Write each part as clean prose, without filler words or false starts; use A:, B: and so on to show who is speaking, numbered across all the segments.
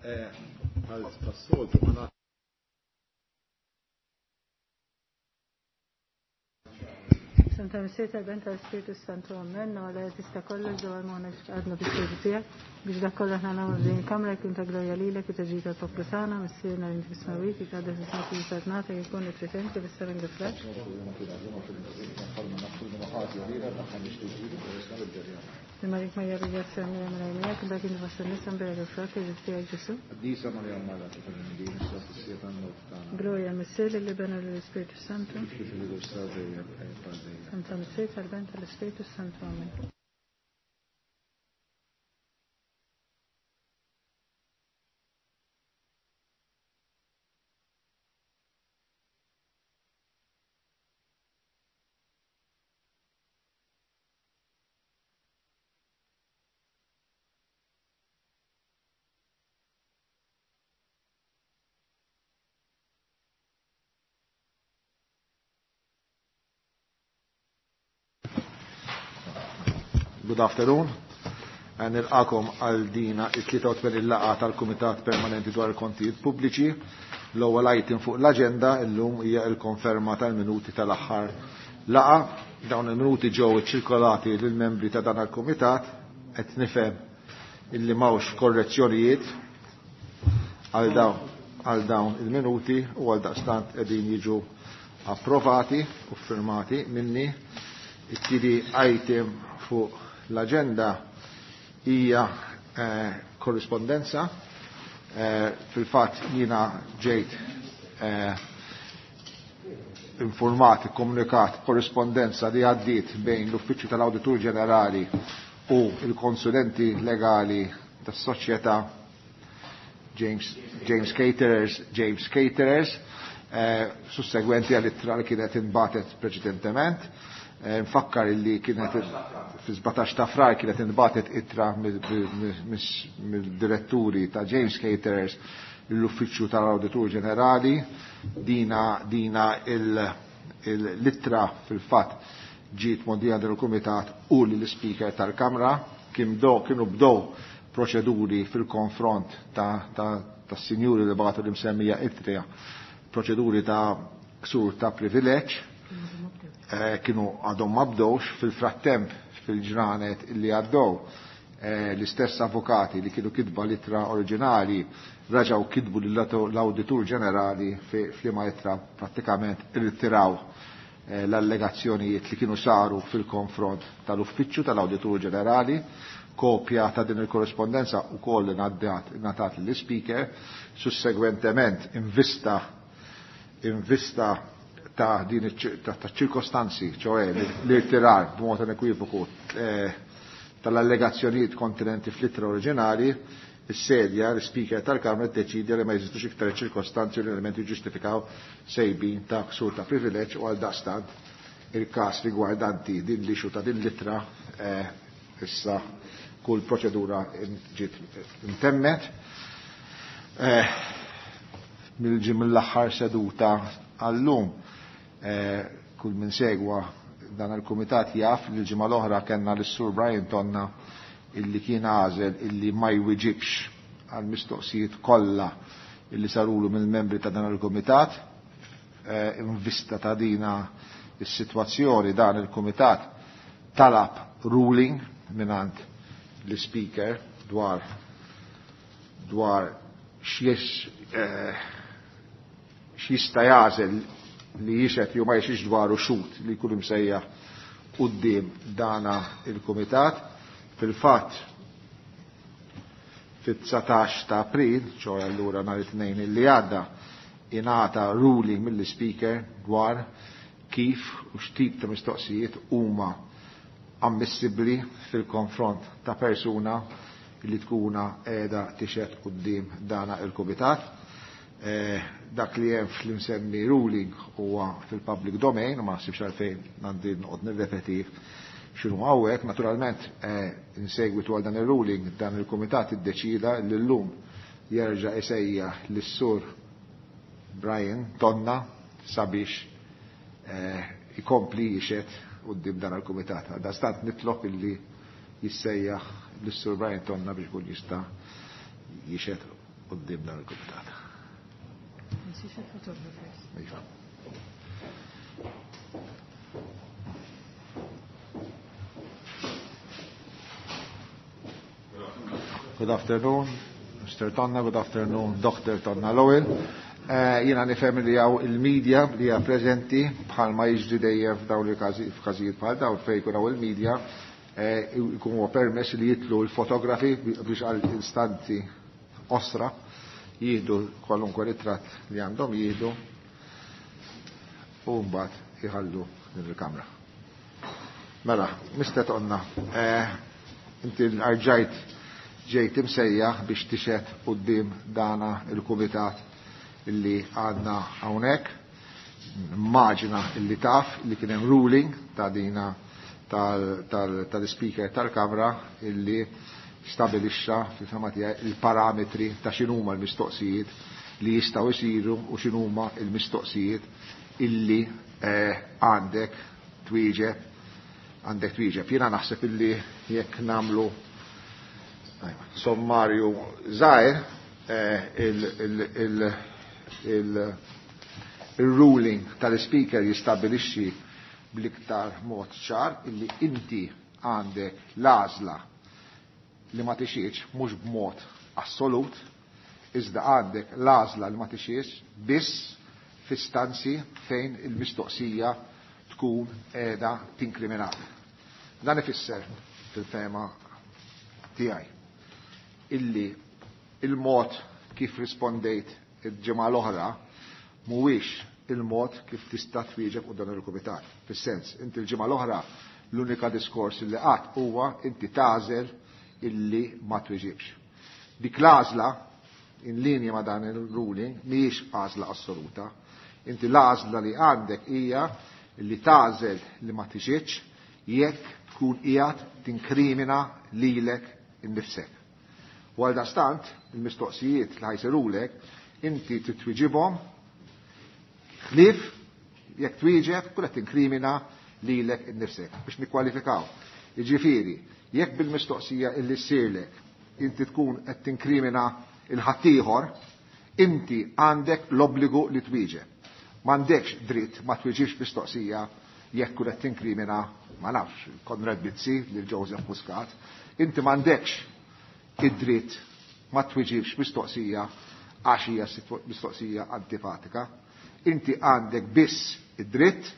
A: Bħal tas-soltu ma
B: Santa Missier tal-Ben tal-Spiritu Santu Amen, għala tista kollox dwar ma għadna bis-sejdu tiegħek biex dak kollha aħna nagħmlu din il-kamra jkun ta' glorja lilek u ta' ġid tal-poplu tagħna, Missierna li inti fis-smewwiet, jitqaddes ismek u saltnatek jkun it-trid inti fis-sema kif fl-art. Marik Marija bil-grazzja Mira Mira Mira, dak inti fost in-nisa mbera il-frott li tiegħek Ġesu.
A: Qaddisa Marija Mara tal-Midin, issa fis-siegħa tan-mewt tagħna.
B: Glorja l-Missier lill-Iben u lill-Ispirtu Santu.
A: Kif kif il-bidu issa dejjem għal dejjem.
B: Santa Missier tal-Ben tal-Ispirtu Santu. Amen.
A: Good afternoon. Nilqakom għal dina it-83 laqgħa tal-Kumitat Permanenti dwar il-Kontijiet Pubbliċi. L-ewwel item fuq l-aġenda llum hija l-konferma tal-minuti tal-aħħar laqgħa. Dawn il-minuti ġew iċċirkolati lill-membri ta' dan il-Kumitat qed nifhem illi m'hawnx korrezzjonijiet għal dawn għal dawn il-minuti u għal daqstant qegħdin jiġu approvati u firmati minni. It-tieni item fuq l-aġenda hija eh, korrispondenza. Eh, Fil-fatt jiena ġejt eh, informat, komunikat korrispondenza li għaddiet bejn l-Uffiċċju tal-Awditur Ġenerali u il-konsulenti legali tas-soċjetà James, James Caterers, James Caterers, eh, sussegwenti għall-ittra li kienet inbatet preċedentement. Eh, nfakkar illi kienet fi 17 ta' frar kienet inbatet ittra mill-diretturi ta' James Caterers l-Uffiċċju tal-Awditur Ġenerali. Dina, dina l-ittra fil-fatt ġiet modija del kumitat u l-Speaker tal-Kamra kien kienu bdow proċeduri fil-konfront ta', ta, ta sinjuri li bagħtu l-imsemmija ittra proċeduri ta' ksur ta' privileġġ eh, kienu għadhom ma bdewx fil-frattemp fil-ġranet illi għaddew eh, l-istess avukati li kienu kitba l-ittra oriġinali raġaw kitbu l-Awditur Ġenerali f'liema ittra prattikament irritiraw eh, l-allegazzjonijiet li kienu saru fil-konfront tal-Uffiċċju tal-Awditur Ġenerali kopja ta' din il-korrespondenza u koll ngħatat l-speaker, sussegwentement invista invista ta' din ta' ċirkostanzi, ċoħe l-irtirar b'mod inekwivoku eh, tal-allegazzjonijiet kontinenti fl-ittra oriġinali, is-sedja, l-speaker tal-Kamra ddeċidja li ma jeżistux iktar ċirkostanzi u l-elementi ġustifikaw sejbin ta' ksur ta' privileġġ u għal daqstant il-każ rigwardanti din l-ixu ta' din l-ittra eh, issa kull proċedura ġiet intemmet. Eh, Mill-ġim mill-aħħar seduta għallum eh, kull min segwa dan il-kumitat jaf li l-ġimgħa l-oħra kellna lis-Sur Brian Tonna illi kien għażel illi ma jwiġibx għal mistoqsijiet kollha illi sarulu mill-membri ta' dan il-kumitat. Eh, in vista ta' dina is-sitwazzjoni dan il-kumitat talab ruling minant l-speaker dwar dwar x'jis eh, x'jista' jagħżel li jixed jew ma jixix dwaru xut li jkun imsejjaħ quddiem dana il-kumitat. Fil-fatt fit-19 ta' April, ċoħe allura nhar it-tnejn illi għadda, ingħata ruling mill-speaker dwar kif u x'tip ta' mistoqsijiet huma ammissibbli fil-konfront ta' persuna li tkuna qiegħda tixed quddiem dana il-kumitat. Eh, dak li hemm fl-imsemmi ruling huwa fil-public domain, u ma naħsibx għalfejn għandi noqgħod nirrepeti x'inhu hawnhekk. Naturalment eh, in segwitu għal dan ir-ruling dan il-kumitat iddeċida li llum jerġa' isejjaħ lis-sur Brian Tonna sabiex eh, ikompli jixed quddiem dan il-kumitat. Għaldaqstant nitlob illi jissejjaħ lis-sur Brian Tonna biex kun jista' jixed. quddiem dan il-kumitat. Iva. Good afternoon, Mr. Tonna, good afternoon, Dr. Tonna Lowell. Jiena nifhem li hawn il-media li hija preżenti bħalma jiġri dejjem f'dawn il-każijiet bħal dawn fejn jkun hawn il-media jkun huwa permess li jitlu l-fotografi biex għal instanti osra jieħdu kwalunkwe ritratt li għandhom jieħdu u mbagħad jħallu din il-kamra. Mela, Mr. Tonna, inti rġajt ġejt imsejjaħ biex tixhed quddiem dana il-kumitat illi għandna hawnhekk. Immaġina illi taf li kien hemm ruling ta' dina tal-speaker tal-Kamra illi stabilixxa fil-fema tiegħi il-parametri ta' x'inhuma l-mistoqsijiet li jistgħu jsiru u x'inhuma l-mistoqsijiet illi għandek twieġeb għandek twieġeb. Jiena naħseb illi jekk nagħmlu sommarju żgħir il-ruling tal-speaker jistabilixxi bl-iktar mod ċar illi inti għandek l-għażla li ma tixiex mhux b'mod assolut, iżda għandek l-għażla li ma tixiex biss f'istanzi fejn il-mistoqsija tkun qiegħda tinkriminat. Dan ifisser fil-fema tiegħi illi il-mod kif rispondejt il-ġimgħa l-oħra mhuwiex il-mod kif tista' twieġeb u dan il-kumitat. Fis-sens, inti l-ġimgħa l-oħra l-unika diskors li qatt huwa inti tagħżel illi ma twieġibx. Dik l-għażla in linja ma' dan il-ruling mhijiex għażla assoluta. Inti l-għażla li għandek hija li tagħżel li ma tiġitx jekk tkun qiegħed tinkrimina lilek innifsek. U għal dastant, il-mistoqsijiet li ħajsirulek, inti titwiġibhom ħlief jekk twieġeb kull qed tinkrimina lilek innifsek biex nikkwalifikaw. Jiġifieri, jekk bil-mistoqsija illi ssirlek inti tkun qed tinkrimina il-ħaddieħor, inti għandek l-obbligu li twieġeb. M'għandekx dritt ma twieġibx mistoqsija jekk kun qed tinkrimina ma nafx Konrad Bizzi lil Joseph Muscat, inti m'għandekx id-dritt ma twieġibx mistoqsija għax hija mistoqsija antipatika. Inti għandek biss id-dritt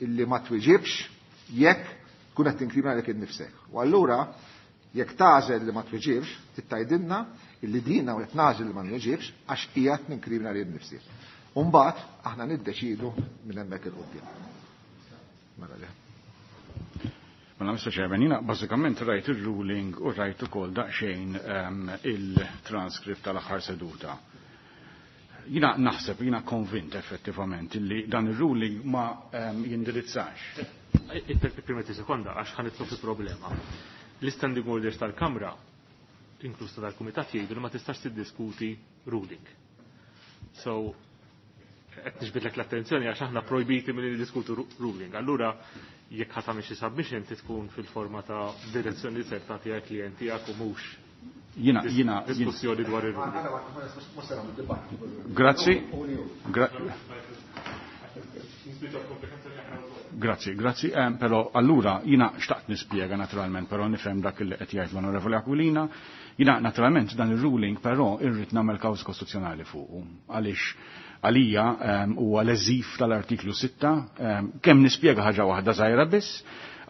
A: illi ma twieġibx jekk tkun qed tinkrimina lilek innifsek. U allura jekk tagħżel li ma twieġibx, tittajdilna illi dina u qed nagħżel li ma nwieġibx għax qiegħed ninkrimina lil innifsi. U mbagħad aħna niddeċidu minn hemmhekk il quddiem. Mela le.
C: Mela Mr. Chairman, jiena bażikament rajt il-ruling u rajt ukoll daqsxejn il-transcript tal-aħħar seduta. Jiena naħseb, jiena konvint effettivament li dan il-ruling ma jindirizzax.
D: Permetti sekonda, għax ħa nidħlu fi problema. L-standing orders tal-Kamra, inkluż tal-Kumitat, jgħidu li ma tistax tiddiskuti ruling. So, qed niġbidlek l-attenzjoni għax aħna projbiti milli niddiskutu ruling. Allura, jekk ħa tagħmel xi submission tkun fil-forma ta' direzzjoni li ser tagħtiha klient tiegħek u mhux
C: Jiena
D: diskussjoni dwar ir-ruling.
C: Grazzi. Grazzi, grazzi. Però allura jiena xtaqt nispjega naturalment, però nifhem dak li qed jgħid l-Onorevoli Aquilina. Jiena naturalment dan ir-ruling però irrid nagħmel kawża kostituzzjonali fuqu. Għaliex għalija huwa leżif tal-artiklu 6, kemm nispjega ħaġa waħda żgħira biss,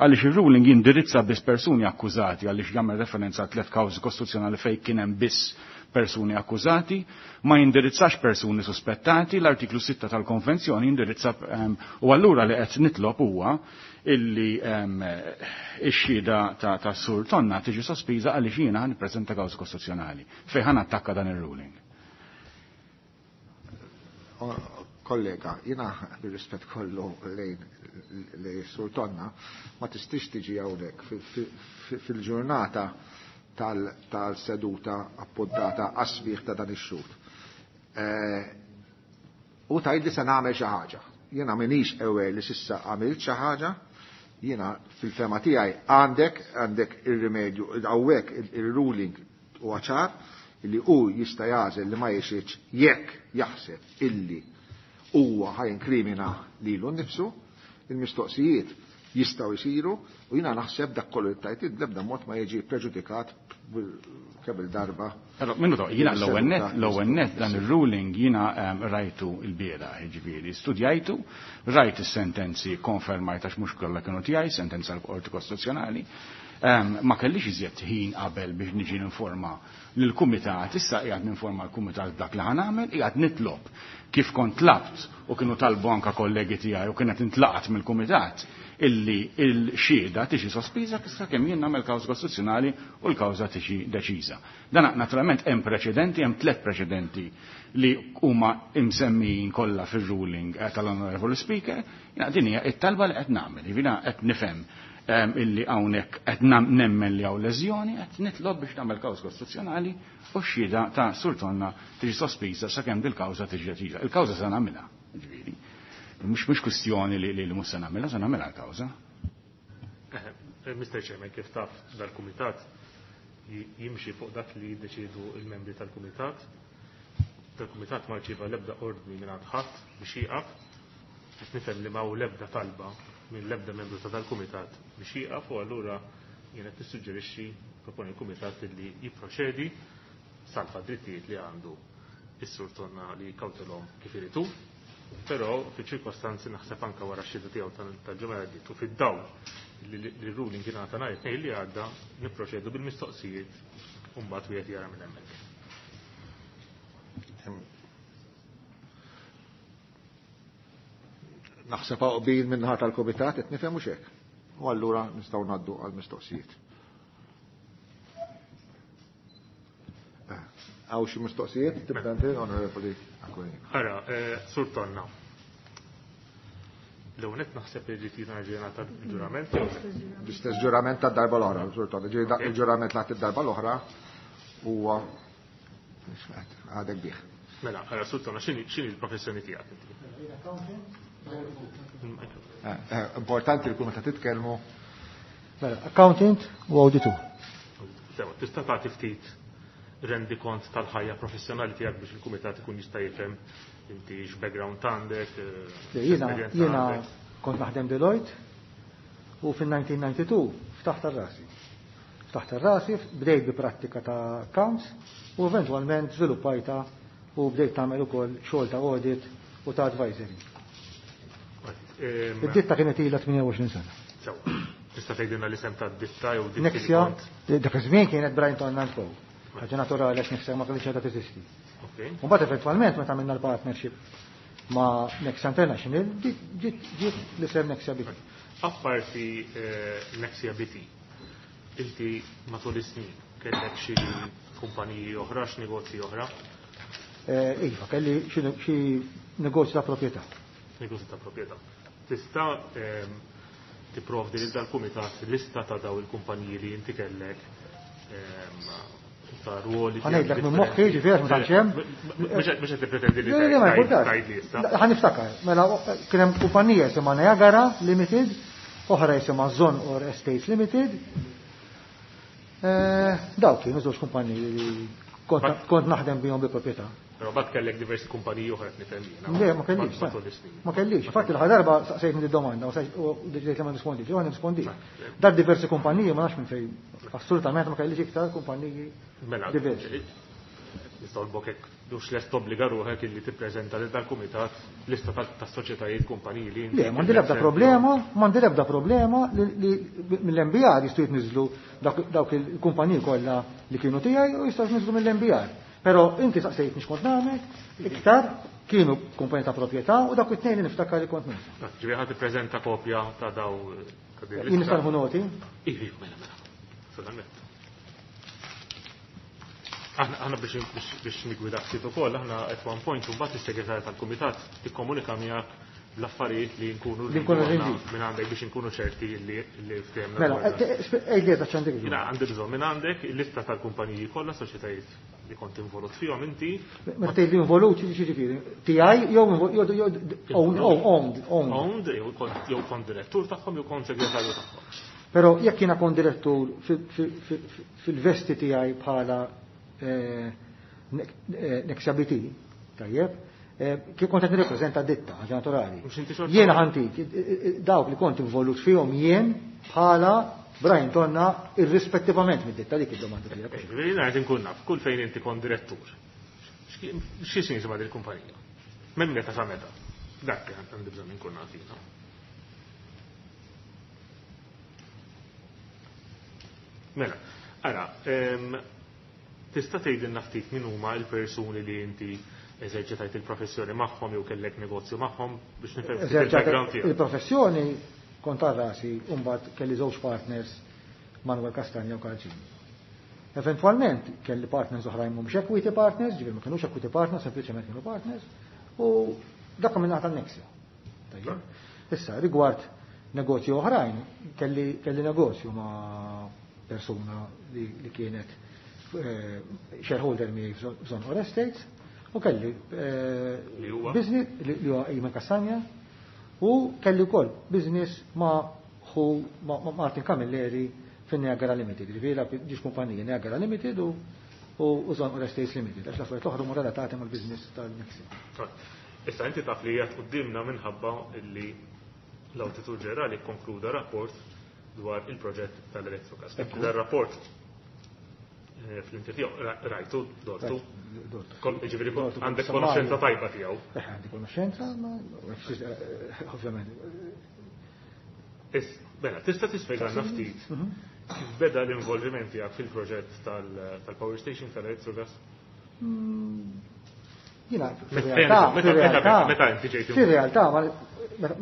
C: għaliex ir-ruling jindirizza biss persuni akkużati, għaliex jagħmel referenza għal tliet kawżi kostituzzjonali fejn kien hemm biss persuni akkużati, ma jindirizzax persuni suspettati, l-artiklu 6 tal-konvenzjoni jindirizza, u allura li qed nitlob huwa illi ix-xhieda ta' Sur Tonna tiġi sospiża għaliex jiena ħa nippreżenta kawża kostituzzjonali fejn ħa nattakka dan ir-ruling.
A: Kollega, jiena bir-rispett kollu lejn li Sur Tonna, ma tistix tiġi hawnhekk fil-ġurnata tal-seduta appuntata għas-smigħ ta' dan ix-xhud. U tgħid li se nagħmel xi ħaġa. Jiena m'iniex aware li s'issa għamilt xi ħaġa, jiena fil-fema tiegħi għandek ir-rimedju, hawnhekk ir-ruling huwa ċar Illi hu jista' jagħżel li ma jixhidx jekk jaħseb illi huwa ħa jinkrimina lilu nnifsu, il-mistoqsijiet jistgħu jsiru u jiena naħseb dak kollu li tajt bl-ebda mod ma jiġi preġudikat kemm il-darba.
C: Però minuto, jiena l-ewwel net dan ir-ruling jiena rajtu l-bieraħ, jiġifieri studjajtu, rajt is-sentenzi konfermajt għax mhux kollha kienu tiegħi, sentenza l-Qorti Kostituzzjonali. Ma kellix iżjed ħin qabel biex niġi ninforma lill-kumitat, issa qiegħed ninforma l-kumitat dak li ħa nagħmel, qiegħed nitlob kif kont tlabt u kienu talbu anka kollegi tiegħi u kienet intlaqat mill-kumitat illi il-xhieda tiġi sospiża sakemm jien nagħmel kawża kostituzzjonali u l-kawża tiġi deċiża. Dan naturalment hemm preċedenti, hemm tliet preċedenti li huma imsemmijin kollha fir-ruling tal-Honorable Speaker, jiena din hija t-talba li qed nagħmel, jiena qed nifhem illi hawnhekk qed nemmen li hawn leżjoni, qed nitlob biex nagħmel kawża kostituzzjonali u x-xhieda ta' Sur Tonna tiġi sospiża sakemm dil-kawża tiġi deċiża. Il-kawża se nagħmilha, ġifieri. Mhux kwistjoni li mhux se nagħmilha, se nagħmilha l-kawża.
D: Mr. Chairman, kif taf dal-kumitat jimxi fuq dak li jiddeċiedu il-membri tal-kumitat. Dal-kumitat ma rċieva l-ebda ordni minn ħadd biex jieqaf, qed nifhem li ma hu l-ebda talba minn l-ebda membru ta' dal-kumitat biex jieqaf u allura jien qed nissuġġerixxi proponi l-kumitat li jipproċedi salva drittijiet li għandu is-Sur Tonna li jikkawtelhom kif irid hu. Però fiċ-ċirkostanzi naħseb anke wara x-xhieda tiegħu tal-ġimgħa li għaddiet u fid-dawl li l-ruling ingħata nhar it-Tnejn li għadda nipproċedu bil-mistoqsijiet u mbagħad wieħed jara minn hemmhekk.
A: Naħseb qbil min-naħa tal-kumitat qed nifhem mhux hekk. U allura nistgħu ngħaddu għall-mistoqsijiet. Għaw xi mistoqsijiet? Tibda inti, Onorevoli Aquilina.
D: Ara, Sur Tonna. L-ewwel nett naħseb li ġiet jiena ġurnata ġurament jew le?
A: L-istess ġurament tad-darba l-oħra, Sur Tonna. Ġieli dak il-ġurament li id-darba l-oħra huwa għadek bih.
D: Mela, ara, Sur Tonna, x'inhi l-professjoni tiegħek inti?
A: Importanti li kull meta titkellmu.
E: Mela, accountant u auditur.
D: Sewa, tista' tagħti ftit rendi kont tal-ħajja professjonali tiegħek biex il-kumitat ikun jista' jifhem inti x'background għandek,
E: Le,
D: x'esperjenza
E: jiena
D: għandek.
E: kont naħdem Deloitte u fin-1992 ftaħt ar-rasi. Ftaħt ar-rasi, bdejt bi prattika ta' accounts u eventwalment żviluppajta u bdejt nagħmel ukoll xogħol ta' audit u ta' advisory. Id-ditta kienet ilha 28 sena.
D: Sewa. Tista' tgħidilna l-isem tad-ditta jew ditti li
E: Nexia,
D: kont?
E: dak iż-żmien kienet Brian Tonna and Co. Ħaġa naturali għax Nexia ma kellix għadha teżisti. U mbagħad eventwalment meta għamilna l-partnership ma' Nexia International, ġiet l-isem Nexia BT.
D: Apparti Nexia BT, inti matul is-snin kellek xi kumpaniji oħra, x'negozji oħra?
E: Iva, kelli xi negozju ta' proprjetà.
D: Negozju ta' proprjetà. Tista' tipprovdi lil dal-kumitat lista ta' daw il-kumpaniji li inti kellek ta' ruoli
E: Ħa ngħidlek minn moħħi, ġifieri, ma tantx hemm.
D: Mhux qed tippretendi li
E: Le, le, ma jkunx.
D: tgħid lista.
E: Ħa niftakar. Mela, kien hemm kumpanija jisimha Niagara Limited, oħra jisimha Zon or Estates Limited. Dawk kienu żewġ kumpaniji li kont naħdem bihom bi proprjetà.
D: Però bad kellek diversi kumpaniji oħra qed nifhem jiena.
E: Le, ma kellix,
D: Matul is-snin.
E: Ma kellix. Infatti l-aħħar darba saqsejtni di domanda u deċidejt li ma nirrispondix, u ma nirrispondix. Dar diversi kumpaniji ma nafx minn fejn. Assolutament ma kellix iktar kumpaniji
D: Mela,
E: diversi.
D: Nistolbok hekk dux lest tobbliga ruħek illi tippreżenta lil dal-kumitat lista ta' soċjetajiet kumpaniji li inti
E: Le, m'għandi l-ebda problema, m'għandi l-ebda problema li mill-MBR jistgħu jitniżlu dawk il-kumpaniji kollha li kienu tiegħi u jistgħu jitniżlu mill-MBR. Però inti saqsejtni x'kont nagħmel, iktar kienu kumpaniji ta' proprjetà u dawk it-tnejn li niftakar li kont nagħmel.
D: Ġifieri ħadd tippreżenta kopja ta' daw ta' din
E: Jien
D: lista.
E: nista' nieħu noti?
D: Iva, iva, mela, mela. Solament. Aħna biex nigwidak ftit ukoll, aħna at one point u mbagħad is-segretarja tal-kumitat tikkomunika miegħek l-affarijiet li nkunu
E: Li nkunu
D: rridu
E: rridu.
D: minn għandek biex nkunu ċerti li ftehemna
E: Mela,
D: dwar dan.
E: ej li eżatt x'għandek bżonn.
D: Jiena għandi bżonn minn għandek il-lista tal-kumpaniji kollha, soċjetajiet li kont involut fihom inti.
E: Meta tgħid li involut, xi ġifieri? Tiegħi jew jew jew owned, owned, owned.
D: Owned, jew kont direttur tagħhom jew kont segretarju tagħhom.
E: Però jekk jiena kont direttur fil-vesti tiegħi bħala Nexia BT, tajjeb, kif kont qed nirrepreżenta ditta, ħaġa naturali.
D: Mhux inti xorta-
E: Jiena ħantik, dawk li kont involut fihom jien bħala Brian Tonna irrispettivament mid-ditta dik id-domanda tiegħek.
D: Ġifieri jiena qed inkun naf kull fejn inti kont direttur. Xi sin jisimha dil-kumpanija? Minn meta sa meta? Dak li għandi bżonn inkun naf jiena. Mela, ara, tista' tgħidilna ftit min huma l-persuni li inti eżerċitajt il-professjoni magħhom jew kellek negozju magħhom biex nifhem ftit il-background tiegħek.
E: Il-professjoni kont għal rasi u mbagħad kelli żewġ partners Manuel Castagna u Karl Cini. Eventwalment kelli partners oħrajn mhumiex equity partners, ġifieri ma kinux equity partners, sempliċement kienu partners, u dak minn naħa tan-Nexia. Tajjeb. Issa, rigward negozju oħrajn, kelli negozju ma' persuna li kienet shareholder miegħi f'Żonqor Estates, u kelli
D: Li huwa?
E: business li huwa Eamon Castagna, u kelli wkoll business ma' ħu ma' Martin Camilleri fin Niagara Limited, ġifieri dak ġiex kumpaniji Niagara Limited u Żonqor Estates Limited, għax l-affarijiet l-oħra huma relatati mal-business tal-Nexia.
D: Issa inti taf li qiegħed quddiemna minħabba li l-Awditur Ġenerali kkonkluda rapport dwar il-proġett tal-Electrogas.
E: Ekku.
D: Dan rapport fl-inti tiegħu rajtu, dortu.
E: Rajtu, dortu.
D: Ġifieri
E: Dortu,
D: għandek
E: samari.
D: konoxenza tajba tiegħu.
E: Għandi konoxenza, ma ovvjament.
D: Mela, tista' tispjegalna ftit kif beda l-involviment tiegħek fil-proġett tal-power station tal-Electrogas?
E: Jiena,
D: Meta
E: fir-realtà,
D: inti ġejt
E: fir-realtà,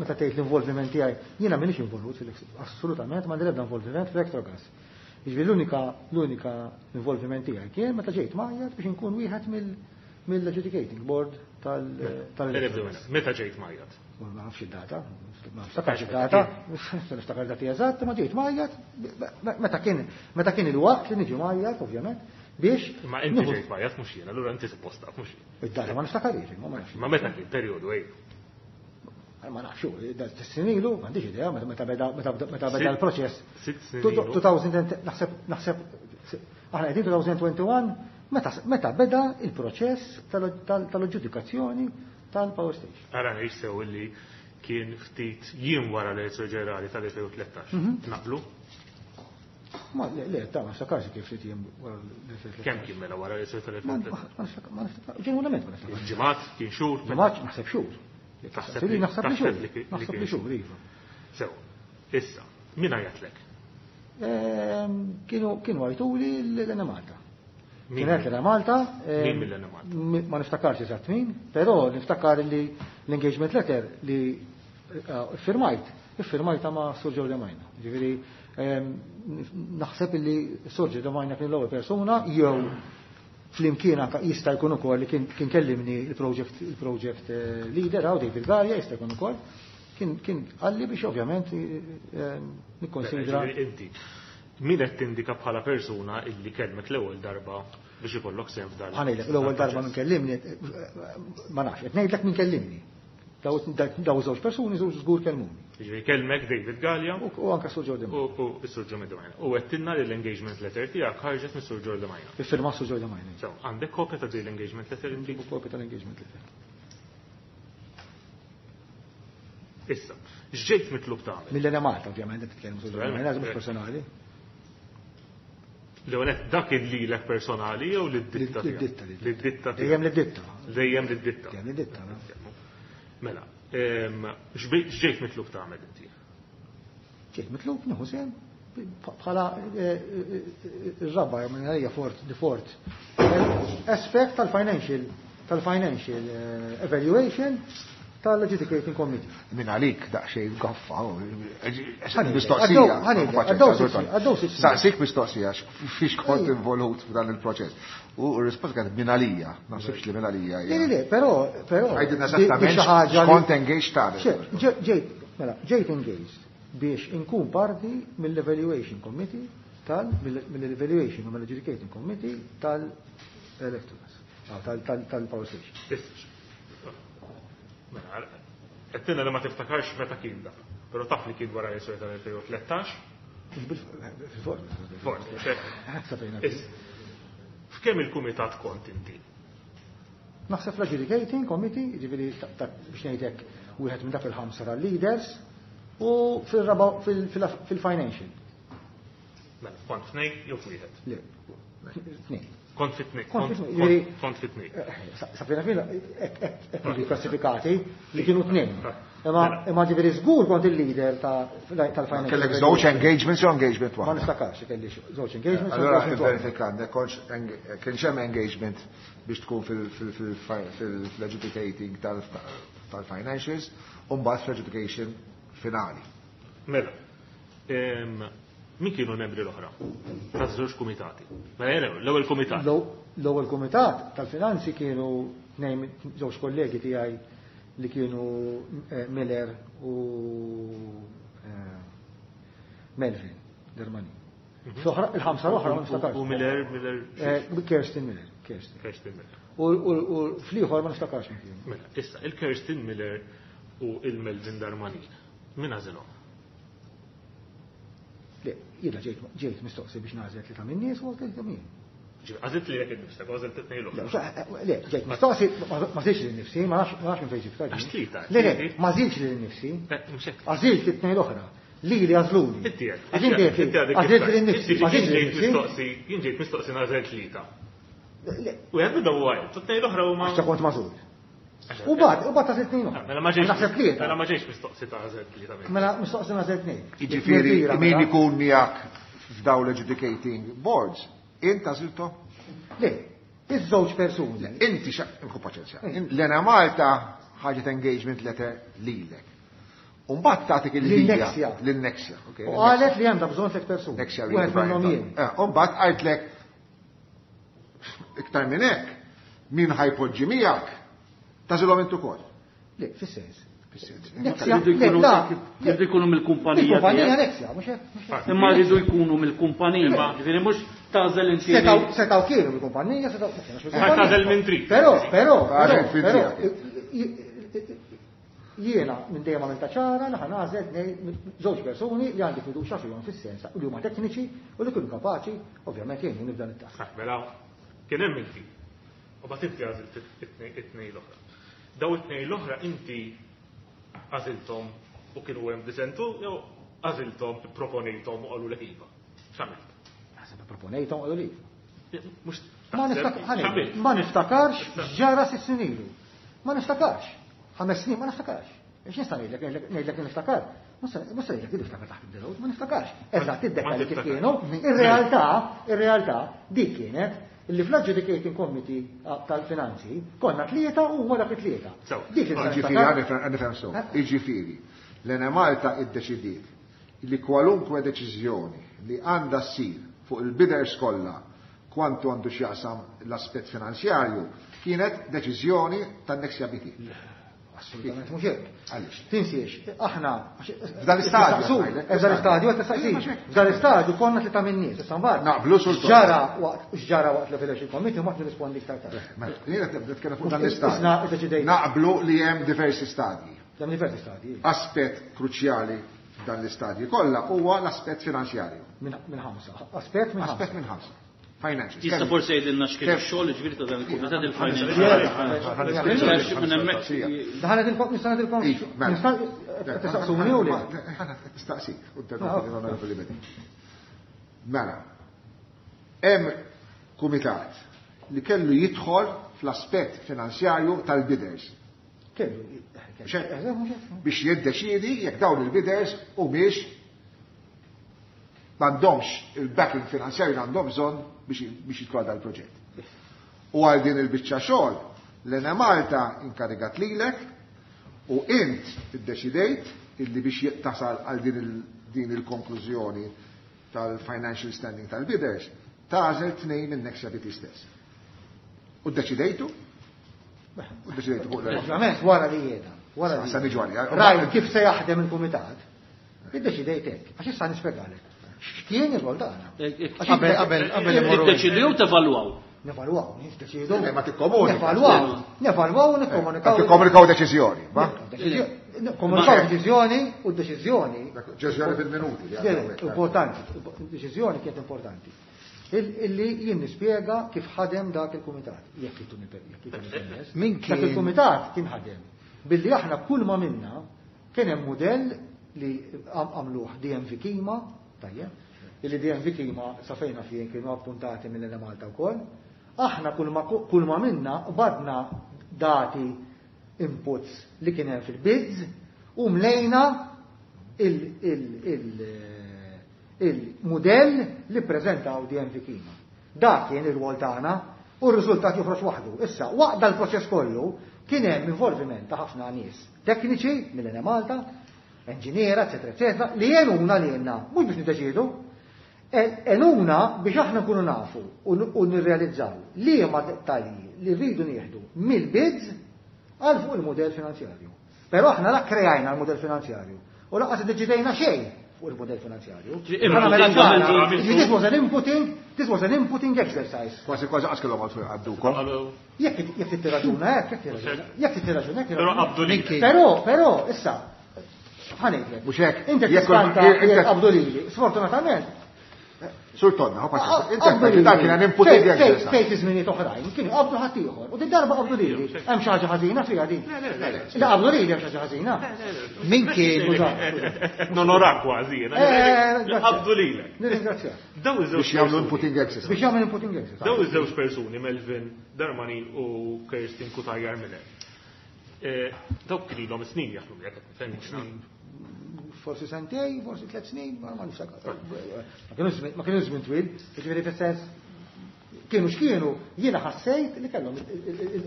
E: meta tgħid l-involviment tiegħi, jiena m'iniex involut fil-, assolutament m'għandi l-ebda involviment fil-Electrogas. Jiġifieri l-unika involviment tiegħi kien meta ġejt mgħajjat biex inkun wieħed mill-adjudicating board tal-Electrogas.
D: Meta ġejt mgħajjat?
E: Ma nafx id-data, ma niftakarx id-data, niftakar dati eżatt, ma ġejt mgħajjat, meta kien il-waqt li niġi mgħajjat, ovvjament, biex
D: Ma inti
E: nieħu
D: ġejt mgħajjat mhux jiena, allura inti suppost taf mhux jien.
E: Id-data ma niftakarx, ma nafx.
D: Ma meta kien perjodu ej?
E: Ma nafx, da snin ilu, m'għandix idea, meta beda l-proċess.
D: 6 snin ilu.
E: 2000 and, naħseb, naħseb, aħna qegħdin 2021, meta beda il-proċess tal-aġġudikazzjoni tal-power station.
D: Ara ngħid sew illi kien ftit jiem wara l-elezzjoni ġenerali tal-2013. Naqblu?
E: Ma le, le, ta' ma niftakarx kif ftit jiem wara l-2013.
D: Kemm kien mela wara l-elezzjoni tal-2013?
E: Ma niftakar, ma niftakar, ġenwinament ma niftakar.
D: Ġimgħat, kien xhur?
E: Ġimgħat, naħseb xhur.
D: Taħseb
E: Li naħseb li xhur.
D: li
E: Naħseb li
D: kien
E: xhur, iva.
D: Sew, issa, min għajatlek?
E: Kienu għajtuli l-Enemalta.
D: Min?
E: Kienet l-Enemalta,
D: Min mill-Enemalta?
E: ma niftakarx eżatt min, però niftakar li l-engagement letter li iffirmajta ma' Sur Joe Demajna. Ġifieri, naħseb li Sur Joe Demajna kien l-ewwel persuna jew flimkien anka jista' jkun ukoll li kien kellimni il-project leader hawn David Galea jista' jkun ukoll kien qalli biex ovvjament nikkonsidra.
D: Ġifieri inti, min qed tindika bħala persuna illi kellmek l-ewwel darba biex ikollok sehem f'dan?
E: Ħa ngħidlek, l-ewwel darba min kellimni, ma nafx, qed ngħidlek min kellimni. Daw żewġ persuni żewġ żgur kellmuni.
D: Ġifieri kellmek David Galea
E: u anka Sur Joe Demajna.
D: U Sur Joe Demajna. U għedtilna li l-engagement letter tiegħek ħarġet minn Sur Joe Demajna.
E: Iffirma Sur Joe Demajna.
D: So, għandek kopja ta' din l-engagement letter inti?
E: Kopja tal-engagement letter.
D: Issa, x'ġejt mitlub tagħmel?
E: Mill-Enemalta, ovvjament, qed titkellmu Sur Joe Demajna, mhux personali.
D: Leonet, dak il-lilek personali jew lid-ditta tiegħek?
E: Lid-ditta, lid-ditta.
D: Lid-ditta tiegħek.
E: Dejjem lid-ditta.
D: Dejjem lid-ditta.
E: Dejjem lid-ditta, no?
D: Mela, x'ġejt mitlub tagħmel inti?
E: Ġejt mitlub nieħu sehem bħala ir-raba' minn għalija fort, di fort. Aspect tal-financial evaluation tal-Adjudicating Committee.
A: Min għalik daqsxejn gaffa,
E: Ħanejlek,
A: mistoqsija.
E: ħanejlek, għaddew sitt snin, għaddew sitt snin.
A: Saqsik mistoqsija, fiex kont involut f'dan il-proċess. U r-risposta kienet min għalija, ma naħsibx li min għalija hija.
E: Le, le, le, però, però,
A: Għajdilna
E: di
A: esattament
E: xi ħaġa li
A: x'kont engaged tagħmel.
E: Ċe, ġejt, mela, ġejt engaged biex inkun parti mill-Evaluation Committee tal, mill-Evaluation u mill-Adjudicating Committee tal-Electrogas, tal-Power Station.
D: Mela, għedtilna li ma tiftakarx meta kien da, però taf li kien wara l-elezzjoni tal-2013?
E: Fil-fort.
D: Fort,
E: Sa fejna.
D: F'kemm il-kumitat kont inti?
E: Naħseb fl-adjudicating committee, jiġifieri biex ngħidlek wieħed minn dak il-ħamsa tal-leaders, u fil-raba fil-financial.
D: Mela, kont f'tnejn jew f'wieħed?
E: Le, tnejn.
D: Kont fit tnejn.
E: Kont fit tnejn.
D: Kont fit tnejn.
E: Safina fina, hekk jiġu klassifikati li kienu tnejn. Imma ġifieri żgur kont il-leader tal-financial.
A: Kellek żewġ engagements jew engagement
E: Ma
A: waħda?
E: niftakarx kelli żewġ engagements.
A: Allora
E: engagement waħda.
A: verifika kienx hemm engagement biex tkun fil-adjudicating tal-financials u mbagħad fl-adjudication finali.
D: Mela, min kienu l-membri l-oħra? Taż-żewġ kumitati. Mela jew l-ewwel kumitat.
E: L-ewwel kumitat tal-finanzi kienu tnejn żewġ kollegi tiegħi li kienu Miller u Melvin Darmanin. Il-ħamsa l-oħra ma niftakarx.
D: U Miller, Miller.
E: Kirsten Miller, Kirsten.
D: Kirsten Miller.
E: U fl-ieħor ma niftakarx min kienu.
D: Mela, issa il-Kirsten Miller u il-Melvin Darmanin. Min għażilhom?
E: Le, jiena ġejt mistoqsi biex nagħżel tlieta min-nies u għażilt tlieta min.
D: Għażilt li jekk innifsek, għażilt it-tnejn l-oħra.
E: Le, ġejt mistoqsi, ma għażilx lil nifsi, ma nafx minn fejn ġibtha.
D: Għax tlieta.
E: Le, le, ma għażilx lil nifsi.
D: Mhux hekk.
E: Għażilt it-tnejn l-oħra. Li li għażluni.
D: Inti għed.
E: Għax inti għed.
D: Inti għadek
E: Għażilt
D: kif
E: lil nifsi,
D: Inti
E: ma għażilx lil
D: ġejt
E: nifsi.
D: mistoqsi, jien ġejt mistoqsi nagħżel tlieta.
E: Le.
D: U għed bidda u għajt, t-tnejn l-oħra huma.
E: Għax kont magħżul. U bad ta' tnejn oħra.
D: Mela ma ġejx.
E: Naħseb tlieta.
D: Mela ma ġejx mistoqsi ta' għażel tlieta.
E: Mela mistoqsi nagħżel tnejn.
A: Jiġifieri
E: Tlieta,
A: min
E: mela.
A: ikun miegħek f'dawn l-adjudicating boards, int għażiltu?
E: Le, iż-żewġ persuni.
A: Le, inti xa, imħu paċenzja. L-Enemalta ħaġet engagement letter lilek. U mbagħad tagħtik il-linja.
E: Lin-Nexia.
A: Lin-Nexia, okej,
E: U
A: lin-Nexia.
E: qalet li għandha bżonn tliet persuni.
A: Nexia
E: Wieħed
A: Reed
E: minnhom
A: Brian.
E: jien.
A: U mbagħad qaltlek iktar minn hekk, min ħajpoġġi miegħek, tagħżilhom int ukoll.
E: Le, fis-sens.
A: Fis-sens.
E: Nexia,
F: Jridu
E: le,
F: jkunu-
E: la,
F: jridu jkunu mill-kumpanija
E: Il-kumpanija
F: tiegħek.
E: Nexia, mhux hekk, mhux hekk.
F: Imma jridu jkunu mill-kumpanija, ġifieri mhux tagħżel inti.
E: Setaw kienu mill-kumpanija, setaw ma kienux mill-kumpanija.
D: Tagħżel minn trid.
E: Però, però,
A: Tagħżel
E: però,
A: minn
E: però,
A: trid.
E: jiena minn dejjem għamilta ċara li ħanażel żewġ persuni li għandi fiduċja fihom fis-sens li huma tekniċi u li kienu kapaċi, ovvjament jgħinu nibda nit-task.
D: Ah, mela, kien hemm inti. U bagħad inti għażilt it-tnejn l-oħra. Daw it-tnejn l-oħra inti għażilthom u kienu hemm disentu jew għażilthom, proponejthom u qalu lek iva. X'għamilt?
E: Naħseb proponejthom u qalu li iva.
D: Mhux
E: Ma
D: taħseb, x'għamilt?
E: niftakarx x'ġara sitt snin ilu. Ma niftakarx. 5 snin ma niftakarx. Ix nista' ngħidlek, ngħidlek li niftakar. Mhux se ngħidlek li niftakar taħt id-delot, ma niftakarx. Eżatt id-dettalji kif
D: Ma
E: kienu. Ir-realtà dik kienet li fl-adjudicating committee tal-finanzi konna tlieta u huma dak it-tlieta.
D: Sew.
E: Dik li nista'
A: Jiġifieri,
E: niftakar.
A: għan nifhem sew.
E: Eh?
A: Jiġifieri, l-Enemalta iddeċidiet li kwalunkwe deċiżjoni li għandha ssir fuq il-bidders kollha kwantu għandu x'jaqsam l-aspett finanzjarju kienet deċiżjoni tan-Nexia BT.
E: Assolutament mhux hekk.
A: Għaliex?
E: Tinsiex, aħna
A: F'dan l-istadju,
E: Tistaqsu,
A: ngħidlek,
E: f'dan l-istadju qed tistaqsi.
A: Ejja, mhux hekk.
E: F'dan l-istadju konna tlieta minn nies, issa mbagħad.
A: Naqblu sultan.
E: X'ġara waqt l-Evaluation Committee ma nirrispondi iktar tard.
A: Mela, jiena qed nitkellem fuq dan
E: Isna
A: l-istadju.
E: iddeċidejna.
A: Naqblu li hemm diversi stadji.
E: Hemm diversi stadji.
A: Aspett kruċjali f'dan l-istadji kollha huwa l-aspett finanzjarju.
E: Minn ħamsa. Aspett minn ħamsa.
A: Aspett minn ħamsa. Financials.
F: Jista'
A: Kemm-
F: forsi jgħidilna x'kien
A: Kemm-
F: ix-xogħol ġifieri ta' dan il-kumitat il-financial.
E: Minn
F: hemmhekk.
E: Daħanet il-kom, nista' ngħidilkom.
A: Iva, mela.
E: Nista' tistaqsuni u le?
A: Nistaqsik, u interrompi li Mela, hemm kumitat li kellu jidħol fl-aspett finanzjarju tal-bidders.
E: Kellu.
A: Xejn. Biex jiddeċiedi jekk dawn il-bidders u biex m'għandhomx il-backing finanzjarju li għandhom bżonn biex jidħol dal-proġett. U għal din il-biċċa xogħol l-Enemalta inkarigat lilek u int iddeċidejt illi biex tasal għal din il-konklużjoni tal-financial standing tal-bidders, tagħżel tnejn minn Nexia BT stess. U ddeċidejtu? U ddeċidejtu fuq l
E: Ovvjament, wara li jiena. Wara li
A: Sa niġu għalija.
E: Rajt kif se jaħdem il-kumitat, iddeċidejt hekk, għax issa nispjegalek. X'kien ir-rol tagħna? Għax
F: Qabel,
E: inti-
F: qabel, qabel imorru. Tiddeċidu jew tevalwaw?
E: Nevalwaw, niddeċidu.
A: Le, ma tikkomunika.
E: Nevalwaw, nevalwaw u nikkomunikaw.
A: Ma tikkomunikaw deċiżjoni, va?
E: Komunikaw deċiżjoni u deċiżjoni.
A: Deċiżjoni fil-minuti. li
E: Le,
A: għandhom hekk.
E: importanti, deċiżjoni kienet importanti. Illi jien nispjega kif ħadem dak il-kumitat. Jekk ituni permess.
G: Min
E: Dak
G: kien-
E: il-kumitat kien ħadem. Billi aħna kull ma minna kien hemm mudell li għamluh DMV Kima, tajjeb, illi DMV Kima sa fejna fien kienu appuntati mill Malta wkoll. Aħna kull ma minna badna dati inputs li kien hemm fil-bids u mlejna il-mudell li prezentaw DMV Kima. Dak kien ir-rwol tagħna u r-riżultat joħroġ waħdu. Issa, waqt dal-proċess kollu kien hemm involviment ta' ħafna nies tekniċi mill Malta, enġiniera, eċetera, eċetera, li jenuna li jenna, mhux biex niddeċiedu, enuna biex aħna nkunu nafu u nirrealizzaw li ma dettalji li rridu nieħdu mill-bids għal fuq il-modell finanzjarju. Però aħna la kreajna l-modell finanzjarju u lanqas iddeċidejna xejn fuq il-modell finanzjarju. This was an inputting, this was an inputting exercise.
A: Kważi kważi qas kellhom għalfejn għaddukom.
E: Jekk tittirraġuna hekk, jekk tittirraġuna hekk.
D: Però qabdu lili.
E: Però, però, issa, ħa ngħidlek.
A: Mhux hekk.
E: Inti
A: Jekk
E: tiskanta
A: inti-
E: jekk qabdu lili. Sfortunatament,
A: Sur Tonna, hoppa, inti dak kien inputting exercise.
E: Fejn fi żminijiet oħrajn kienu qabdu ħadd ieħor. U din darba qabdu lili. Hemm xi ħaġa ħażina fiha din. La qabdu lili hemm xi ħaġa ħażina.
G: Min kien
D: Nonorak kważi, jiena. Qabdu lilek.
E: Nirringrazzjak.
D: Daw iż-żewġ
A: Biex jagħmlu
D: persuni-
A: inputting exercise.
E: Biex jagħmel inputting exercise.
D: Daw iż-żewġ persuni, Melvin Darmanin u Kirstin Cutajar Miller. Dawk kien ilhom snin jaħdmu jekk qed nifhem.
E: Forsi sentej, forsi 3 snin, ma niftakar. Ma kienu żmien twil, jiġifieri fis-sens kienu x'kienu, jiena ħassejt li kellhom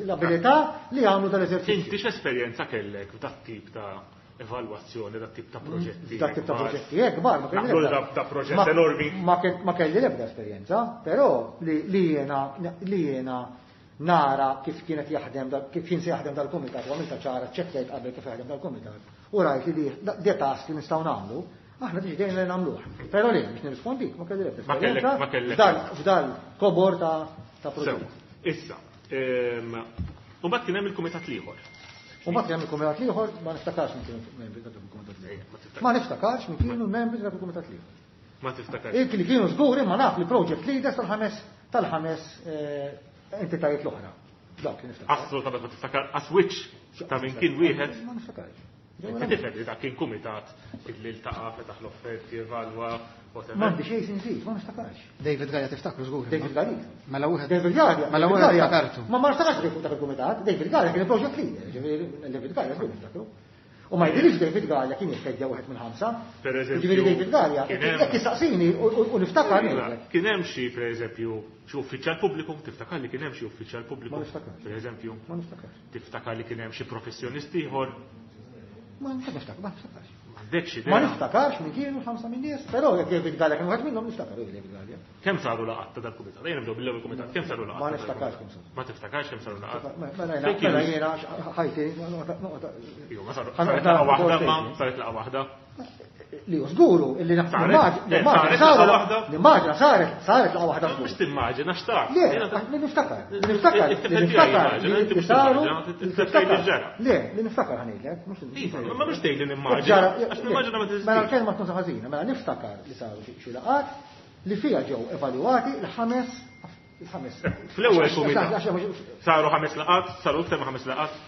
E: l-abilità li jagħmlu dal-eżerċizzju.
D: Inti x'esperjenza kellek f'dat tip ta' evalwazzjoni, dat tip ta' proġetti?
E: Dak tip ta' proġetti, kbar, ma kelli
D: Naħdu
E: l-ebda.
D: da proġett enormi.
E: Ma kelli l-ebda esperjenza, però li jiena nara kif kienet jaħdem, kif kien se jaħdem dal-kumitat, u għamilta ċara, ċekkjajt qabel kif jaħdem dal-kumitat, u rajt li di task li nistgħu nagħmlu, aħna deċidejna li nagħmluh. Però li, biex nirrispondik, ma kelli l-ebda
D: Ma kellek,
E: esperjenza
D: ma kellek.
E: f'dal kobor ta'
D: Sew,
E: proġett.
D: issa. U mbagħad kien hemm il-kumitat l-ieħor.
E: U mbagħad kien hemm il-kumitat l-ieħor, ma niftakarx minn kienu membri ta' dak il-kumitat l-ieħor. Ma niftakarx minn kienu membri ta' dak il-kumitat l-ieħor.
D: Ma tiftakarx.
E: Il li kienu żgur imma naf li project leaders tal-ħames entitajiet l-oħra. Dawk li niftakar.
D: Assolutament ma tiftakar għas-switch ta' minn kien wieħed.
E: Ma niftakarx.
D: Inti tifhem li dak kien kumitat illi ltaqa' fetaħ l-offerti, evalwa, whatever.
E: M'għandi xejn sinżid, ma niftakarx.
G: David Galea tiftakru żgur.
E: David Galea.
G: Mela wieħed.
E: David Galea.
G: Mela
E: David
G: wieħed
E: Galea.
G: ftakartu.
E: Ma niftakarx li dak il-kumitat, David Galea kien il-project leader, ġifieri David Galea żgur niftakru. U ma jidhirx David Galea kien jitkeġġa wieħed minn ħamsa.
D: Per eżempju,
E: Ġifieri David Galea,
D: kien hemm-
E: jekk jistaqsini u niftakar ngħidlek.
D: Kien hemm xi pereżempju xi uffiċjal pubbliku, tiftakar li kien hemm xi uffiċjal pubbliku?
E: Ma niftakarx.
D: Pereżempju,
E: Ma niftakarx.
D: tiftakar li kien hemm xi professjonisti ieħor?
E: Ma niftakarx, ma niftakarx.
D: M'għandekx idea.
E: Ma niftakarx minn kienu l-ħamsa minn nies, però jekk David Galea kien wieħed minnhom niftakar David Galea.
D: Kemm saru laqgħat ta' dal-kumitat? Ejja nibdew bil-ewwel kumitat. Kemm saru laqgħat?
E: Ma
D: ta' dal-kumitat?
E: niftakarx kemm saru.
D: Ma tiftakarx kemm saru laqgħat?
E: Mela
D: Fejn kienu?
E: mela jiena ħajti noqgħod
D: Iva, ma saru.
E: Ħa
D: Saret
E: noqgħod
D: laqgħa waħda
E: noqgħod
D: ma
E: noqgħod
D: saret laqgħa waħda.
E: Li hu żguru illi
D: Saret?
E: nimmaġina
D: Saret
E: saru
D: laqgħa waħda?
E: nimmaġina saret laqgħa waħda żgur.
D: Mhux timmaġina x'taf.
E: Le, li niftakar, li niftakar, li niftakar, li saru, li niftakar. Le, li niftakar ħa ngħidlek, mhux
D: Iva, ma mhux tgħid li nimmaġina, għax nimmaġina ma
E: Mela
D: teżistix.
E: l-kelma tkun ħażina, mela niftakar li saru xi laqgħat li fiha ġew evalwati l-ħames il-ħames.
D: Fl-ewwel kumitat. Saru ħames laqgħat, saru iktar ma' ħames laqgħat.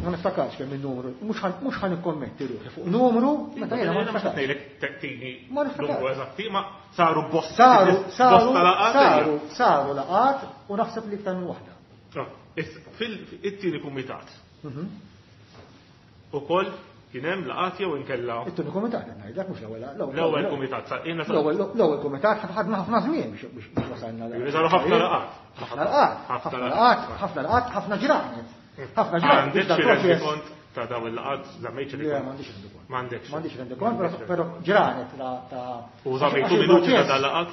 E: Ma niftakarx kemm il-numru, mhux ħan ikkommetti ruħi fuq numru meta jiena ma
D: Jiena mhux
E: niftakarx.
D: ngħidlek tini
E: Ma niftakarx.
D: numru eżatti, ma saru bosta.
E: Saru, saru,
D: bosta laqgħat.
E: saru, saru laqgħat u naħseb li iktar minn waħda.
D: Ah, issa, Fil-tieni kumitat. Ukoll kien hemm laqgħat jew inkella
E: It-tieni kumitat qed ngħidlek mhux l-ewwel
D: l-ewwel kumitat sa jiena sa-
E: L-ewwel kumitat ħadna ħafna żmien biex wasalna.
D: Jiġifieri saru ħafna laqgħat.
E: Ħafna laqgħat, ħafna laqgħat, ħafna laqgħat, ħafna ġranet. Ħafna ġranet.
D: Għandek
E: biex
D: xi
E: dal-proċess-
D: rendikont ta' daw il-laqgħat, żammejt xi
E: Le,
D: rendikont?
E: m'għandix rendikont.
D: M'għandekx.
E: M'għandix rendikont, però ġranet ta'
D: U żammejtu
E: għax
D: minuti ta'
E: il-proċess-
D: dal-laqgħat?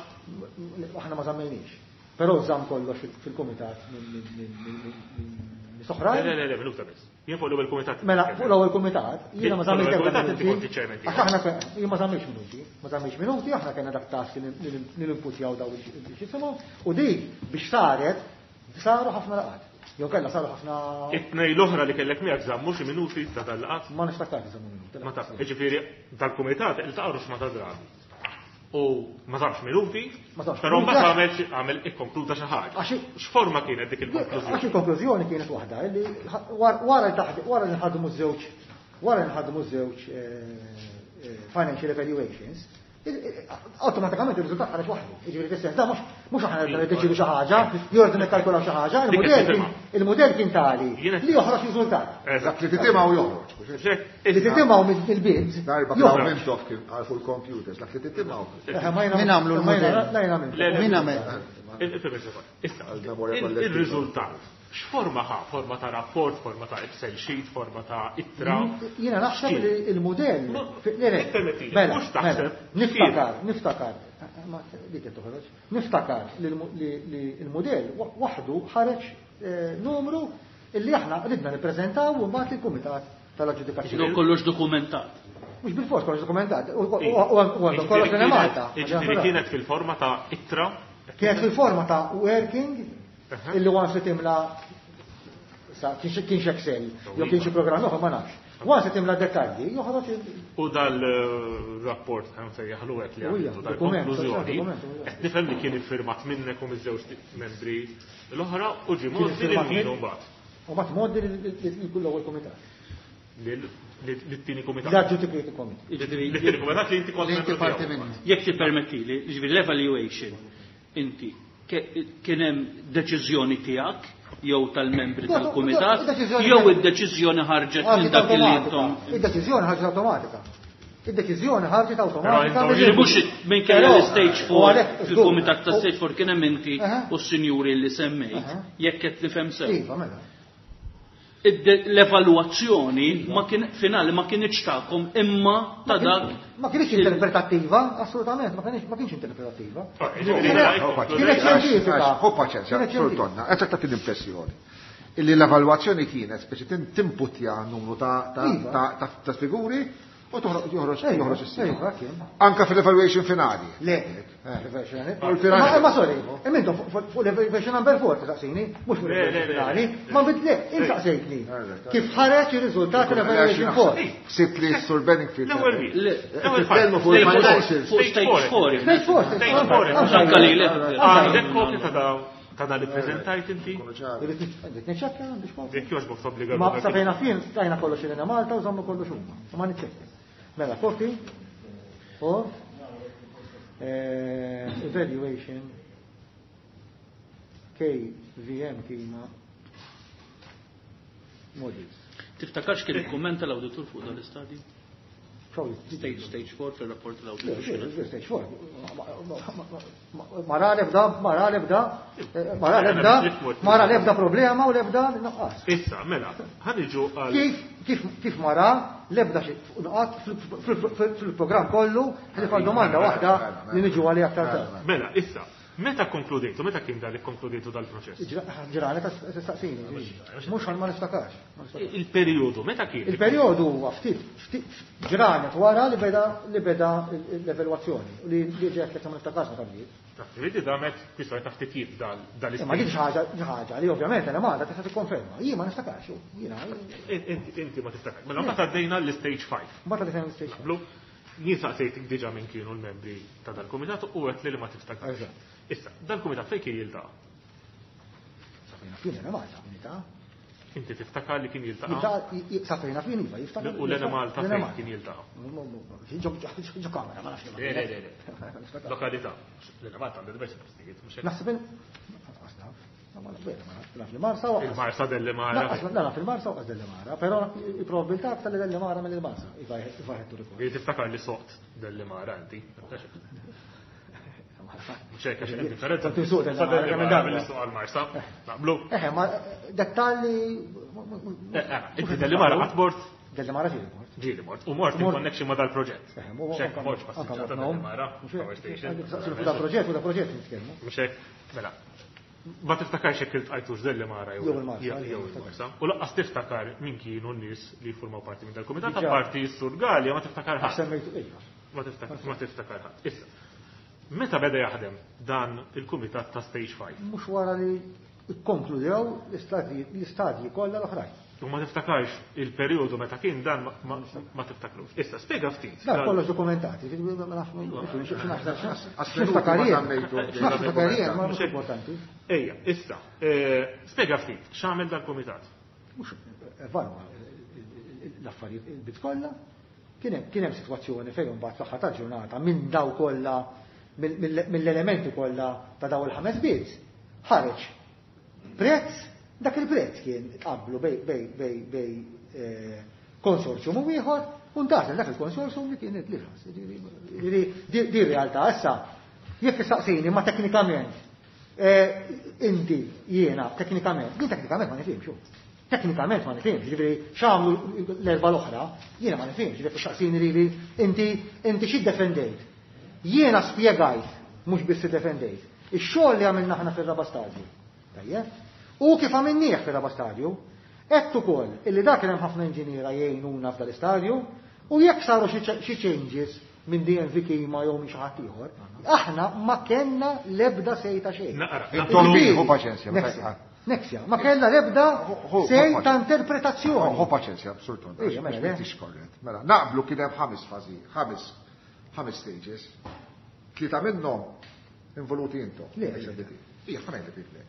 E: Aħna ma żammejniex. Però żamm kollox fil-kumitat minn soħrajn.
D: Le, le, le, minuta biss. Jien fuq l-ewwel kumitat.
E: Mela, fuq l-ewwel kumitat, jiena ma
D: Fuq
E: żammejt
D: l-ewwel
E: ebda
D: kumitat inti
E: minuti.
D: kont iċ-chairman tiegħu.
E: Għax aħna jien ma żammejx minuti, ma żammejx minuti, aħna kellna dak task li ninputjaw daw il-xisimu, u dik biex saret, saru ħafna laqgħat. Jew kellha saru ħafna
D: It-tnej l-oħra li kellek miegħek żammu xi minuti ta' dal-laqgħat.
E: ma niftakarx żammu minuti.
D: Ma taf, jiġifieri dal-kumitat iltaqgħu ma ta' drabi. U ma sarx minuti,
E: Ma sarx
D: però
E: minuti,
D: mbagħad
E: għax-
D: għamel għamel ikkonkluda xi ħaġa. X'forma kienet dik
E: Għax
D: il-konklużjoni?
E: il-konklużjoni kienet waħda, li wara li taħdi- wara li nħadmu żewġ wara li nħadmu żewġ financial evaluations, automatikament il-riżultat ħareġ waħdu. Jiġifieri fis-sens da mhux aħna rridu niddeċidu xi ħaġa, jew rridu nikkalkulaw xi ħaġa,
D: Dik
E: il-mudell
D: qed
E: kien
D: tifhimha.
E: il-mudell kien tali
D: Jiena-
E: li joħroġ riżultat.
A: Dak li titimgħu joħroġ.
D: Xek,
E: Li titimgħu mill-bids.
A: Darba
E: joħroġ.
A: kien Mintoff kien għal fuq il-computers, dak li titimgħu.
E: Ma jiena-
G: Min għamlu
E: ma jiena-
G: l-mudell?
E: la jiena għamiltu.
D: Le, le.
G: Min għamel?
D: Issa,
A: Għal-memorja kollettiva.
D: il-riżultat, x'forma ħa? Forma ta' rapport, forma ta' Excel sheet, forma ta' ittra?
E: Jiena naħseb li il-modell.
D: No,
E: Le, le,
D: ippermettili,
E: mela,
D: mhux taħseb,
E: mela, Niftakar, niftakar. Ma dik qed toħroġ. Niftakar li l-modell waħdu ħareġ numru illi aħna ridna nippreżentaw u mbagħad il-kumitat tal-aġġudikazzjoni.
F: Ġifieri kollox dokumentat.
E: Mhux bil-fors kollox dokumentat, u għandhom kollox li Malta.
D: Ġifieri kienet fil-forma ta' ittra.
E: Kienet fil-forma ta' working illi once li timla sa kienx Excel, jew kienx xi programm oħra ma nafx. Once li timla dettalji, joħroġ
D: U dal-rapport għan sejjaħlu għek li
E: Ujja,
D: għamiltu
E: dokument,
D: dal-konklużjoni,
E: dokument, ujja.
D: qed nifhem li kien iffirmat minnek u miż-żewġ membri l-oħra u ġie
E: Kien
D: mogħti lil
E: iffirmat
D: min
E: minn-
D: mbagħad
E: U mat moddi l-ewwel komitat.
D: lit-tieni kumitat.
E: L-adjudicating committee.
F: Jiġifieri,
D: Lit-tieni kumitat li inti kont
G: Li inti
D: membru
G: parti
D: tiegħu.
G: minnu.
F: Jekk tippermettili, jiġifieri l-evaluation inti kien hemm deċiżjoni tiegħek jew tal-membri
E: No,
F: tal-kumitat
E: id-deċiżjoni
F: jew
E: kienet-
F: id-deċiżjoni ħarġet minn
E: Ħarġet
F: dak li
E: awtomatika.
F: intom.
E: Id-deċiżjoni ħarġet awtomatika. Id-deċiżjoni ħarġet
D: Però
E: awtomatika.
D: intom-
F: Jiġifieri mhux minkejja
E: Però-
F: l-stage
E: u
F: 4
E: għalhekk,
F: fil-kumitat ta'
E: żgur,
F: stage 4 kien hemm inti u s-sinjuri li semmejt, jekk qed nifhem sew.
E: Iva, mela.
F: L-evalwazzjoni ma kien finali ma kienx tagħkom imma ta' dak
E: Ma kienx interpretattiva, assolutament, ma kienx interpretattiva.
D: Ġifieri,
E: Kienet xjentifika.
A: Hu paċenzja,
E: Kienet
A: Sur
E: xjentifika.
A: Tonna, qed tagħti l-impressjoni illi l-evalwazzjoni kienet speċi timputja numru
E: Iva.
A: ta' figuri u toħroġ joħroġ
E: Iva,
A: joħroġ is-sima.
E: iva, kien.
A: Anka fil-evaluation finali.
E: Le, l-evaluation.
A: U l-finali.
E: Ma sorry, imma fuq l-evaluation number 4 taqsini, mhux fuq
D: Le, le,
E: l-evaluation
D: le,
E: finali,
D: le.
E: ma bid le, insaqsejtni. Kif ħareġ ir-riżultat tal-evaluation 4.
A: Sibt li Sur Benningfield.
D: L-ewwel wieħed.
F: Le,
D: L-ewwel
A: Titkellmu fuq
F: Le,
A: il-financials.
F: fuq stage 4.
E: Stage 4,
D: Stage 4.
F: Anka li le.
D: Għandek kopja ta' daw ta' dan li preżentajt inti?
E: Irrid niċċekkja biex kopja.
D: Jekk jogħġbok tobbliga
E: Ma
D: ruħek.
E: sa fejna fien stajna kollox il Malta u żommu kollox huma. Ma niċċekkja. Mela, copy of evaluation KVM kima models.
F: Tiftakarx kien ikkummenta l-awditur fuq dan l-istadju?
E: Probably.
F: Stage 4 fil-rapport
E: Le,
F: tal-awditur.
E: le, stage 4. Mara lebda, mara lebda, mara lebda, mara lebda problema u lebda nuqqas.
D: Issa, mela, ħaniġu għal
E: Kif mara lebda xi nuqqas fil-programm kollu, ħlif għal domanda waħda li niġu għalija aktar tard.
D: Mela, issa, meta konkludejtu, meta kien dal konkludejtu dal-proċess?
E: Ġranet saqsini, mhux għal ma niftakarx. Ma niftakarx.
D: Il-periodu, meta kien?
E: Il-perjodu huwa ftit ġranet wara li beda l-evalwazzjoni u li ġiet ma niftakarx meta bdiet.
D: Vedi damet kwistjoni ta' ftit jib
E: Imma
D: dal-istat.
E: dik xi ħaġa li ovvjament għana Malta tista' tikkonferma. Jien ma niftakarx, jiena
D: Inti ma tiftakar. Mela mbagħad għaddejna l-stage 5.
E: mbagħad li fejn stage.
D: Blu, jien saqsejtik diġà minn kienu l-membri ta' dal-kumitat u għedt li ma tiftakarx.
E: Eżatt.
D: Issa, dal-kumitat fejn kien jiltaqa'?
E: Sa fejna fien għana Malta, unità.
D: Inti tiftakar li kien jiltaqa'?
E: Sa fejna fien iva, jiftakar.
D: U l-Ena Malta
E: L-Ena
D: fejn kien jiltaqa'?
E: Ġo kamera, ma nafx.
D: Le, le, le, le. Lokalità. L-Ena Malta għandha diversi postijiet, mhux hekk.
E: Naħseb ma nafx, ma nafx, naf li Marsa u
D: Il-Marsa delle Mara.
E: Naf il-Marsa u qas delle Mara, però il-probabilità aktar li delle Mara mill-Marsa, if I had to recall.
D: Li tiftakar li soqt delle Mara inti. Mhux hekk għax hemm differenza.
E: Tanti suq delle
D: Sa
E: Mara,
D: delle
E: kemm
D: Mara
E: darba.
D: milli suq għal-Marsa. Naqblu.
E: Eħe, ma dettalji.
D: Inti delle Mara qatt mort?
E: Delle Mara ġieli mort.
D: Ġieli mort. U mort in
E: Mort.
D: connection ma dal-proġett.
E: Eħe,
D: Mhux hekk ma mortx passiġġata delle Mara. Power station.
E: Fuq da proġett, fuq da proġett nitkellmu.
D: Mhux hekk, mela. Ma tiftakarx jekk iltqajtux delle Mara
E: Jew il-Marsa,
D: jew
E: jew
D: il-Marsa. U laqqas tiftakar min kienu n-nies li jiffurmaw parti minn dal-kumitat,
E: Diġà.
D: apparti s-Sur Gallia ma tiftakar ħadd.
E: Semmejtu, ejja.
D: Ma tiftakar ma tiftakar ħadd. Issa, meta beda jaħdem dan il-kumitat ta' Stage 5?
E: Mhux wara li kkonkludew l-istadji kollha l-oħrajn.
D: U ma tiftakarx il-perjodu meta kien dan ma tiftakrux. Issa, spjega ftit.
E: Dan kollox dokumentati, x'niftakar jien. X'niftakar jien, ma mhux importanti.
D: Ejja, issa, spjega ftit, x'għamel dal-kumitat?
E: Mhux evalwa l-affarijiet il-bit kollha. Kien hemm sitwazzjoni fejn imbagħad fl-aħħar tal-ġurnata minn daw kollha mill-elementi kollha ta' daw il-ħames bids ħareġ prezz, dak il-prezz kien tqabblu bej konsorzjum u ieħor u ntgħażel dak il-konsorzjum li kien l-irħas. Di realtà issa jekk issaqsini ma teknikament inti jiena teknikament, jien teknikament ma nifhimx. Teknikament ma nifhimx, ġifieri x'għamlu l-erba' l-oħra, jiena ma nifhimx, ġifieri tistaqsini lili inti xi ddefendejt. Jiena spjegajt, mhux biss iddefendejt, ix-xogħol li għamilna aħna fir-raba' stadju. Tajjeb? U kif għamilnieh fir-raba' stadju, għedt ukoll illi dak kien hemm ħafna inġiniera jgħinuna f'dal istadju u jekk saru xi changes minn DNV Kima jew minn xi ħadd ieħor, aħna ma kellna l-ebda sej ta' xejn.
A: Intom ħu paċenzja,
E: Nexia. Nexia, ma kellna l-ebda sej ta' interpretazzjoni.
A: Ħu paċenzja, Sur Tonda,
E: Ejja, mela,
A: mhux korrett. Mela, naqblu kien hemm ħames fażi, ħames stages. Tlieta minnhom involuti intom.
E: Le.
A: Ija, ħa ngħidlek le.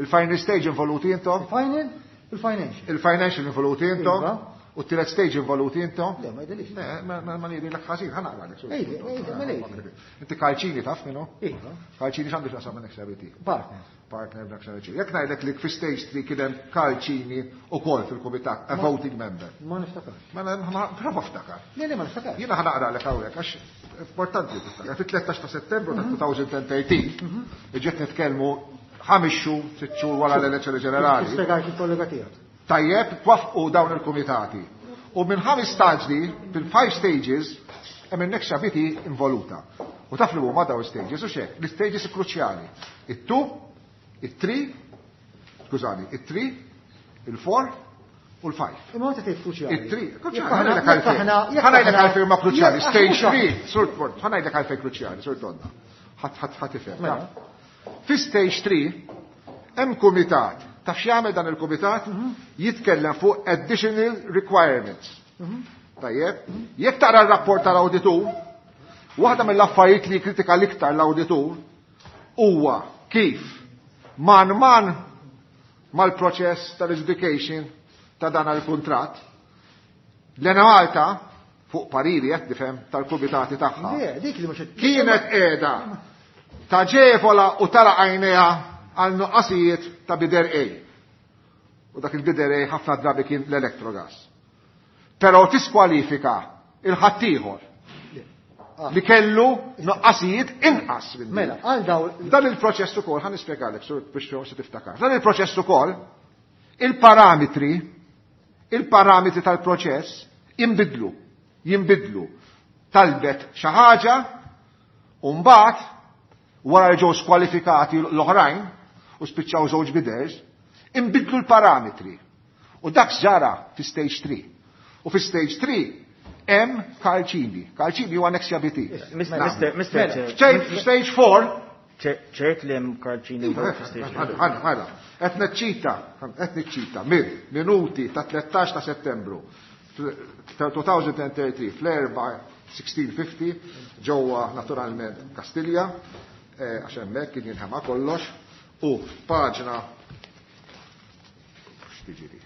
A: Il-final stage involuti intom?
E: Il-final, il-financial.
A: Il-financial involuti intom?
E: Iva.
A: U t-tielet stage involuti intom?
E: Le, ma jidhirlix.
A: Le, ma ngħidilek ħażin, ħa naqra lek.
E: Ejja, ejja, ma ngħidlek.
A: Inti Karl Cini taf minnu?
E: Iva.
A: Karl Cini x'għandu x'jaqsam ma' Nexia BT?
E: Partner.
A: Partner b'Nexia BT. Jekk ngħidlek li fi stage 3 kien hemm Karl Cini ukoll fil-kumitat, a voting member.
E: Ma niftakarx.
A: Mela, prova ftakar.
E: Le, le, ma niftakarx.
A: Jiena ħa naqra lek hawnhekk għax importanti tiftakar. Fit-13 ta' Settembru ta' 2013, ġiet nitkellmu 5 xhur, 6 xhur wara l-elezzjoni ġenerali.
E: Spjegajt il-kollega tiegħek.
A: Tajjeb, twaffqu dawn il-kumitati. U minn 5 staġni, fil-5 stages, hemm in-Nexia BT involuta. U taf li huma dawn stages u xek, l-stages kruċjali. It-2, it-3, skużani, it-3, il-4 u l-5.
E: Imma meta tgħid kruċjali.
A: It-3, kruċjali,
E: Jekk aħna-
A: ħa ngħidlek għalfejn.
E: jekk aħna- jekk
A: Ħa ngħidlek
E: aħna-
A: għalfejn huma kruċjali.
E: jekk
A: Stage
E: aħna-
A: 3, Sur Port, ħa ngħidlek għalfejn kruċjali, Sur Donna. Ħadd ħadd ħadd ifhem.
E: Mela.
A: Fi stage 3 hemm kumitat. Taf x'jagħmel dan il-kumitat? Jitkellem fuq additional requirements. Tajjeb, jekk taqra r-rapport tal-awditur, waħda mill-affarijiet li kritika l-iktar l-awditur huwa kif man man mal-proċess tal-adjudication ta' dan il-kuntratt, l-Enemalta fuq pariri qed nifhem tal-kumitati tagħha.
E: Le, dik li mhux qed-
A: Kienet qiegħda taġevola u tara għajnejha għal nuqqasijiet ta' bidder A. U dak il-bidder A ħafna drabi kien l-Electrogas. Però tiskwalifika il-ħaddieħor li kellu nuqqasijiet inqas minn dik.
E: Mela, għal daw
A: Dan il-proċess ukoll, ħa nispjegalek, sur, biex forsi tiftakar. Dan il-proċess ukoll, il-parametri tal-proċess jinbidlu. Talbet xi ħaġa u mbagħad wara li ġew skwalifikati l-oħrajn u spiċċaw żewġ bidders, inbidlu l-parametri. U dak ġara fi stage 3. U fi stage 3 hemm Karl Cini. Karl Cini huwa Nexia BT.
H: Mister Chair.
A: Stage 4.
H: Ċert li hemm Karl Cini
A: Iva,
H: fi stage
A: ħana,
H: 4.
A: ħana, ħana. Qed niċċita, qed niċċita minn minuti ta' 13 ta' Settembru 2033 fl-erba' 1650 ġewwa naturalment Kastilja, għax hemmhekk kien jinħema kollox, u paġna x'tiġri?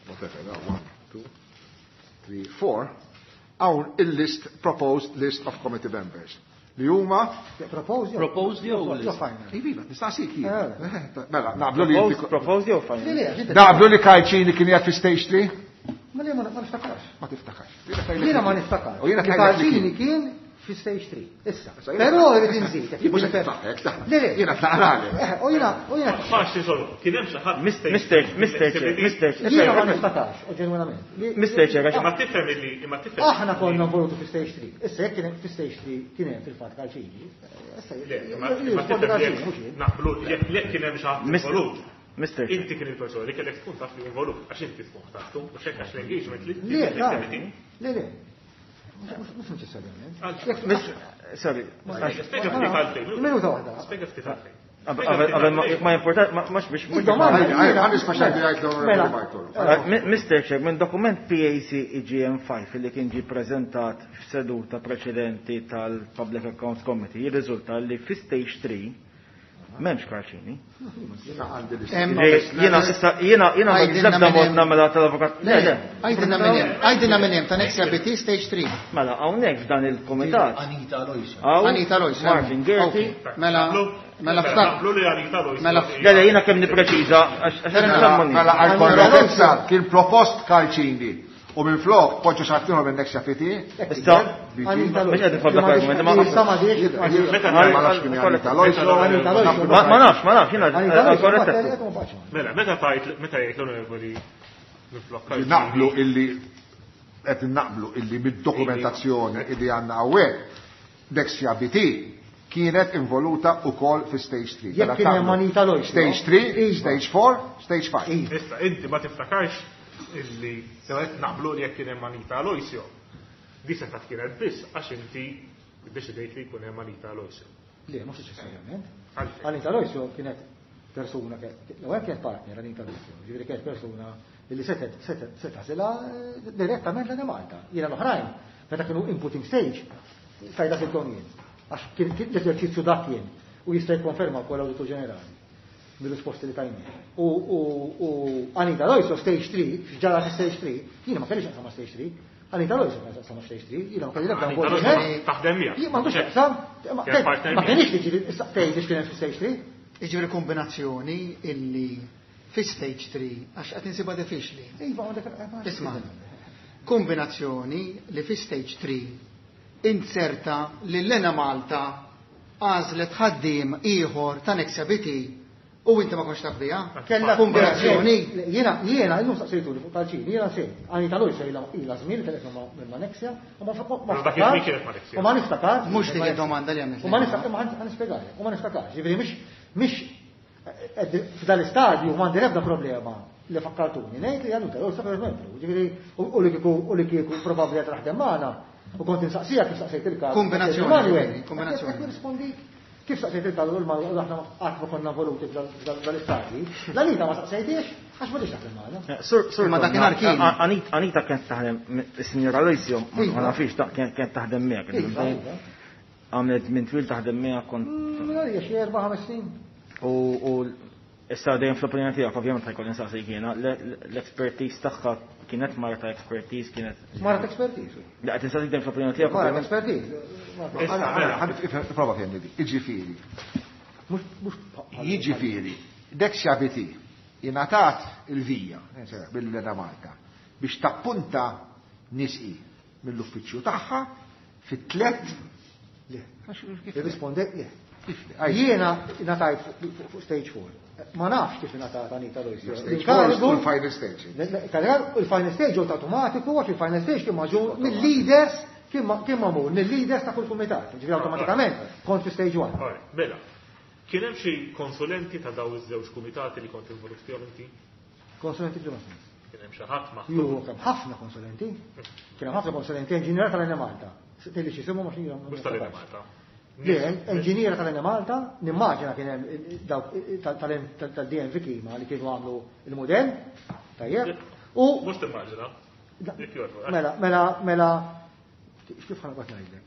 A: Whatever, no, 1, 2, 3, 4, hawn il-list, proposed list of committee members. Li huma
E: Proposed jew?
F: Proposed jew
E: Jew
F: list?
E: final?
A: Iva, nistaqsik jien.
E: Eh.
A: Mela, naqblu li
H: Proposed,
A: inti-
H: proposed jew final?
E: Le, le, għax inti-
A: Naqblu li Karl Cini kien qiegħed fi stage 3?
E: Ma le, ma niftakarx.
A: Ma tiftakarx.
E: Jiena ma niftakarx.
A: U jiena
E: Li
A: tgħidlek li
E: Karl Cini
A: kien.
E: kien fi stage 3. Issa.
A: Issa, jiena
E: Però rrid inżid.
A: Jien mhux qed niftaħek, ta'
E: Le, le.
A: Jiena tlaqralek.
E: U jiena, u jiena.
D: Faċli solo, kien hemm xi ħadd
H: Mister, Mister Chair, Mister Chair.
E: Jiena ma niftakarx, u ġenwinament.
H: Mister Chair, għax
D: Imma tifhem illi, imma tifhem.
E: Aħna konna involuti fi stage 3. Issa jekk kien hemm fi stage 3 kien hemm fil-fatt Karl Cini. Issa
D: Le, imma
E: jirrispondi
D: tifhem
E: Karl Cini,
D: jekk
E: mhux jien.
D: naqblu jekk le kien hemm xi ħadd
H: Mister-
D: involut.
H: Mister Chair.
D: Inti kien il-persona li kellek tkun taf li involut, għax inti tkun ħtartu, u xekk għax l-engagement li
E: Le, ta' le, le. Mhux neċessarjament.
D: Għal-
H: Sorry.
D: Spjega ftit għalfejn.
E: Minuta waħda.
D: Spjega ftit għalfejn.
H: Qabel ma importa, ma biex.
E: Id-domanda
A: Ħa nisma' x'għandu jgħid l-Onorevoli
E: Mela.
A: Bartolo.
H: Mr. Chair, minn dokument PAC EGM5 li kien ġi prezentat f'seduta preċedenti tal-Public Accounts Committee, jirriżulta li fi stage 3 m'hemmx Karl Cini.
A: Jiena għandi
G: Hemm-
A: l-istess.
H: Jiena issa jiena jiena ma
G: Għajdilna
H: nibda
G: minn
H: mod
G: hemm.
H: nagħmilha tal-avukat. Le, le.
G: Għajdilna minn hemm, għajdilna minn hemm ta' Nexia BT Stage 3.
H: Mela hawnhekk f'dan il-kumitat.
I: Anita Aloisio.
H: hawn
G: Anita Aloisio.
H: Martin Gerti.
G: Ok, Mela, mela ftak.
D: Naqblu li Anita Aloisio.
G: Mela-
H: Le, le, jiena kemm nippreċiża għax għax
A: Mela, mela għal korrettezza kien propost Karl Cini u minn flok poġġa xattiħor minn Nexia BT.
H: Issa,
E: Anita
H: mhux qed nifadlak argument, ma-
E: Issa ma diċ.
D: Meta
A: Ma nafx kien Anita Aloisio.
E: Anita Aloisio.
H: Ma nafx, ma nafx, jiena
E: Anita
H: għal
E: Aloisio,
H: korrettezza.
E: ma baqgħetx magħna.
D: Mela, meta tajt, meta jgħid l-onorevoli minflok Karl Cini.
A: Naqblu illi qed naqblu illi mid-dokumentazzjoni illi għandna hawnhekk Nexia BT kienet involuta wkoll fi stage 3.
E: Jekk
A: Mela
E: kien hemm
A: tagħmlu
E: Anita Aloisio.
A: Stage 3,
E: Iva.
A: stage 4, stage 5.
E: Iva.
D: Issa, inti ma tiftakarx illi qed naqblu li jekk kien hemm Anita Aloisio. Di setgħet kienet biss għax inti ddeċidejt li jkun hemm Anita Aloisio.
E: Le, mhux neċessarjament.
D: Għalfejn.
E: Anita Aloisio kienet persuna, l-ewwel kienet partner Anita Aloisio, ġifieri kienet persuna li setet setet setasilha direttament l Malta. Jiena l-oħrajn, meta kienu inputting stage, tajda fil jien. Għax kien kien l-eżerċizzju dak kien u jista' jikkonferma wkoll l-Awditur Ġenerali mill-risposti li tajni. U, u, u Anita Aloisio stage 3, x'ġara fi stage 3, jiena ma kellix naqsam ma' stage 3, Anita Aloisio ma naqsam ma' stage 3, jiena ma kelli l-ebda
D: Anita
E: involviment.
D: Aloisio taħdem miegħek.
E: Jien m'għandux x'jaqsam, ma
D: Kien partner
E: ma
D: miegħek.
E: kienx li ġieli issa tgħid x'kien hemm fi stage 3.
G: Iġifieri kombinazzjoni illi fi stage 3, għax qed insibha diffiċli.
E: Iva, għandek
G: Isma' kombinazzjoni li fi stage 3 inserta li l-Enemalta għażlet ħaddiem ieħor ta' Nexia BT u inti ma kontx taf biha.
E: Kella
G: kombinazzjoni.
E: Jiena, jiena, illum saqsejtu li fuq tal-ċini, jiena sejt. Anita Aloisio ila ila żmien telefon ma' Nexia, u ma ma
D: Però dak iż-żmien kienet ma' Nexia.
E: U ma niftakar.
G: Mhux dik id-domanda li għamilt.
E: U ma niftakar, ma ħan nispjegalek, u ma niftakarx. Ġifieri mhix mhix f'dal istadju m'għandi l-ebda problema li fakkartuni. Ngħid li Anita Aloisio per membru. Ġifieri u li kieku u li kieku probabbli qed taħdem magħna u kont insaqsija kif saqsejt il-każ.
G: Kombinazzjoni,
E: Manuel,
G: kombinazzjoni.
E: qed nirrispondik. Kif saqsejt il-każ u l-Manuel aħna qatt ma konna voluti f'dal-istadji. L-Anita ma saqsejtiex għax ma taħdem magħna.
H: Sur, sur,
G: Ma dakinhar kien.
H: Anita kienet taħdem, is-Sinjora Aloisio, ma
E: Iva.
H: nafix, kienet taħdem miegħek.
E: Iva, iva.
H: Għamlet minn twil taħdem miegħek kont
E: Għalija xi 4-5 snin.
H: u issa dejjem fl-opinjoni tiegħek ovvjament ħajkolli nsaqsik jiena, l-expertise tagħha kienet mara ta' expertise kienet.
E: Mara ta' expertise.
H: La qed insaqsik dejjem fl-opinjoni tiegħek.
E: Mara ta'
H: ovvjament.
E: expertise.
A: Ħa prova fjemni di. Iġifieri.
E: Mhux
A: Jiġifieri, Nexia BT ingħatat il-vija bil-Enemalta biex tappunta nisqi mill-uffiċċju tagħha fit-tlet
E: Le. Irrispondek le.
A: Kif le? Għaj,
E: Jiena ngħatajt fuq stage 4. Ma nafx kif ingħatat Anita Aloisio.
A: Stage 4 u l-final stage.
E: Il-final stage ġewt automatiku għax il-final stage kien maġur mill-leaders kien magħmul mill-leaders ta' kull kumitat. Ġifieri awtomatikament kont fi stage 1.
D: Alright, Mela, kien hemm xi konsulenti ta' daw iż-żewġ kumitati li kont involut fihom inti?
E: Konsulenti f'liema sens.
D: Kien hemm xi ħadd maħtur.
E: Ju, kemm ħafna konsulenti. Kien hemm ħafna konsulenti inġiniera tal-Enemalta. Tilli x'jisimhom għax jiena
D: Mhux tal-Enemalta.
E: Le, inġiniera tal-Enemalta, nimmaġina kien hemm dawk tal-DNV Klima li kienu għamlu il-modell, tajjeb. U
D: Mhux timmaġina. Jekk jogħġbok.
E: mela, mela, mela, kif ħa noqgħod ngħidlek?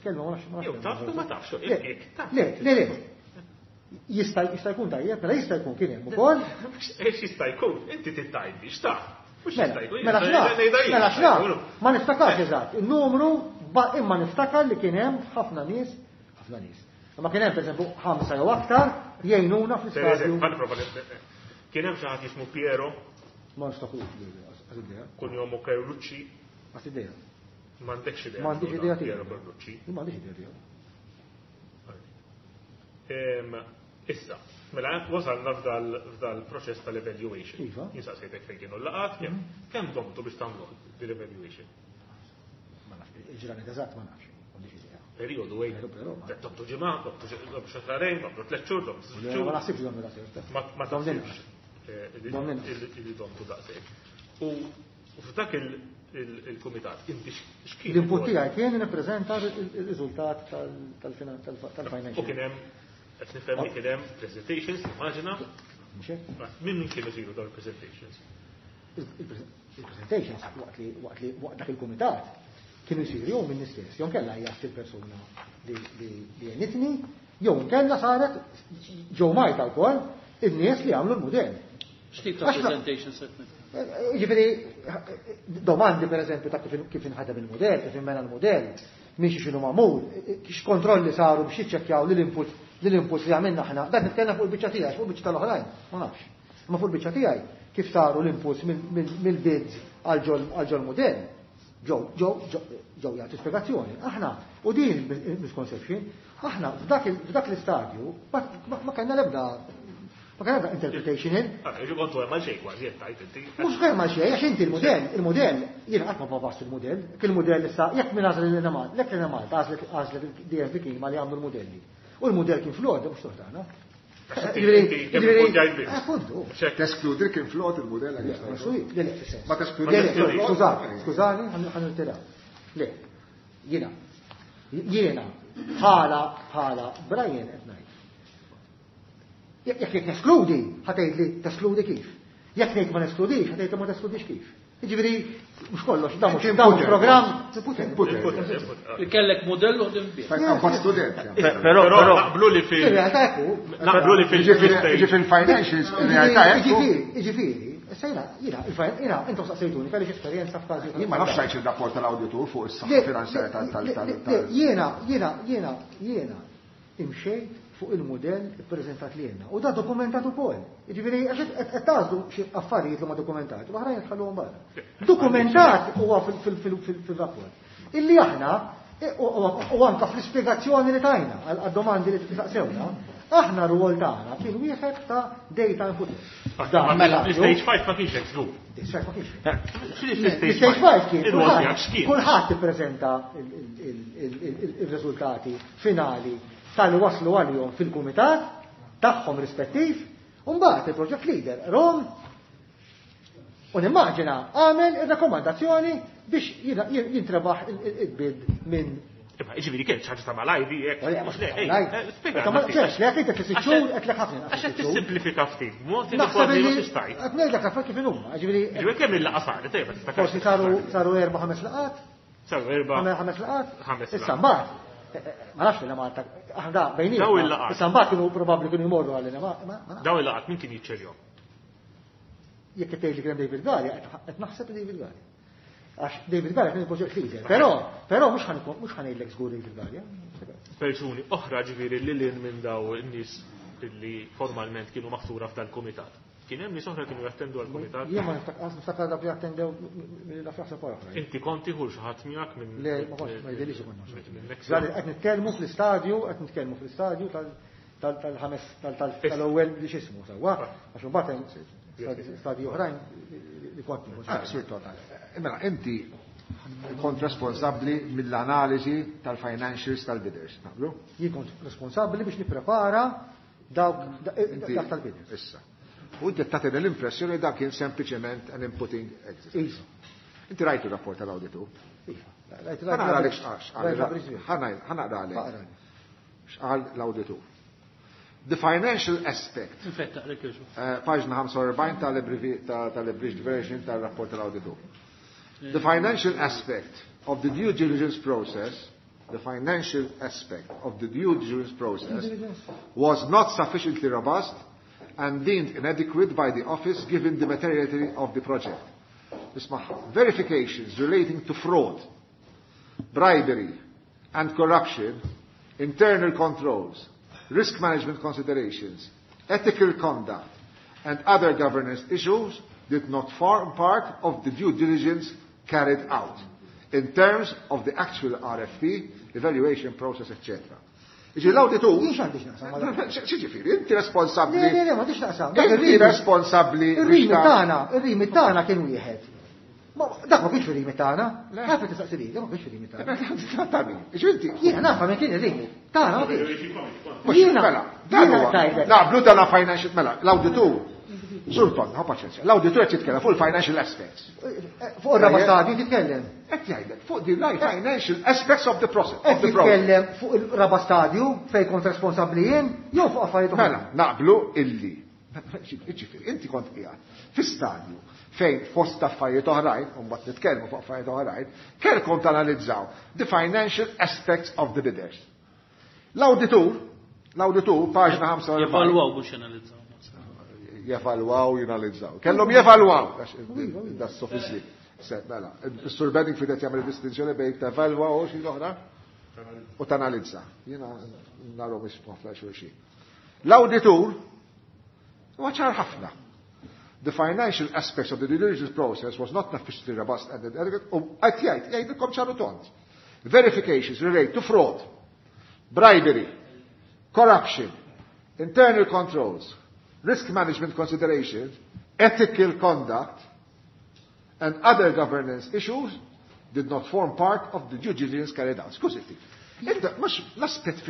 E: Kelma ma nafx. ma nafx
D: Jew taf u ma tafx,
E: Le,
D: jekk taf.
E: Le, le, le. Jista' jista' jkun tajjeb, mela jista' jkun kien hemm ukoll.
D: Ex jista' jkun, inti tittajdi, x'taf. Mhux
E: Mela,
D: jista' jkun.
E: mela x'naf, mela x'naf, ma niftakarx eżatt, il-numru imma niftakar li kien hemm ħafna nies, ħafna nies. Imma kien hemm pereżempju ħamsa jew aktar jgħinuna fl-istadju.
D: Kien hemm xi ħadd jismu Piero,
E: Ma niftakrux għas idea,
D: kunjomu Carlucci,
E: għas idea.
D: m'għandekx idea.
E: M'għandix idea tiegħu.
D: Piero Carlucci.
E: Ma għandix idea tiegħu.
D: Issa, mela wasalna f'dal proċess tal-evaluation.
E: Iva.
D: Jinsaqsejtek fejn kienu l-laqat, kemm domtu biex tagħmlu dil-evaluation?
E: Ma nafx, il-ġranet eżatt ma nafx, m'għandix idea.
D: Periodu għejn.
E: Però, però, ma-
D: Domtu ġimgħa, domtu xahrejn, domtu tliet xhur, domtu sitt
E: Le,
D: xhur.
E: Ma naħsibx domna daqshekk.
D: Ma
E: Domna
D: taħsibx
E: Domna
D: li domtu daqshekk. U f'dak il-kumitat, inti x'kien?
E: L-input tiegħi kien nippreżenta il-riżultat tal-financial.
D: U kien hemm Qed nifhem li kien hemm presentations, immaġina. Min min kienu isiru dawn il-presentations?
E: Il-presentations waqt li waqt li waqt dak il-kumitat kienu jsiru jew minn istess, jew nkella hija il-persuna li għenitni, jew nkella saret ġew Malta wkoll in-nies li għamlu l-mudell.
F: X'tip ta' presentations qed
E: Jiġifieri domandi pereżempju ta' kif inħadem il-mudell, kif inbena l-mudell, minn xi x'inhu magħmul, x'kontrolli saru biex jiċċekkjaw li l-input li l-input li għamilna aħna, dan nitkellem fuq il-biċċa tiegħi, fuq il-biċċa tal-oħrajn, ma nafx. Imma fuq il-biċċa tiegħi kif saru l-inputs mill-bids għal ġol mudell, ġew ġew ġew jagħtu spjegazzjoni. Aħna u din misconception, aħna f'dak l-istadju ma kellna l-ebda ma kellna interpretation in.
D: Ġu kontu hemm għal xejn kważi qed tgħid inti.
E: Mhux hemm għal xejn, għax inti l-mudell, il-mudell, jiena qatt ma pavast il-mudell, kien il-mudell issa jekk min għażel lil Malta, jekk lil Malta għażlet għażlet il-DFB Kima li għamlu l-mudelli. U l-mudell kien flod, mhux toħtana. Ġifieri, appuntu.
A: Teskludi kien flod il-mudell għal Ma teskludi.
E: Skużani, skużani, ħa nirtira. Le, jiena, jiena, bħala, bħala Brian qed ngħid. Jekk jekk neskludi, ħa tgħid li teskludi kif. Jekk ngħid ma neskludix, ħa tgħid li ma teskludix kif. Jiġifieri mhux kollox, dan mhux dan mhux programm.
F: Li kellek modell u ħdim bih.
A: Kont student.
D: Però naqblu li fil.
E: Ir-realtà hekk hu.
D: Naqblu li fil.
A: Ġifieri financials, ir-realtà hekk hu.
E: Jiġifieri, jiġifieri, issa jiena, jiena, jiena, intom saqsejtuni, kellix esperjenza f'każi.
A: Jien ma nafx xajx ir-rapport tal-awditur fuq is-saħħa finanzjarja tal.
E: Jiena, jiena, jiena, jiena imxejt fuq il-mudell ippreżentat lilna. U da dokumentat ukoll. Jiġifieri għax qed tagħżlu xi affarijiet li huma dokumentati, u oħrajn tħalluhom barra. Dokumentat huwa fil-rapport. Illi aħna u anka fl-ispjegazzjoni li tajna għad-domandi li saqsewna, aħna r-rwol tagħna kien wieħed ta' data input.
D: Mela, l-stage 5 ma kienx hekk żgur.
E: Stage 5 ma kienx.
D: L-stage
E: 5 kien kulħadd ippreżenta il-riżultati finali tal-li waslu għalihom fil-kumitat tagħhom rispettiv, u mbagħad il-project leader Rom u nimmaġina għamel ir-rakkomandazzjoni biex jintrebaħ il-bid minn.
D: Imma jiġifieri kien xi ħaġa ta' malajr hekk. Mhux le,
E: spjega. Ma ċerx, le qed tliet xhur qed lek ħafna.
D: Għax qed tissimplifika ftit, b'mod li kważi ma tistajt.
E: Qed ngħidlek affarijiet kif inhuma, jiġifieri.
D: Jiġifieri kemm il-laqgħa saret, ejja, ma
E: Forsi saru erba' ħames laqgħat.
D: Saru erba'
E: ħames laqgħat.
D: Ħames
E: Issa mbagħad, ma nafx li Malta, aħna da bejnietna.
D: Daw il-laqgħat.
E: Issa mbagħad kienu probabbli kienu jmorru għalina, ma nafx.
D: Daw il-laqgħat min kien jiċċerjhom?
E: Jekk qed tgħid li kien hemm David Galea, qed naħseb li David Galea. Għax David Galea kien il-project leader, però però mhux ħa mhux ħa ngħidlek żgur David Galea.
D: Persuni oħra ġifieri li lil minn daw in-nies li formalment kienu maħtura f'dal-kumitat. Kien hemm nies oħra kienu jattendu għall-kumitat?
E: Jien ma niftakar dak li attendew mill fl-aħseb oħra.
D: Inti kont tieħu xi ħadd miegħek minn
E: Le, ma kontx, ma jidhirlix ikun nafx. Qed nitkellmu fl-istadju, qed nitkellmu fl-istadju tal-ħames tal-ewwel li x'ismu sewwa, għax imbagħad hemm stadji oħrajn li kont nieħu.
A: Sur Total. Mela, inti kont responsabbli mill-analiżi tal-financials tal-bidders, naqblu?
E: Jien kont responsabbli biex nipprepara dawk dak tal-bidders.
A: Issa. U inti tagħtina l-impressjoni dak kien sempliċement an inputting exercise. Inti rajtu rapport tal-awditur?
E: Iva.
A: Ħa naqra għalek x'qal, ħa naqra għalek. X'qal l-awditur. The financial aspect. Paġna 45 tal-abridged version tal-rapport tal-awditur. The financial aspect of the due diligence process, the financial aspect of the due diligence process was not sufficiently robust and deemed inadequate by the office given the materiality of the project. Isma' verifications relating to fraud, bribery and corruption, internal controls, risk management considerations, ethical conduct and other governance issues did not form part of the due diligence carried out in terms of the actual RFP, evaluation process, etc. Iġi l-awditur.
E: Jien x'għandi x'naqsam ma' dak?
A: X'ġifieri, inti responsabbli.
E: Le, le, le, m'għandix x'naqsam.
A: Inti responsabbli
E: Ir-rimi
A: biex ta'
E: tagħna, ir-rimi tagħna kien wieħed. Ma dak ma kienx ir-rimi tagħna. Ħafna tistaqsi li, dak ma kienx ir-rimi tagħna.
A: Ta' min? Iġi inti.
E: Jiena naf min kien ir-rimi. Tagħna ma kienx.
A: Mhux,
E: Jiena
A: mela, dan
E: jiena
A: huwa.
E: tajlek.
A: Naqblu dan financial, mela, l-awditur. Sur Tonna, ħa paċenzja. L-awditur qed jitkellem fuq il-financial aspects.
E: Fuq ir-raba' stadju titkellem.
A: Qed jgħidlek fuq the financial aspects of the process.
E: Qed jitkellem fuq il-raba' stadju fejn kont responsabbli jien jew fuq affarijiet oħra.
A: Mela, naqblu illi. Ġifieri, inti kont qiegħed fi stadju fejn fost affarijiet oħrajn, u mbagħad nitkellmu fuq affarijiet oħrajn, kellkom tanalizzaw the financial aspects of the bidders. L-awditur, l-awditur, paġna 45.
F: Jevalwaw mhux analizzaw.
A: Jevalwaw, jinalizzaw. Kellhom jevalwaw. Da sofisli. Mela, is-Sur Benning fidet jagħmel distinzjoni bejn tevalwa u xi oħra u tanalizza. Jiena narhom mhix ħafna xulxin. L-awditur huwa ċar ħafna. The financial aspects of the due diligence process was not sufficiently robust and adequate. U qed jgħid, jgħidilkom ċaru tont. Verifications relate to fraud, bribery, corruption, internal controls, risk management considerations, ethical conduct, and other governance issues did not form part of the due diligence carried out. Skużi, Inta, mux l-aspet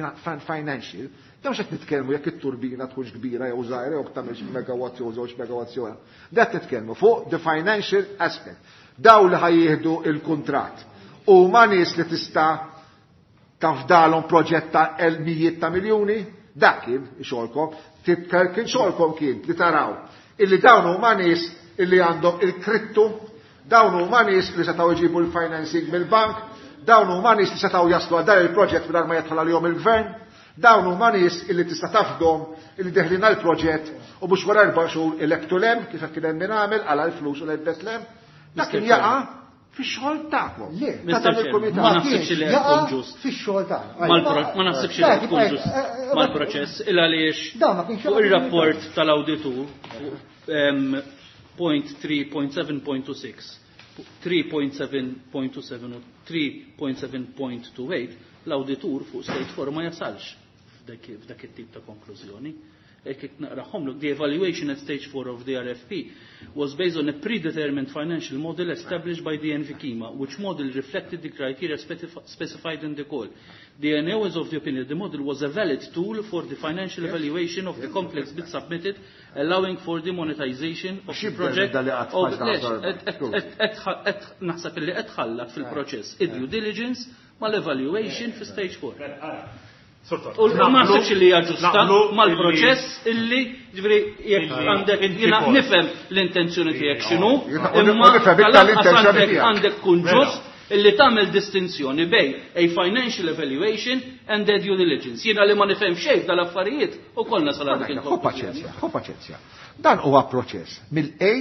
A: financial, da mux qed nitkellmu jekk it-turbina tkunx kbira jew żgħira jew tagħmilx megawatt jew żewġ megawatts jew. Da qed nitkellmu fuq the financial aspect. Daw li ħajjieħdu il-kuntratt. U ma nies li tista' tafdalhom proġett ta' mijiet ta' miljuni, dak kien xogħolkom, kien xogħolkom kien li taraw illi dawn huma nies illi għandhom il-krittu, dawn huma nies li setgħu jġibu l-financing mill-bank, dawn huma nies li setgħu jaslu għal dan il-proġett mingħajr ma jidħol għalihom il-gvern, dawn huma nies illi tista' tafdhom illi deħlin għall-proġett u mhux wara 4 xhur ilektu lem kif kien hemm min għamel għala l-flus u lebbet lem. Dak kien jaqa' fix-xogħol tagħkom.
E: Le,
A: Ta' dan il-kumitat.
F: Ma naħsibx li qed tkun ġust.
E: Fix-xogħol tagħna.
F: Ma naħsibx li qed tkun ġust mal-proċess il għaliex fuq ir-rapport tal-awditur point 3.7.26, 3.7.27 u 3.7.28 l-awditur fuq stage 4 ma jasalx f'dak it-tip ta' konklużjoni. Jekk naqrahomlok, the evaluation at stage 4 of the RFP was based on a predetermined financial model established by the NVKIMA, which model reflected the criteria specified in the call. The NAO is of the opinion the model was a valid tool for the financial evaluation of the complex bid submitted, allowing for the monetization of the project. Naħseb illi qed ħallat fil-proċess id-due diligence mal-evaluation fi stage 4. U ma naħsibx li hija ġusta mal-proċess illi ġifieri jekk għandek jiena nifhem l-intenzjoni tiegħek x'inhu, imma għandek tkun ġust illi tagħmel distinzjoni bejn a financial evaluation and a due diligence. Jiena li ma nifhem xejn dal-affarijiet ukoll nasal għal dik
A: Ħu paċenzja, ħu paċenzja. Dan huwa proċess mill-A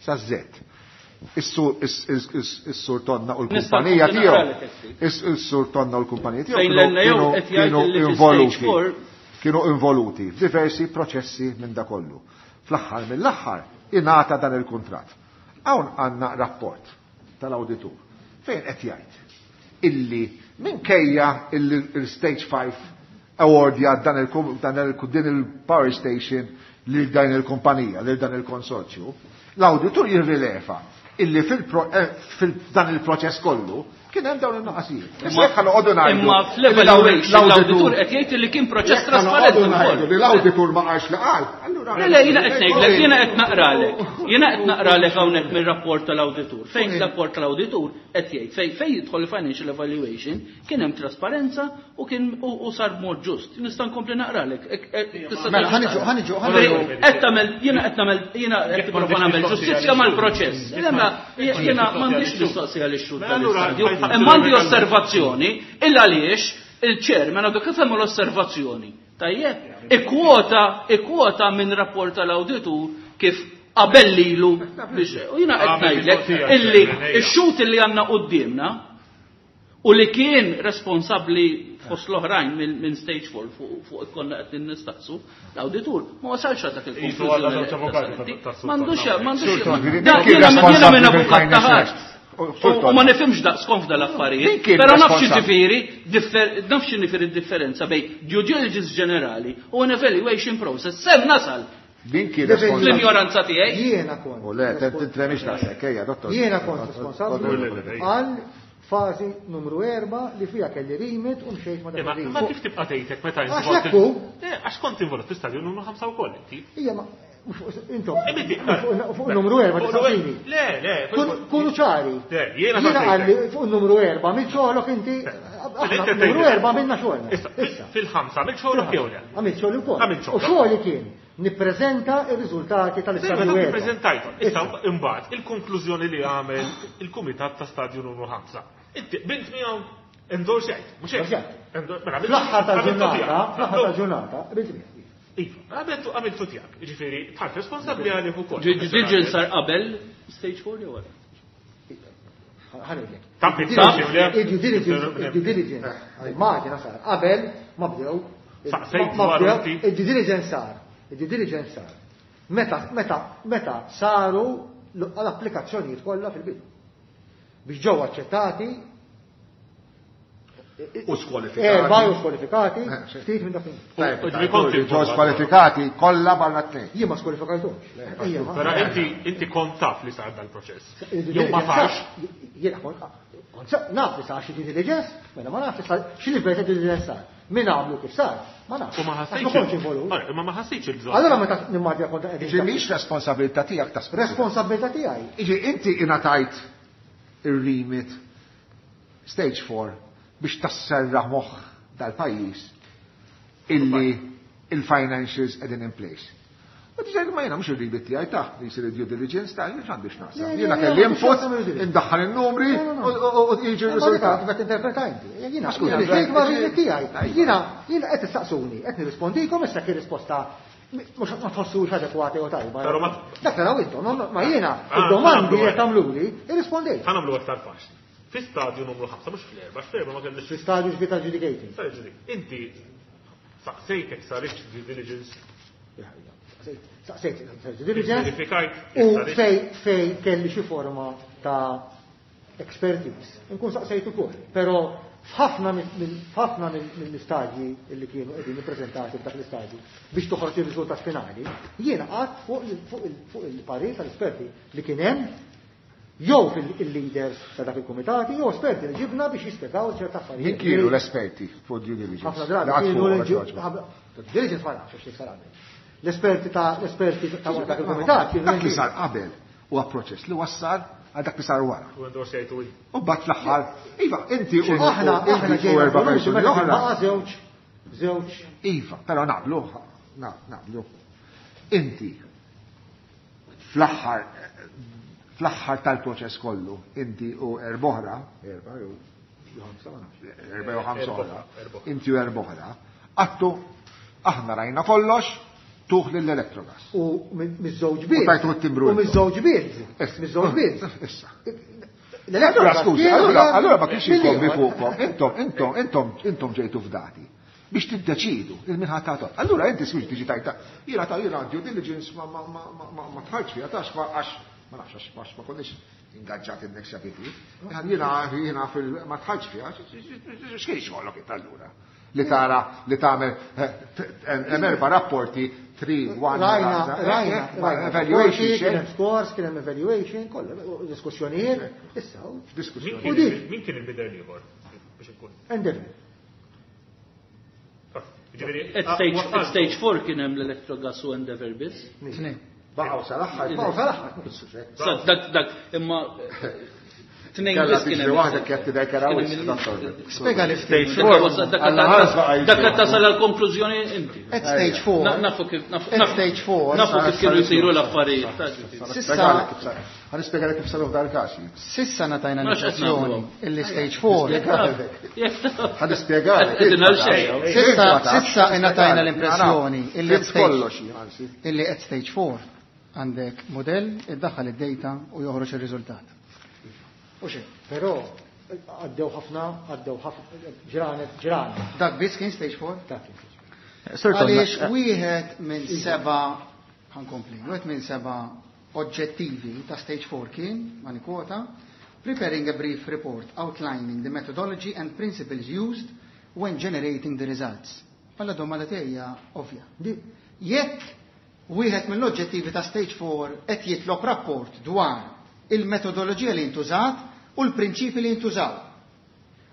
A: sa Z. Is-sur Tonna u l-kumpanija tiegħu. Is-sur Tonna u l-kumpanija tiegħu kienu involuti. Kienu involuti f'diversi proċessi minn da kollu. Fl-aħħar mill-aħħar ingħata dan il-kuntratt. Hawn għandna rapport tal-awditur fejn qed jgħid illi minkejja il-stage 5 awardja dan din il-power station lil dan il-kumpanija, lil dan il-konsorzju, l-awditur jirrileva illi fil-dan il-proċess kollu kien hemm dawn in-nuqqasijiet. Issa jekk ħanoqogħdu ngħidu.
F: Imma fl-evaluation l-awditur qed jgħid li kien proċess trasparenti wkoll.
A: Li l-awditur ma qalx li qal. Allura
F: Le, jiena qed ngħidlek, jiena qed naqralek. Jiena qed naqralek hawnhekk mir-rapport tal-awditur. Fejn rapport tal-awditur qed jgħid fejn fejn jidħol financial evaluation kien hemm trasparenza u kien u sar b'mod ġust. Nista' nkompli naqralek.
G: Mela ħaniġu ħaniġu ħaniġu.
F: Qed tagħmel jiena qed nagħmel jiena qed nipprova nagħmel ġustizzja mal-proċess. Jiena m'għandix mistoqsija lix-xhud tal-istadju. Imma għandi osservazzjoni il għaliex il-chairman għadu kif hemm l-osservazzjoni. Tajjeb, ikkwota minn rapport tal-awditur kif qabel lilu biex u jiena qed ngħidlek illi x-xut illi għandna quddiemna u li kien responsabbli fost l-oħrajn minn stage 4 fuq konna qed nistaqsu l-awditur ma wasalx għal dak il-konklużjoni. M'għandux m'għandux. Jiena minn avukat ta' U ma nifhimx daqskom f'dal affarijiet, però naf xi naf xi differenza bejn due diligence ġenerali u an evaluation process. Sem nasal.
A: Din kien
F: L-ignoranza tiegħi.
E: Jiena kont.
A: U le, tintremix daqshekk, ejja, dottor.
E: Jiena kont responsabbli għal fażi numru 4 li fiha kelli remit u mxejt ma dak
D: Ma kif tibqa' tgħidlek meta
E: inti?
D: Għax kont involut fi stadju numru 5 wkoll inti.
E: Ija ma Intom, fuq numru 4 tistaqsini.
D: Le, le.
E: Kunu ċari.
D: Jiena
E: għalli fuq numru 4 minn xogħolok inti. Numru 4 minna xogħolna.
D: Issa, fil-ħamsa mill xogħolok jew le?
E: Għamilt xogħol ukoll. U xogħoli kien nippreżenta r-riżultati tal-istadju.
D: Nippreżentajthom. Issa imbagħad il-konklużjoni li għamel il-kumitat ta' stadju numru 5. Inti bint miegħu endorsjajt, mhux hekk.
E: Mela, fl-aħħar tal-ġurnata, fl-aħħar tal-ġurnata, bint miegħu.
D: Iva, għamiltu għamiltu tiegħek, jiġifieri tħart responsabbli għalih ukoll.
F: Due diligence sar qabel stage 4 jew wara?
E: Ħanejlek. Due diligence, due diligence. Immaġina sar qabel ma bdew.
D: Ma
E: bdew. Due diligence sar. Due diligence sar. Meta meta meta saru l-applikazzjonijiet kollha fil-bidu. Biex ġew aċċettati
A: U skwalifikati.
E: Erba u skwalifikati, ftit minn dak.
A: Ġew skwalifikati kollha barra tnejn.
E: Jien ma skwalifikajthomx.
D: Però inti inti kont taf li sar dal-proċess. Jew ma tafx.
E: Jiena kont naf li sar xi due diligence, mela ma naf li sar xi livell ta' due diligence sar. Min għamlu kif sar, ma nafx.
D: U ma
E: ħassejtx. Ma kontx involut.
D: Imma ma ħassejtx il-bżonn.
E: Allora meta nimmaġina kont qegħdin.
A: Iġi mhix responsabilità tiegħek ta'
E: Responsabilità tiegħi.
A: Iġi inti ingħatajt ir-remit stage 4 biex tasserraħ moħħ dal-pajjiż illi il-financials qegħdin in place. U diġà ma jiena mhux ir-rebit tiegħi ta' li jsir due diligence ta' jien għandi x'naqsam. Jiena kelli input, indaħħal in-numri u jiġi r-riżultat.
E: Qed interpreta inti. Jiena ma rebit tiegħi. Jiena jiena qed tistaqsuni, qed nirrispondikom issa kien risposta mhux ma tħossux adekwata jew tajba. Dak taraw intom, ma jiena id-domandi qed tagħmluli, irrispondejt.
D: Ħa nagħmlu aktar faċli. Fi stadju numru 5, mhux fl-erba, fl-erba ma kellix.
E: Fi stadju ġbita adjudicating.
D: Inti saqsejtek sarix due diligence.
E: Saqsejt due diligence. U fej fej kelli xi forma ta' expertise. Nkun saqsejt ukoll. Però f'ħafna f'ħafna mill-istadji li kienu qegħdin ippreżentati f'dak l-istadju biex toħroġ ir-riżultat finali, jiena qatt fuq il-parir tal-esperti li kien hemm jew fil-leaders ta' dak il-kumitati, jew esperti li ġibna biex jispjegaw ċerta affarijiet.
A: Min kienu l-esperti fuq due diligence?
E: Ħafna drabi kienu diligence ma nafx xi sar qabel. L-esperti ta' l-esperti ta' dak il-kumitat kienu
A: Dak li sar qabel huwa proċess li wassal għal dak li sar wara.
D: U endorsejtu
A: U bat fl-aħħar, iva, inti u
E: Aħna aħna
A: inti u erba' persuni oħra.
E: Baqa' żewġ żewġ.
A: Iva, però naqblu, naqblu. Inti fl-aħħar fl-aħħar tal-proċess kollu, inti u erboħra, erba' jew ħamsa, erba' jew ħamsa oħra, inti u erboħra, għattu aħna rajna kollox, tuħ lill-Electrogas.
E: U miż-żewġ bids.
A: U tajtu t-timbru.
E: U miż-żewġ bids. Miż-żewġ bids.
A: Issa. Allura, skużi, allura ma kienx inkombi fuqkom, intom, intom, intom, intom ġejtu f'dati biex tiddeċidu il-min ħadd Allura inti skużi tiġi tajta, jiena ta' jiena due diligence ma ma ma ma ma tħarġ fiha tax għax ma nafx għax għax ma konniex ingaġġati n-Nexia BT. Jiena jiena fil ma tħarġ fiha, x'kien xogħolok int allura? Li tara li tagħmel hemm erba' rapporti 3 1
E: Rajna, rajna, rajna.
A: evaluation
E: Kien
A: xejn.
E: hemm scores, kien hemm evaluation, kollha diskussjonijiet, issa.
A: Diskussjoni.
E: U dik.
D: Min kien il-bider l-ieħor? Biex inkun.
E: Endeavor.
D: Ġifieri,
F: At stage, at stage 4 kien hemm l-Electrogas u Endeavor biss.
G: Tnejn.
A: Baqgħu sal-aħħar.
E: Baqgħu sal-aħħar.
F: Sa dak dak imma tnejn
A: Kella
F: biss kien
A: tiġri
F: hemm.
A: waħda kif tidher kera wisq, dottor.
G: Spjega li ftit.
F: Dak
A: Alla ħares baqa' jiġri.
F: dak tasal għal konklużjoni inti.
G: At stage 4.
F: Nafu kif nafu
G: At stage 4.
F: nafu kif kienu jsiru l-affarijiet.
G: Sissa
A: Ħa nispjegalek kif saru f'dal każ.
G: Sissa natajna
F: Ma x'qed
G: l-impressjoni
F: nagħmlu.
G: illi stage 4.
A: Ħa nispjegalek.
F: Qegħdin għal xejn.
G: Sissa sissa natajna l-impressjoni illi at
A: Fimt
G: stage
A: kollox, anzi.
G: illi at stage 4 għandek modell iddaħħal id-data u joħroġ ir-riżultat.
E: U xejn, però għaddew ħafna, għaddew ħafna, ġranet, ġranet.
G: Dak biss kien stage 4?
E: Dak kien stage
H: Sir Tom,
G: Għaliex wieħed minn seba' ħankompli, wieħed minn seba' oġġettivi ta' stage 4 kien, ma nikwota, preparing a brief report outlining the methodology and principles used when generating the results. Alla domanda tiegħi hija ovvja. Jekk wieħed mill-oġġettivi ta' stage 4 qed jitlob rapport dwar il-metodoloġija li ntużat u l-prinċipi li ntużaw.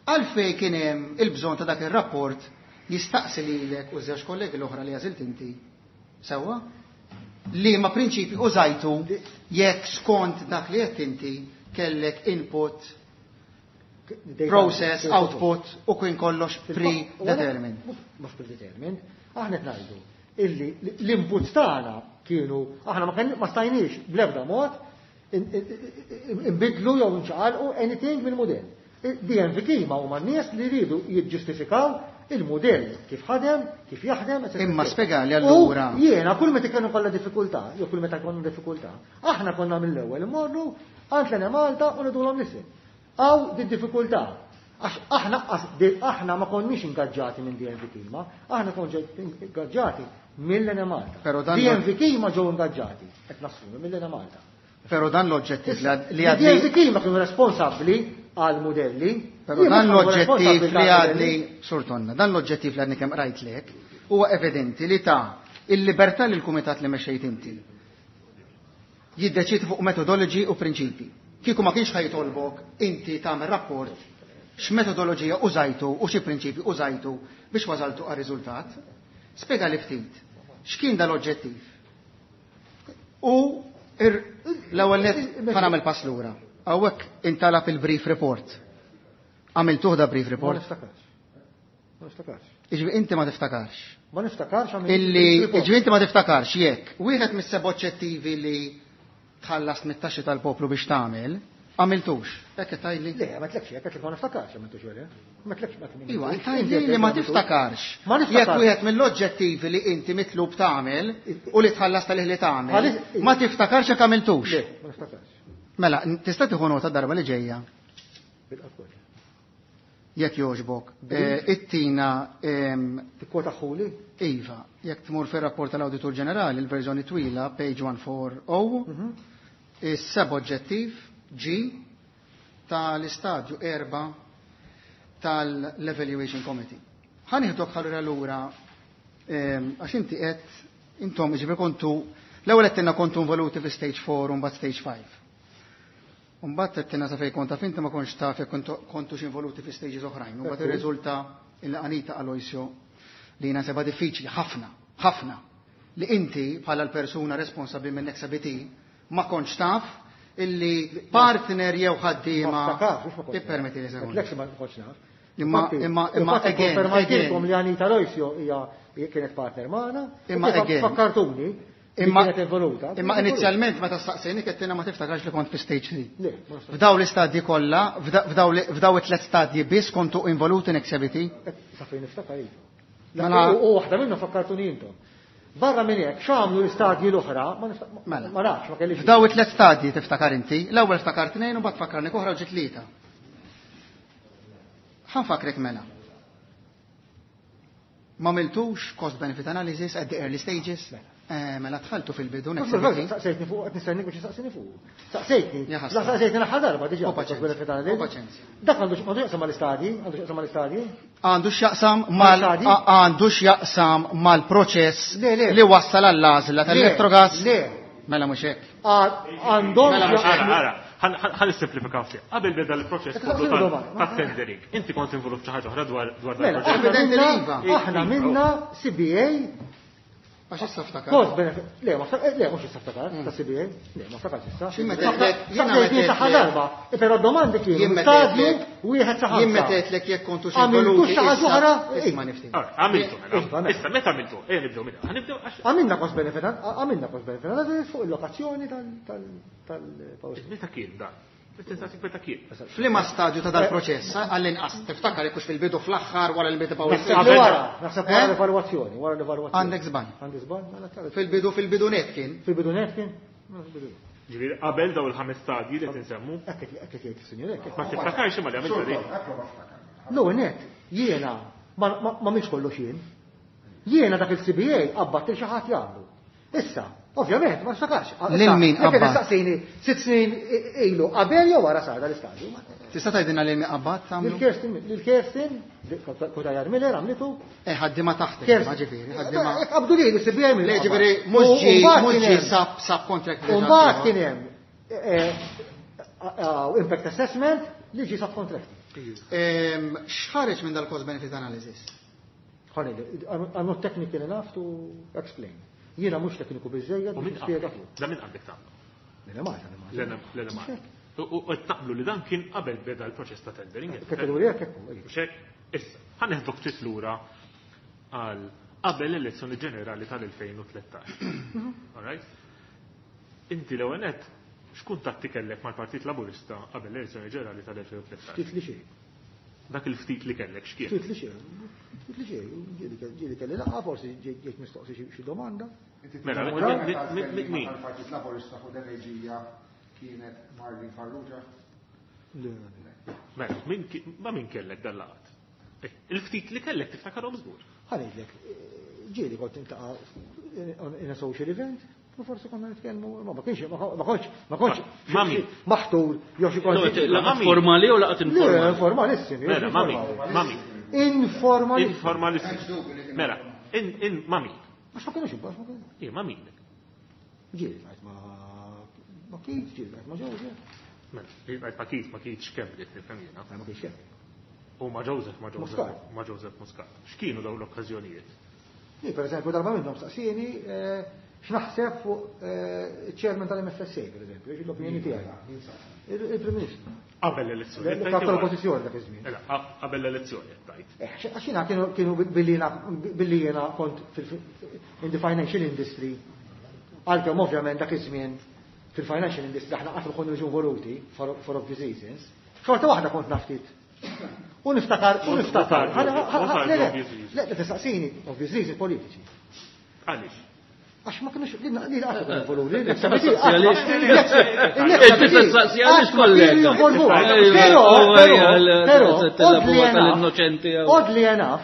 G: Għalfej kien hemm il-bżonn ta' dak ir-rapport jistaqsi lilek u żewġ kollegi l-oħra li għażilt inti. Sewwa? Liema prinċipi użajtu jekk skont dak li qed inti kellek input, process, output u kien kollox predetermined.
E: Mhux predetermined, aħna qed ngħidu illi l-inputs tagħna kienu aħna ma stajniex bl-ebda mod inbidlu jew nċaqalqu anything mill-mudell. DNV ma huma n-nies li jridu jiġġustifikaw il-mudell kif ħadem, kif jaħdem, etc.
G: Imma spjegali allura.
E: U jiena kull meta kienu kollha diffikultà, jew kull meta konna diffikultà, aħna konna mill-ewwel immorru għand l-Enemalta u ngħidulhom listen. Hawn di diffikultà. Għax aħna aħna ma konniex ingaġġati minn DNV Kima, aħna konna ingaġġati mill-Enemalta.
G: Però dan
E: DNV Kima ġew ingaġġati, qed nassumi mill-Enemalta.
G: Però dan l-oġġettiv li għadni.
E: DNV Kima kienu responsabbli għal modelli.
G: Però dan l-oġġettiv li għadni, Sur Tonna, dan l-oġġettiv li għadni kemm rajtlek, huwa evidenti li ta' il-libertà lil kumitat li mexxejt inti. Jiddeċidi fuq metodoloġi u prinċipi. Kieku ma kienx ħajtolbok inti tagħmel rapport x'metodoloġija użajtu u xi prinċipi użajtu biex wasaltu għar-riżultat. Spjega li ftit. X'kien dal-oġġettiv? U l-ewwel nett ħa nagħmel pass lura. Hawnhekk intalab il-brief report. Għamiltuh da brief report?
E: Ma niftakarx. Ma niftakarx.
G: Iġbi inti ma tiftakarx.
E: Ma niftakarx għamil
G: Illi iġbi inti ma tiftakarx jekk wieħed mis-seba' oġġettivi li tħallas mit-taxxi tal-poplu biex tagħmel, għamiltux. Hekk qed tgħidli?
E: Le, ma tlekx, hekk qed ma niftakarx għamiltux wara. Ma tlekx ma tlekx.
G: Iva, tgħidli li ma tiftakarx.
E: Ma niftakarx.
G: Jekk wieħed mill-oġġettivi li inti mitlub tagħmel u li tħallas tal li tagħmel, ma tiftakarx jekk għamiltux.
E: Le, ma niftakarx.
G: Mela, tista' tieħu nota darba li ġejja.
E: Bil-qafol.
G: Jekk jogħġbok, it-tina
E: Tikkwota ħuli?
G: Iva, jekk tmur fir-rapport tal-Awditur Ġenerali, il-verżjoni twila, page 140, is-seb oġġettiv G tal-istadju 4 tal-Evaluation Committee. Ħa nieħdok ħallura lura għax inti qed intom jiġifieri kontu l-ewwel qed tinna kontu involuti fi stage 4 u mbagħad stage 5. Mbagħad qed tinna sa fejn kont taf inti ma kontx taf jekk kontux involuti fi stages oħrajn. U mbagħad irriżulta il Anita Aloisio li jiena seba' diffiċli ħafna, ħafna li inti bħala l-persuna responsabbli minn Nexa BT ma kontx taf illi partner jew ħaddiema.
E: Ma niftakarx, mhux ma kontx naf.
G: Ippermetti li sekonda.
E: Għedtlek li ma kontx naf.
G: Imma,
E: Infatti,
G: imma, imma
E: infatti
G: again,
E: konfermajtilkom
G: again.
E: li Anita Aloisio hija kienet partner magħna.
G: Imma
E: U kif
G: again.
E: Fakkartuni li
G: Imma
E: kienet involuta.
G: Imma inizjalment meta staqsejni qed ma tiftakarx li kont fi stage 3.
E: Le, ma niftakarx.
G: F'daw l-istadji kollha, f'daw it-tliet stadji biss kontu involuti Nexia BT?
E: Sa fejn niftakar iva.
G: Mela-
E: U waħda minnhom fakkartuni intom. Barra minn hekk, x'għamlu l-istadji l-oħra, ma nifta- ma-
G: Mela.
E: ma nafx, ma kellix.
G: F'daw it-tliet stadji tiftakar inti, l-ewwel ftakar tnejn u mbagħad fakkarni oħra u ġiet tlieta. Ħa nfakkrek mela. Ma għamiltux cost benefit analysis at the early stages? Mela dħaltu fil-bidu
E: Mhux
G: Nexia
E: bil-fatt,
G: BT.
E: Saqsejtni fuq, qed nistennik biex saqsini fuq. Saqsejtni.
G: Ja ħasra.
E: La saqsejtni l-aħħar darba diġà.
G: U paċenzja.
E: cost benefit analysis.
G: U paċenzja.
E: Dak għandu għandu x'jaqsam mal-istadji, għandu x'jaqsam mal-istadji.
G: Għandu x'jaqsam mal
E: Mal-istadji?
G: għandu x'jaqsam mal-proċess
E: Le, le.
G: li wassal għall-għażla tal-Electrogas.
E: Le.
G: Mela mhux hekk.
E: Għandhom
G: Mela mhux
D: Ara, ara, ħa nissimplifikaw ftit. Qabel beda l-proċess
E: Qed
D: kollu
E: taqsilu domanda.
D: tat-tendering, inti kont involut xi ħaġa oħra dwar dwar dan
E: Mela,
D: il-proġett.
E: aħna
G: Evidenti li
E: minna,
G: iva.
E: aħna minna CBA
G: Għax issa ftakar.
E: Cost benefit. Le, ma ftakar, le, mhux issa ftakar, ta' CBA. Le, ma ftakarx issa.
G: Xi meta għedtlek- jiena
E: Saqsejtni
G: meta
E: saħħa
G: għedtlek-
E: darba, però domandi kienu
G: Jien meta
E: stadju
G: għedtlek-
E: wieħed sa
G: Jien
E: ħamsa.
G: meta għedtlek jekk kontu xi
E: Għamiltu
G: involuti
E: xi ħaġa
G: issa-
E: oħra?
G: Isma' nifti.
D: Ara, Għamiltu,
E: Iva,
D: mela.
E: mela.
D: Issa, meta għamiltu? Ejja nibdew minna. Ħa nibdew għax.
E: Għamilna cost benefit, għamilna cost benefit analysis fuq il-lokazzjoni tal-power station.
D: Meta kien dan? Meta tistaqsik meta kien?
G: F'liema stadju ta' dal-proċess, għall-inqas, tiftakar jekk hux fil-bidu fl-aħħar wara li beda power
E: Naħseb li
G: station.
E: wara, naħseb wara
G: Eh?
E: l-evalwazzjoni, wara l-evalwazzjoni.
G: Għandek żball.
E: Għandi żball, mela tara.
G: Fil-bidu fil-bidu net kien.
E: Fil-bidu net kien? Mela fil-bidu net.
D: Ġifieri qabel daw il-ħames stadji li qed insemmu,
E: Hekk qed hekk qed jgħid is-sinjur hekk.
D: ma tiftakarx imma li għamiltu dik.
E: L-ewwel net, jiena ma ma minx kollox jien. Jiena dak il-CBA qabbadt il xi ħadd jagħmlu. Issa, ovvjament, ma niftakarx.
G: Lil min
E: Jekk qed
G: qabbat?
E: Saqsini sitt snin ilu qabel jew wara sar dal-istadju.
G: Tista' tgħidilna lil min qabbat tagħmlu?
E: Lil Kerstin, lil Kerstin, Cutajar Miller għamlitu.
G: Eh, ħaddiema taħtek,
E: Kerstin.
G: ma ġifieri, ħaddiema.
E: Hekk Qabdu li l-CBA minn.
G: Le ġifieri mhux ġi mhux ġi sub subcontract.
E: U mbagħad kien hemm impact assessment li ġi subcontract.
G: X'ħareġ minn dal-cost benefit analysis?
E: Honey, I'm not technical enough to explain. Jiena mhux tekniku biżejjed
D: U
E: biex
D: min
E: nispjega
D: qablek?
E: fuq.
D: Da min qablek tagħmlu?
E: L-Enemalta, l-Enemalta.
D: L-Enemalta. U qed naqblu li dan kien qabel beda l-proċess ta' tendering.
E: Kategorija kekku, ejja.
D: Mhux hekk? Issa, ħa neħdok ftit lura għal qabel l-elezzjoni ġenerali tal-2013. All right? Inti l-ewwel nett x'kuntatti kellek mal-Partit Laburista qabel l-elezzjoni ġenerali tal-2013?
E: Ftit li xejn.
D: Dak il-ftit li kellek x'kien?
E: Ftit li xejn. Ftit li xejn. Ġieli kelli laqgħa, forsi ġejt mistoqsi xi domanda.
D: Mela, min?
A: Tal-Partit Laburista fuq l-enerġija kienet Marlene Farrugia.
E: Le, le.
D: Mela, ma' min kellek dan laqgħat? Il-ftit li kellek tiftakarhom żgur.
E: Ħa ngħidlek, ġieli kont niltaqa' in a social event, u forsi konna nitkellmu, ma kienx, ma kontx, ma kontx
D: Ma min?
E: maħtur jew xi kont.
F: Laqgħat formali u laqgħat
E: Le,
F: informali?
E: informalissimi.
D: Mela, ma min? Ma min?
E: Informalissimi.
D: Informalissimi. Mela, in ma min?
E: Għax ma kienux imbagħad, ma kienux.
D: Ije, ma min?
E: Ġieli ltqajt ma Keith, ġieli ltqajt ma Joseph.
D: Mela, ġieli ma Keith, ma Keith x'kemm li nifhem jiena.
E: Ma Keith x'kemm.
D: U ma Joseph, ma Joseph,
E: Muscat.
D: ma Joseph Muscat. X'kienu dawn l-okkażjonijiet?
E: Li, per eżempju, darba minnhom saqsieni x'naħseb fuq il-chairman tal-MFSA, per eżempju, xi l-opinjoni tiegħi. Il-Prim Ministru.
D: Qabel l-elezzjoni.
E: Il-kap tal-oppożizzjoni dak iż-żmien.
D: Mela, qabel l-elezzjoni qed tgħid.
E: Għax jiena kienu billi jiena kont in the financial industry, għalkemm ovvjament dak iż-żmien fil-financial industry aħna qatt ma konna niġu involuti for obvious reasons, xorta waħda kont naftit. U niftakar, u niftakar.
D: What are
E: Le,
D: the
E: le,
D: obvious reasons?
E: le, le, tistaqsini, obvious reasons politiċi.
D: Għaliex?
E: Għax ma kienux, li li qatt ma involuti, li
F: Tistaqsi għaliex. Inti tistaqsi għaliex kollega.
E: Però, però,
F: tal-innoċenti.
E: oddly enough,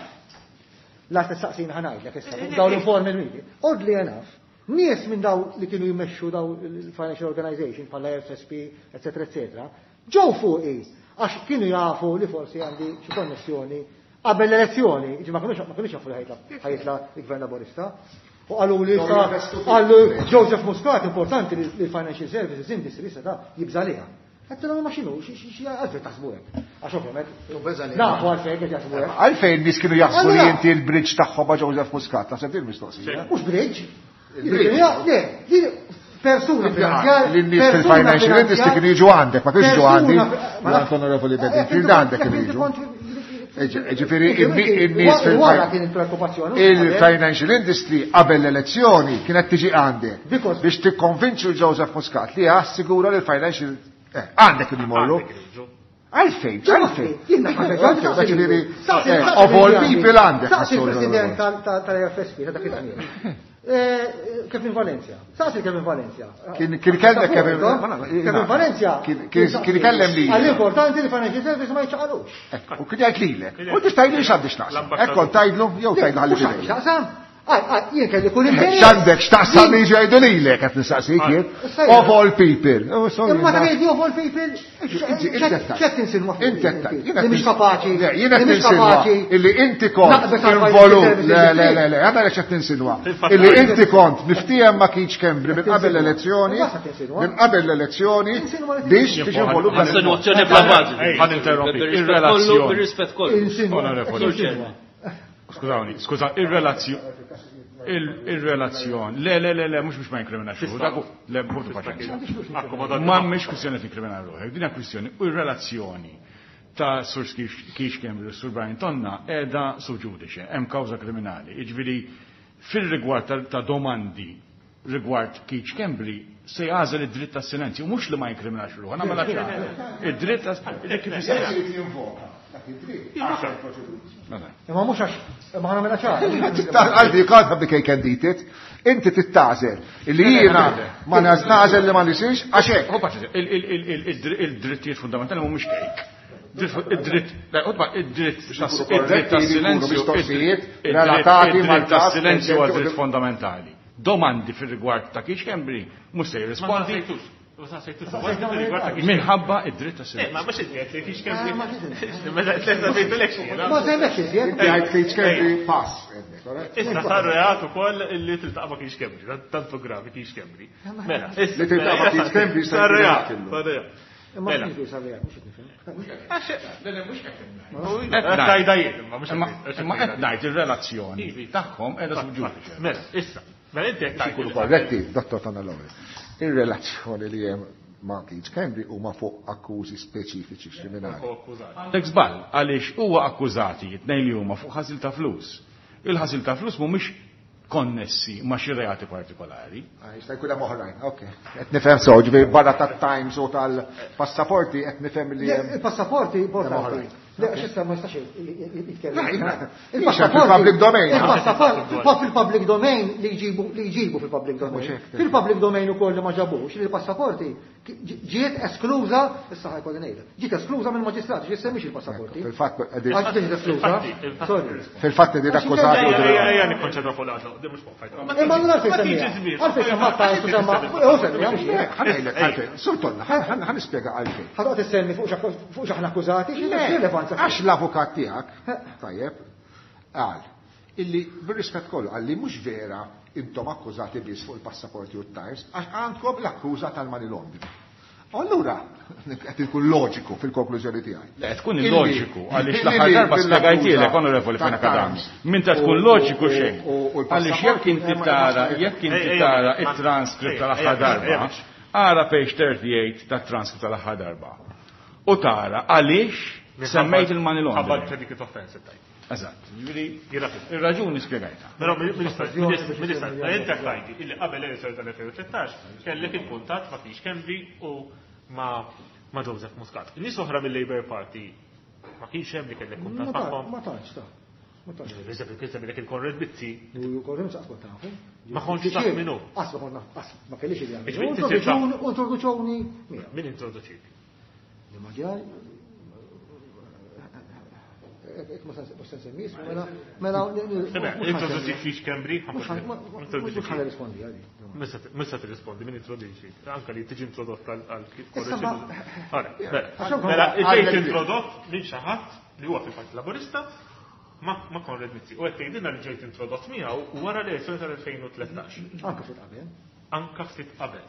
E: la tistaqsini ħa ngħidlek issa, daw l-informal meeting, oddly enough, nies minn daw li kienu jmexxu daw il-financial organization bħala FSP, eccetera, eccetera, ġew fuqi għax kienu jafu li forsi għandi xi konnessjoni qabel l-elezzjoni, ġi ma kinux jafu li ħa jitla' il-Gvern Laburista. U qalu li
A: Dawn
E: sa
A: jinvestu fil-
E: qalu Joseph Muscat importanti li l-financial services industry sa ta' jibżaliha. Għedtilhom ma x'inhu, xi għalfejn taħsbu hekk. Għax ovvjament nafu għalfejn qed jaħsbu hekk.
A: Għalfejn nies kienu jaħsbu li
E: Allura-
A: inti l-bridge tagħhom ma' Joseph Muscat, naħseb din mistoqsija.
E: Mhux bridge.
A: Il-bridge.
E: Le, li persuna finanzjar.
A: L-nies fil-financial industry kienu jiġu għandek, ma kienux jiġu għandi.
E: Persuna-
A: L-Onorevoli Bedingfield għandek kienu jiġu. Ġifieri, in-nies fil-
E: Wara kien il-preokkupazzjoni.
A: Il-financial industry qabel l-elezzjoni kienet tiġi għandek
E: Because-
A: biex tikkonvinċu Joseph Muscat li jassigura li l-financial għandek kienu jmorru.
D: Għandek jiġu.
A: Għalfejn, għalfejn.
E: Jiena
A: Għalfejn, ġifieri, of all people għandek.
E: Saqsi il-president tal-FSP ta' dak iż-żmien. Kevin Valencia. Saqsi Kevin Valencia.
A: Kien kellek Kevin
E: Kevin Valencia.
A: Kien ikellem li.
E: Għall-importanti li financial service ma jiċċaqalux.
A: U kien jgħid lilek. U tista' tgħidli x'għandek x'taqsam. Hekk kont tgħidlu jew tgħidlu ħalli fidejk.
E: X'taqsam? Jien kelli kull interess.
A: X'għandek x'taqsam li jiġu jgħidu lilek qed nistaqsik jien. Of all people. Oh, sorry,
E: Imma ta' jgħidu of all people, x'qed tinsinwa fuq
A: Inti qed tgħid.
E: Li mhix kapaċi.
A: Le, jien qed
E: Li mhix
A: ninsinwa
E: kapaċi.
A: illi inti kont
E: Naqbes għal
A: involut.
E: financial
A: Le, le,
E: services.
A: le, le, għadha x'qed tinsinwa.
D: Fil-fatt
A: Illi
D: għajt.
A: inti kont miftiehem ma kienx Schembri minn qabel l-elezzjoni,
E: Basta tinsinwa.
A: minn qabel l-elezzjoni
E: Insinwa li
A: biex tiġi involut. dan il-mod.
F: Insinuazzjoni bla bażi.
C: Ħa ninterrompi.
F: Bir-rispett kollu,
C: Ir-relazzjoni.
F: bir-rispett kollu.
E: Insinwa.
C: Onorevoli.
E: Insinwa.
C: Skużawni, skuża, il-relazzjoni. Il-relazzjoni. Le, le, le, le, mhux biex ma jinkriminax ruħu. Dak hu- Le, ħudu paċenzja.
D: Akkomodat.
C: Ma mhix kwistjoni tinkrimina ruħek, din hija kwistjoni u r-relazzjoni ta' Sur Keith Schembri u Sur Brian Tonna qiegħda sub judice, hemm kawża kriminali. Jiġifieri fil-rigward ta' domandi rigward Keith Schembri se jagħżel id-dritt tas silenzju, mhux li ma jinkriminax ruħu, nagħmel ċara. Id-dritt tas kif
A: Jekk jinvoka dak id-dritt. għaxar proċeduri.
E: Imma mhux għax imma ħa nagħmilha ċara.
A: Għaldi, you can't have the cake and eat it. Inti tittagħżel. Illi jiena ma nagħżel li ma nisirx, għax hekk.
C: Ħu paċenzja, il-drittijiet fundamentali mhumiex cake. Id-dritt, le, ħudba, id-dritt tas-silenzju,
A: mistoqsijiet
C: id-dritt
A: relatati mal-każ
C: tas-silenzju huwa
A: preżenti
C: dritt fondamentali. Domandi fir-rigward ta' Keith Schembri mhux se
D: Ma
C: jirrispondi
D: sejtux. Ma sejtux.
C: minħabba id-dritt
D: Eh,
C: tas-silenzju.
D: ma mhux iżjed li Keith Schembri. Mela sejtulek xi.
E: Ma sejmekx iżjed.
A: Inti għajt Keith Schembri pass. correct?
D: Issa sar reat ukoll illi tiltaqa' ma' Keith Schembri, tantu gravi Keith Schembri. Mela, issa.
A: Li tiltaqa' ma' Keith Schembri
D: sar reat.
A: kellu.
D: Sar reat.
E: Imma
D: Mela.
E: x'jiġri sar reat, mhux qed nifhem.
D: Tajda jien, imma mhux
C: Imma qed ngħid ir-relazzjoni tagħhom qiegħda sub judice.
D: Mela, issa, Mela inti qed
A: Ikunu korretti, Dottor Tonalone. Ir-relazzjoni li hemm ma' Keith Schembri huma fuq akkużi speċifiċi kriminali.
C: Għandek żball għaliex huwa akkużati t-tnejn li huma fuq ħasil ta' flus. Il-ħasil ta' flus mhumiex konnessi ma' xi reati partikolari.
A: Ah, jista' jkun hemm oħrajn, ok. Qed nifhem sew, ġifieri barra tat-Times u tal-passaporti qed nifhem li hemm.
E: Il-passaporti importanti. Le, għax issa ma jistax jitkellem.
A: Il-passaporti. Fil-public domain.
E: Il-passaporti fil-public domain li jġibu li jġibu fil-public domain. Fil-public domain ukoll li ma ġabux li l-passaporti ġiet eskluża, issa ħa jkolli ngħidha, ġiet eskluża mill-maġistrat, ġiet semmix il-passaporti.
A: Fil-fatt
E: Għax ġiet eskluża. Sorry.
A: Fil-fatt qegħdin akkużati.
D: Ejja nikkonċentra fuq l-għażla, mhux fuq fajta.
E: Imma allura għalfejn semmiha. Għalfejn semma ta' semma. U semmiha mhux hekk.
A: Ħa ngħidlek għalfejn. Sur Tonna, ħa nispjega għalfejn.
E: Ħa toqgħod issemmi fuq x'aħna akkużati, x'rilevanza.
A: Għax l-avukat tiegħek, tajjeb, qal illi bir-rispett kollu qal li mhux vera intom akkużati biss fuq il-passaporti u t-Times, għax għandkom l-akkuża tal-money laundering. Allura, qed ikun loġiku fil-konklużjoni tiegħi.
C: Le, tkun illoġiku, għaliex l-aħħar darba spjegajtielek, Onorevoli Fenech Adami, minn ta' tkun loġiku xejn. Għaliex jekk inti tara, jekk inti tara it-transcript tal-aħħar darba, ara page 38 tat-transcript tal-aħħar darba. U tara għaliex semmejt il-money laundering.
D: Ħabba predicate offense tajt.
C: Eżatt, ġifieri ir-raġuni spjegajtha.
D: Però Ministru, inti tgħidi illi qabel l-elezzjoni tal-2013 kellek il-kuntatt ma' Keith Schembri u ma' Joseph Muscat. Nies oħra mill-Labour Party ma kienx hemm li kellek kuntatt magħhom.
E: Ma tantx ta. Ma tantx.
D: Eżempju, kien semmilek il-Konrad Mizzi.
E: U Konrad Mizzi qatt kont nafu.
D: Ma kontx taf min hu.
E: Qatt ma kont naf, qatt ma kellix idea. Introduċewni miegħu.
D: Min introduċik?
E: Li ma ġaj. Ma se nsemmi ismu, mela, mela,
D: Introduċik Keith Schembri?
E: Mhux ħa nirrispondi għadi.
D: Mhux se tirrispondi, min introduċik? Anka li tiġi introdott għal Mela, ġejt introdott minn xi ħadd li huwa fil-Partit Laburista ma' Konrad Mizzi. U qed tgħidilna li ġejt introdott miegħu wara l-elezzjoni tal-2013.
E: Anka ftit qabel.
D: Anka ftit qabel.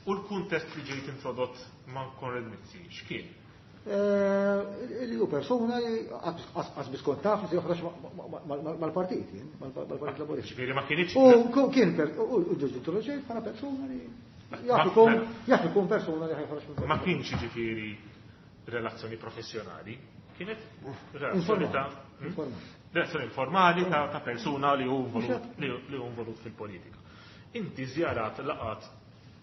D: U l-kuntest li ġejt introdott ma' Konrad Mizzi, x'kien?
E: Li hu persuna li qas biss kont taf li se joħroġ mal-partit, jien, mal-Partit Laburista.
D: Ġifieri ma kienx.
E: U kien u ġejt introduċejt bħala persuna li jaf ikun persuna li ħa joħroġ mill-partit.
D: Ma kienx ġifieri relazzjoni professjonali, kienet relazzjoni ta' relazzjoni informali ta' persuna li hu involut fil-politika. Inti żjarat laqat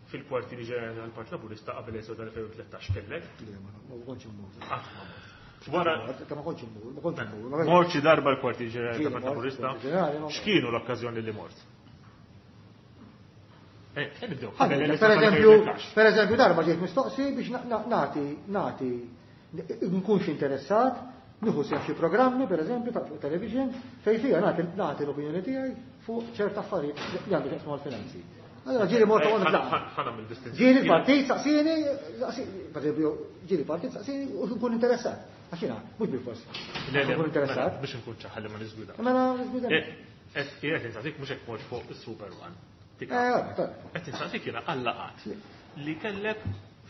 D: fil-kwartieri ġenerali tal-Partit Laburista qabel l-elezzjoni tal-2013 kellek?
E: Le, ma kontx immur.
D: Qatt ma mort. Wara
E: ma kontx immur, ma kontx immur.
D: Mort xi darba l-kwartieri ġenerali tal-Partit Laburista? X'kienu l-okkażjoni li mort? Nibdew.
E: Per eżempju, darba ġejt mistoqsi biex nagħti nagħti nkunx interessat, nieħu sehem xi programmi, per eżempju, ta' fuq television, fejn fiha nagħti l-opinjoni tiegħi fuq ċerta affarijiet li għandu x'jaqsmu mal-finanzi. Allora ġieli mort għand laqgħa. Ġieli l-partit saqsini, per eżempju, ġieli partit saqsini u nkun interessat. Għax jiena mhux bil-fors. Nkun interessat.
D: Biex nkun ċaħalli ma niżgwida.
E: Mela niżgwida.
D: Qed insaqsik mhux hekk mort fuq is-Super One. Qed insaqsik jiena għal-laqgħat li kellek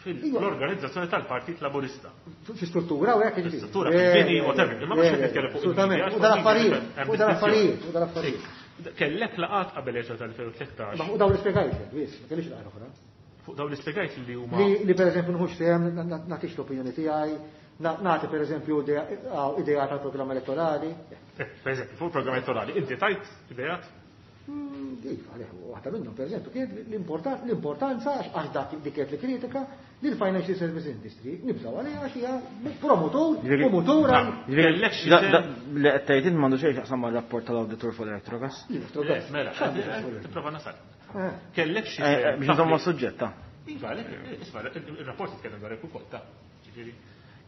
D: fil-organizzazzjoni tal-Partit Laburista.
E: Fi struttura u hekk
D: jiġifieri. Struttura, fil-bini, whatever. Imma mhux qed nitkellem fuq
E: Assolutament. U dal-affarijiet, u dal-affarijiet, u dal-affarijiet.
D: Kellek laqgħat qabel l-elezzjoni tal-2013.
E: Ma fuq dawn l-ispjegajt, biss, ma kellix laqgħa oħra.
D: Fuq dawn l-ispjegajt li huma.
E: Li per eżempju nħux sehem, nagħtix l-opinjoni tiegħi, nagħti per eżempju idea tal-programm elettorali.
D: Per eżempju, fuq il-programm elettorali, inti tajt ideat?
E: Iva, għalih, waħda minnhom, per eżempju, kienet l-importanza għax dak dik kienet li kritika li l-financial service industry nibżgħu għaliha għax hija promotur, promotur għal.
H: Li qed tgħid int m'għandu xejn x'jaqsam mar-rapport tal-awditur fuq l-Electrogas.
E: L-Electrogas.
D: Mela, tipprova nasal. Kellek xi
H: Biex nżommu s-suġġett, ta.
D: Iva, għalhekk, isma', ir-rapport jitkellem dwar hekk ukoll, ta. Ġifieri,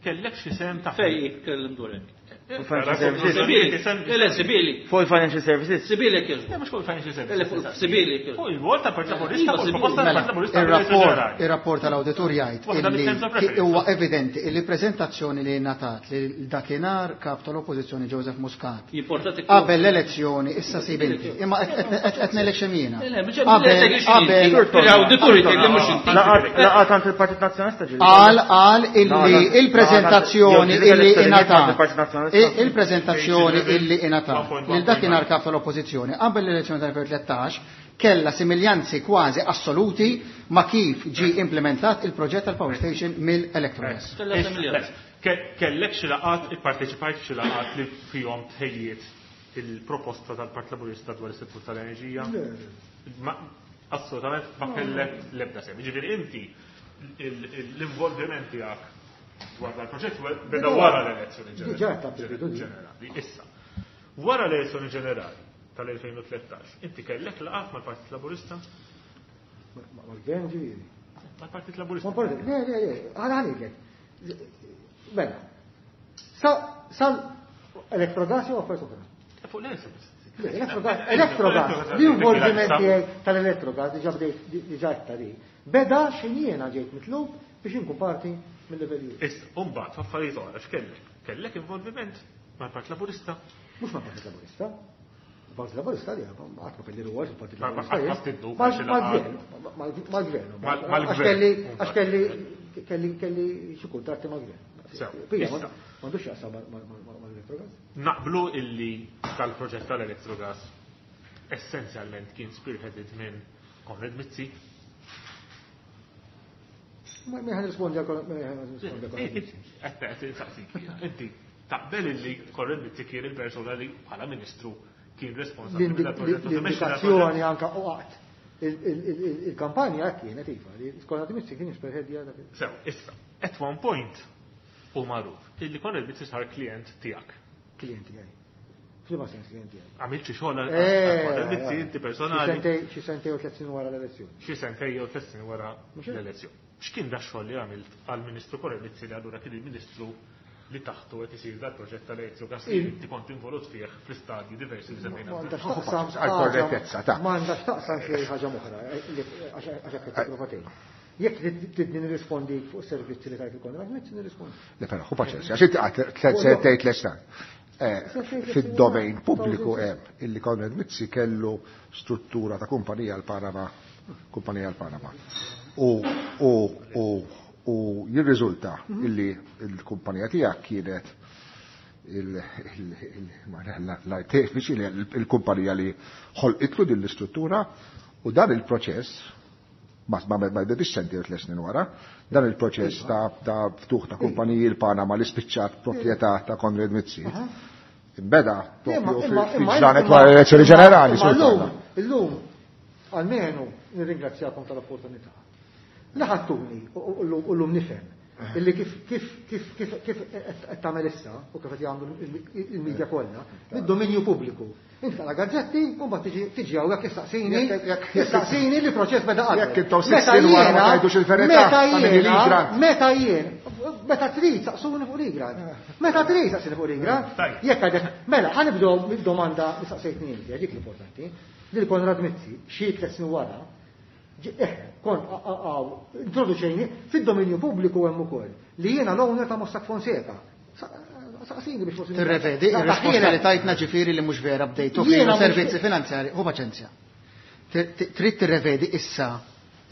D: kellek xi sehem ta'
F: Fej jitkellem dwar hekk.
H: Fuq financial services.
F: Le, Sibili.
H: Fuq il-financial services.
F: Sibili kif?
D: Le, mhux fuq il-financial services.
F: Le, fuq Sibili kif?
D: Fuq il-wol ta' Partit Laburista, fuq il-proposta tal-Partit Laburista.
G: Ir-rapport tal-awditur jgħid illi huwa evidenti illi preżentazzjoni li ngħatat li dakinhar kap tal-Oppożizzjoni Joseph Muscat qabel l-elezzjoni issa sib inti. Imma qed ngħidlek x'hemm jiena.
F: Qabel l-awditur jgħid li mhux inti.
H: Laqgħat għand il-Partit Nazzjonalista ġieli.
G: Qal illi il-preżentazzjoni illi ingħatat il-preżentazzjoni illi ingħatat lil dakinhar kap tal-Oppożizzjoni qabel l-elezzjoni tal-2013 kellha similjanzi kważi assoluti ma' kif ġie implementat il-proġett tal-power station mill-Electrogas.
F: Kellha similjanzi.
D: Kellek xi laqgħat, ipparteċipajt f'xi laqgħat li fihom tħejjiet il-proposta tal-Partit Laburista dwar is-settur tal-enerġija? Assolutament ma kellek l-ebda sehem. Jiġifieri inti l-involviment tiegħek dwar dal-proġett beda wara l-elezzjoni ġenerali. Issa, wara l-elezzjoni ġenerali tal-2013, inti kellek laqgħat mal-Partit Laburista?
E: Mal-gvern ġifieri.
D: Mal-Partit Laburista.
E: Le, le, le, għala għalilek. Mela, sal Electrogas jew affarijiet oħra?
D: Fuq l-Electrogas.
E: Electrogas, l-involviment tiegħi tal-Electrogas diġà bdejt diġà għedtha di. Beda x'ħin jiena ġejt mitlub biex inkun parti mill-level
D: Issa, u mbagħad f'affarijiet oħra x'kellek? Kellek involviment mal-Partit Laburista?
E: Mhux mal-Partit Laburista. Il-Partit Laburista li qatt ma kelli rwol fil-Partit Laburista.
D: Mal-gvern.
E: Mal-gvern. Għax kelli kelli kelli xi kuntratti mal-gvern. M'għandux x'jaqsam mal-Electrogas.
D: Naqblu illi tal-proġett tal-Electrogas essenzjalment kien spearheaded minn Konrad Mizzi.
E: Ma ħan rispondi għal Konrad
D: Mizzi. Inti taqbel illi Konrad Mizzi kien il-persuna li bħala ministru kien responsabbli
E: mill-proġett. L-indikazzjoni anka u qatt il-kampanja kienet iva li Konrad Mizzi kien spearheadja dak.
D: Sew, issa, at one point hu magħruf illi Konrad Mizzi sar klient tiegħek.
E: Klient tiegħi. F'liema sens klient tiegħi?
D: Għamilt xi xogħol għal Konrad Mizzi inti personali.
E: Xi sentej u tliet snin wara l-elezzjoni.
D: Xi sentej jew tliet snin wara l-elezzjoni. X'kien da xogħol li għamilt għall-Ministru Konrad Mizzi li allura kien il-Ministru li taħtu qed isir dal-proġett tal-Electrogas li inti kont involut fih fl-istadji diversi li semmejna.
A: Għall-korrettezza ta'.
E: M'għandha x'taqsam xi ħaġa oħra għax hekk qed tipprova tgħid. Jekk tridni nirrispondi fuq servizzi li tajt il-Konrad Mizzi nirrispondi.
A: Le però ħu paċenzja, għax inti qatt tliet sentejn tliet snin. Fid-domain pubbliku hemm illi Konrad Mizzi kellu struttura ta' kumpanija l-Panama, kumpanija l-Panama. U u u u jirriżulta illi l-kumpanija tiegħek kienet l-artefiċi il-kumpanija li ħolqitlu din l-istruttura u dan il-proċess ma ma bidix senti u tliet snin wara, dan il-proċess ta' ftuħ ta' kumpaniji l-Panama li spiċċat proprjetà ta' Konrad Mizzi. Imbeda propju fil-ġranet wara l-elezzjoni ġenerali.
E: Illum, almenu nirringrazzjakom tal-opportunità. Li ħadtuni u llum nifhem illi kif kif kif kif kif qed tagħmel issa u kif qed jagħmlu il-media kollha, mid-dominju pubbliku. Inti taqra gazzetti u mbagħad tiġi tiġi hawnhekk issaqsini issaqsini li proċess beda qabel.
A: Jekk intom sitt snin wara ma tgħidux il-verità
E: Meta jiena meta jien meta trid saqsuni fuq l-igrad. Meta trid saqsini fuq l-igrad. Jekk għadek mela ħa nibdew mid-domanda li saqsejtni inti, dik l-importanti. Lil Konrad Mizzi xi tliet snin wara Eh, kont introduċejni fid-dominju pubbliku hemm ukoll li jiena l-owner ta' Mossack Fonseca. Saqsini biex forsi.
G: Tirrevedi ir-risposta li tajtna ġifieri li mhux vera bdejtu
E: Jiena
G: servizzi finanzjari, hu paċenzja. Trid tirrevedi issa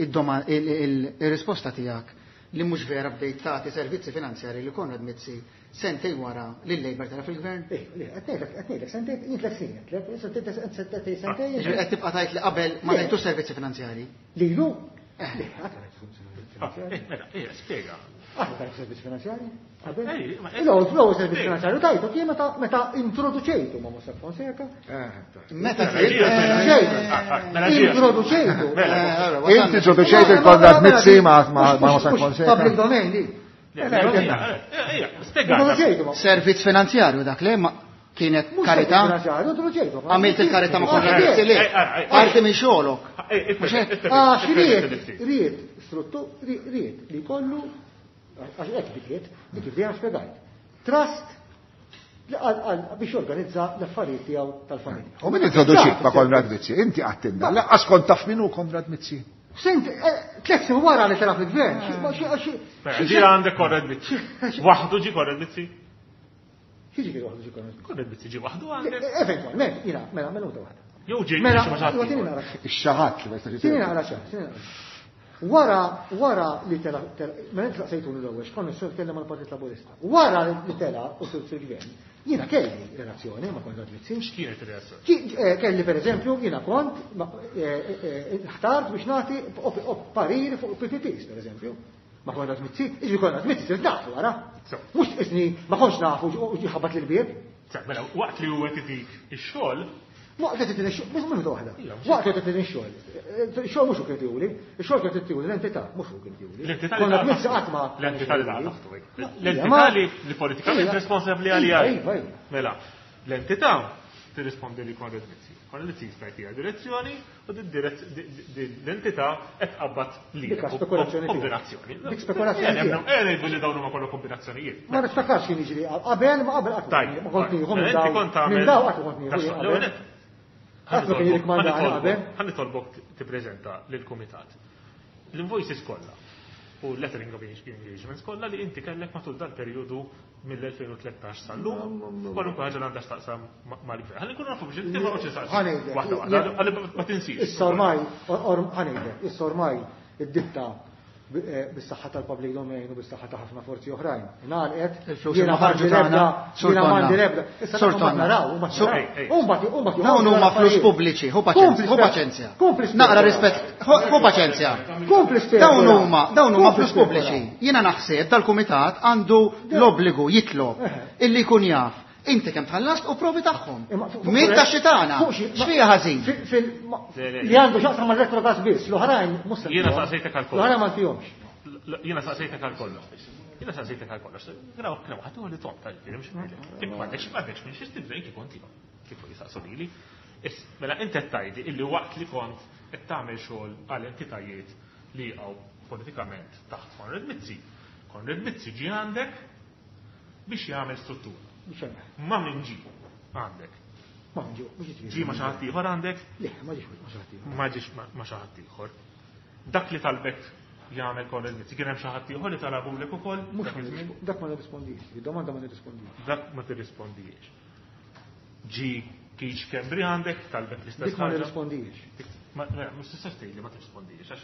G: il-risposta tiegħek li mhux vera bdejt tagħti servizzi finanzjari li Konrad Mizzi sentejn wara li l-Labour tela' fil-gvern?
E: Eh, le, qed ngħidlek, qed ngħidlek, sentejn, jien tliet snin, sentejn, sentejn.
G: Jiġifieri qed tibqa' tgħid li qabel ma tajtux servizzi finanzjarji?
E: Lilu? Le, qatt ma tajtu servizzi finanzjarji.
D: Mela, ejja, spjega.
E: Qatt ma tajtu servizzi finanzjarji? Qabel? L-ewwel servizzi finanzjarju tajtu kien meta introduċejtu ma' Mossack Fonseca.
G: Meta
E: introduċejtu.
A: Inti introduċejtu il-Konrad Mizzi ma' Mossack Fonseca.
E: Public domain di.
G: Servizz finanzjarju dak le ma kienet karità. Għamilt il-karità ma' Konrad Mizzi le. Parti minn xogħolok.
E: Għax ried, ried, struttu, ried li kollu, għax hekk bdiet, dik kif dejjem spjegajt. Trust li għal biex jorganizza l-affarijiet tiegħu tal-familja.
A: U min introduċik ma' Konrad Mizzi? Inti għattinna, laqqas kont taf min hu Konrad Mizzi.
E: Sent, tliet snin wara li tela' fil-gvern.
D: Ġi għandek Konrad Mizzi. Waħdu ġi Konrad Mizzi?
E: Xi ġifieri waħdu ġi Konrad Mizzi?
D: Konrad Mizzi ġi waħdu għandek?
E: Eventwalment, jiena, mela, minuta waħda.
D: Jew ġi
E: Mela,
D: xi ħadd.
E: tieni naqra.
A: Ix-xi ħadd li ma jistax
E: Tieni naqra xi, tieni naqra. Wara, wara li tela, mela inti saqsejtuni l-ewwel x'kont nistgħu nitkellem mal-Partit Laburista. Wara li tela u sirt fil-gvern, jiena kelli relazzjoni ma' Konrad Mizzi.
D: X'kienet ir-relazzjoni?
E: Eh, kelli pereżempju jiena kont eh, eh, ħtart biex nagħti pariri fuq PPPs pereżempju. Ma' Konrad Mizzi, iġri Konrad Mizzi sirt nafu wara. Mhux isni ma kontx nafu u ħabat l-bieb.
D: Mela, waqt li huwa titik ix-xogħol,
E: Waqt li titini xogħol, mhux minuta waħda. Waqt li titini xogħol. Xogħol mhux hu kien tihuli, ix-xogħol kien tihuli l-entità, mhux hu kien tihuli.
D: L-entità
E: li Konna qatt ma.
D: L-entità li taħtu. L-entità li politikament responsabbli għalija.
E: Iva, iva.
D: Mela, l-entità tirrispondi li Konrad Mizzi. Konrad Mizzi jista' jtiha direzzjoni u l-entità qed tqabbad li.
E: Dik spekulazzjoni.
D: Kombinazzjoni.
E: Dik spekulazzjoni.
D: Ngħidu li dawn huma kollha kombinazzjonijiet.
E: Ma niftakarx kien jiġri qabel ma qabel qatt. Ma kont nieħu minn daw. Minn daw qatt kont nieħu. Qatt ma kien jirrikmandani qabel.
D: Ħa nitolbok tippreżenta lill-kumitat l-invoices kollha u lettering of engagements kollha li inti kellek matul dal-perjodu mill-2013 sal-lum, kwalunkwe ħaġa li għandha x'taqsam mal-gvern. Ħalli nkunu nafu biex inti ma qgħodx insaqsi. Waħda waħda, ħalli ma tinsiex.
E: Issa ormai, ħa ngħidlek, issa ormai id-ditta bis-saħħa tal-public domain u bis-saħħa ta' ħafna forzi oħrajn. Ingħalqet,
G: Il-flus ma ħarġu tagħna, Sur
E: jiena m'għandi
G: Tonna.
E: l-ebda. Issa
G: Sur
E: dawn ma
G: Tonna.
E: naraw, ma
G: Sur-
E: naraw. U mbagħad u mbagħad
G: Dawn huma flus pubbliċi, hu paċenzja, hu paċenzja.
E: Kompli
G: Naqra rispett, hu paċenzja.
E: Kompli spekula.
G: Dawn huma, dawn huma
E: Kompli
G: flus pubbliċi. Jiena naħseb dal-kumitat għandu l-obbligu jitlob illi jkun jaf inti kemm tħallast u provi tagħhom.
E: Imma fuq-
G: Min ta' xitana?
E: fuq xi-
G: X'fiha ħażin?
E: Li għandu xaqsam ma' elettrogas biss, l-oħrajn mhux se
D: Jiena
E: ntihom.
D: saqsejtek għal kollox.
E: L-oħrajn ma ntihomx.
D: Jiena saqsejtek għal kollox. Jiena saqsejtek għal kollox. Graw, kien waħdu li tom tal-ġifieri mhux ngħidlek. Jekk m'għandekx m'għandekx minn xi tibża' kif kont tihom. Kif jisaqsu lili. Mela inti qed tgħidli illi waqt li kont qed tagħmel xogħol għal entitajiet li jaqgħu politikament taħt Konrad Mizzi. Konrad Mizzi ġie għandek biex jagħmel struttura. Ma min ġie għandek.
E: Ma min ġie, mhux jiġri.
D: Ġie ma xi ħadd ieħor għandek?
E: Le, ma ġiex ma xi ħadd ieħor.
D: Ma ġiex ma xi ħadd ieħor. Dak li talbek jagħmel Konrad Mizzi, kien hemm xi ħadd ieħor li talabulek ukoll?
E: Mhux
D: Dak iż-żmien?
E: dak ma nirrispondix, id-domanda ma nirrispondix.
D: Dak ma tirrispondix. Ġie Keith Schembri għandek talbek l-istess
E: Dik ma
D: ħaġa?
E: nirrispondix.
D: Ma mhux tistax tgħidli ma tirrispondix għax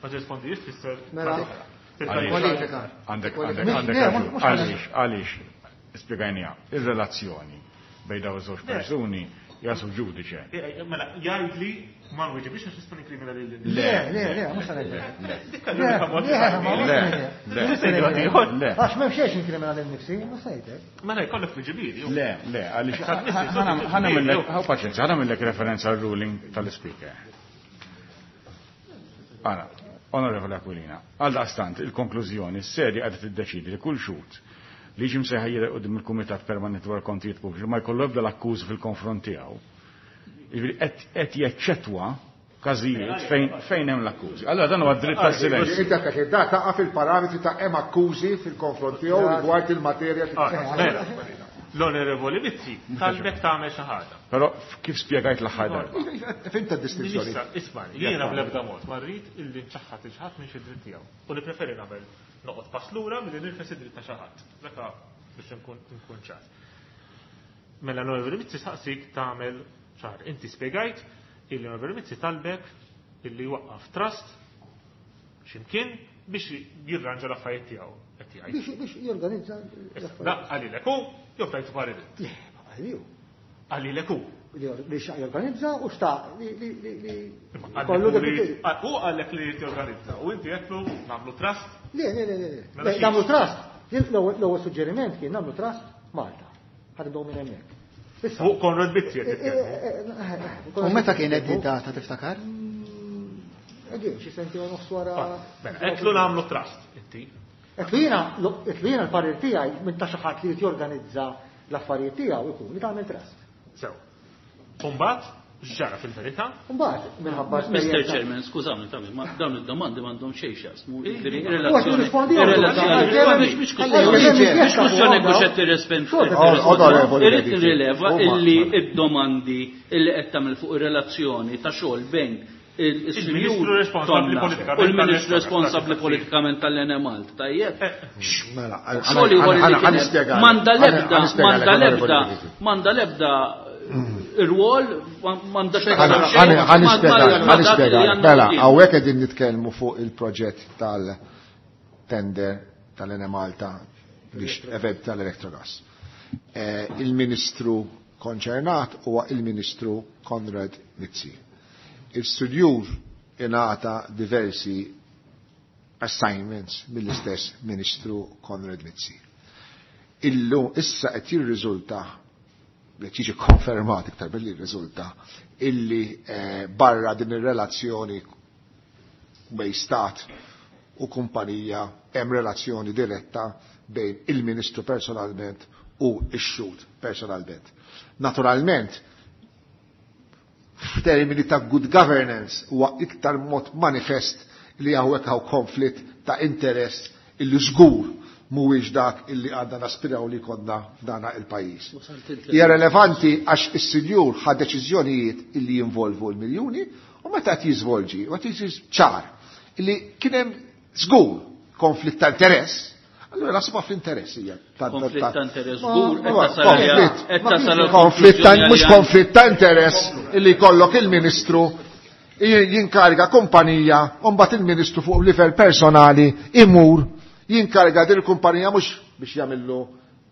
D: ma tirrispondix tfisser
G: Mela,
D: Kwalifika.
C: Għandek,
G: Kwalifika.
C: għandek, għandek
E: Le,
C: raġun.
E: mhux
C: Għaliex, għaliex, spjegajnija, ir-relazzjoni bejn dawn iż-żewġ persuni hija sub ġudice.
D: Mela, jgħidli ma nweġibix għax nista' nikkrimina lil
E: Le, le, le, mhux se ngħidlek.
D: Dik l-unika mod li
E: Le, ma
D: tgħidli.
E: mhux se ngħidlek.
C: Le,
E: Mhux se ngħidlek.
C: le.
E: Għax m'hemm xejn inkrimina lil nifsi, mhux se ngħidlek.
D: Mela jkollok tweġibieri.
C: Le, le, għaliex ħa nagħmillek, ħa paċenzja, ħa nagħmillek referenza għal ruling tal-speaker. Ara, Onorevole Aquilina, għal daqstant il-konklużjoni s-serja għadha tiddeċidi li kull xhud li ġie msejjaħ jidher quddiem il-Kumitat Permanenti dwar Kontijiet Pubbliċi ma jkollu ebda l-akkużi fil-konfront tiegħu. Jiġifieri qed jeċċettwa każijiet fejn hemm l-akkużi. Allora dan huwa dritt tas-silenzju.
A: Inti għandek id taqa' fil-parametri ta' hemm akkużi fil-konfront tiegħu rigward il-materja
D: Mela, l-Onorevoli Mizzi talbek tagħmel xi ħaġa.
C: Però kif spjegajt l-aħħar darba.
A: Fimta d-distinzjoni.
D: Issa, isma' jiena bl-ebda mod ma rrid illi nċaħħad il ħadd minn xi dritt tiegħu. U nippreferi nagħmel noqgħod pass lura milli nirfes id-dritt ta' xi ħadd. Dak biex nkun nkun ċar. Mela l-Onorevoli Mizzi saqsik tagħmel ċar. Inti spjegajt illi l-Onorevoli Mizzi talbek illi waqqaf trust x'imkien biex jirranġa l-affarijiet tiegħu qed jgħid.
E: Biex jorganizza
D: Da qalilek hu jew tajtu parir.
E: Le, ma qaliju.
D: Qalilek hu.
E: Li xaq jorganizza u xtaq li li li li kollu dak
D: U għallek li jorganizza u inti għedtlu nagħmlu trust.
E: Le, le, le, le.
D: Mela xiex?
E: Nagħmlu trust. L-ewwel suġġeriment kien nagħmlu trust Malta. Ħadibdew minn hemmhekk. Issa.
D: Fuq Konrad Mizzi qed titkellmu.
G: U meta kienet di data tiftakar?
E: Again, xi senti u nofs wara.
D: Mela, għedtlu nagħmlu trust inti.
E: Għedtlu jiena l-parir tiegħi minn ta' xi ħadd li jorganizza l-affarijiet tiegħu ikun li tagħmel trust.
D: Sew. Umbagħad x'ġara fil-verità?
E: Mbagħad minħabba
F: Mr.
E: esperjenza.
F: Chairman, skużawni, tammi, ma dawn id-domandi m'għandhom xejn x'jaqsmu. Jiġifieri,
E: U għad
F: ir-relazzjoni.
E: jirrispondi
F: Ir-relazzjoni. Mhux kwestjoni mhux kwestjoni hekk mhux qed tirrispondi.
A: Onorevoli
F: Irrid
A: Medici.
F: nirrileva
A: Huma-
F: illi id-domandi illi qed tagħmel fuq ir-relazzjoni ta' xogħol bejn
D: Il-Ministru
F: il-Sinjur
D: responsabbli
F: Tonna
D: politikament
F: u l-Ministru
D: tal-Enemalta.
F: responsabbli politikament tal-Enemalt, tajjeb?
A: Mela,
F: Xogħol ieħor li kien hemm. M'għandha l-ebda, m'għandha l-ebda, m'għandha l-ebda rwol m'għandha xejn
A: Ħa nispjega. Mela, hawnhekk qegħdin nitkellmu fuq il-proġett tal-tender tal-Enemalta biex event tal-Electrogas. Il-Ministru konċernat huwa il-Ministru Konrad Mizzi. Il-studjur ingħata diversi assignments mill-istess Ministru Konrad Mizzi. Illu issa qed jirriżulta li tiġi konfermat iktar billi jirriżulta illi barra din ir-relazzjoni bejn stat u kumpanija hemm relazzjoni diretta bejn il-Ministru personalment u x-xhud personalment. Naturalment, f'termini ta' good governance huwa iktar mod manifest li hawnhekk hawn konflitt ta' interess illi żgur mhuwiex dak illi għandna naspiraw li konna f'dana il-pajjiż. Hija relevanti għax is-sinjur ħa deċiżjonijiet illi jinvolvu l-miljuni u meta qed jiżvolġi u qed jiġi ċar illi kien hemm żgur konflitt ta' interess, allura nasba fl-interess hija.
F: Konflitt ta' interess żgur, qed tasal
A: Konflitt ta' mhux konflitt ta' interess illi jkollok il-Ministru jinkariga kumpanija u mbagħad il-Ministru fuq livell personali imur jinkariga din il-kumpanija mhux biex jagħmillu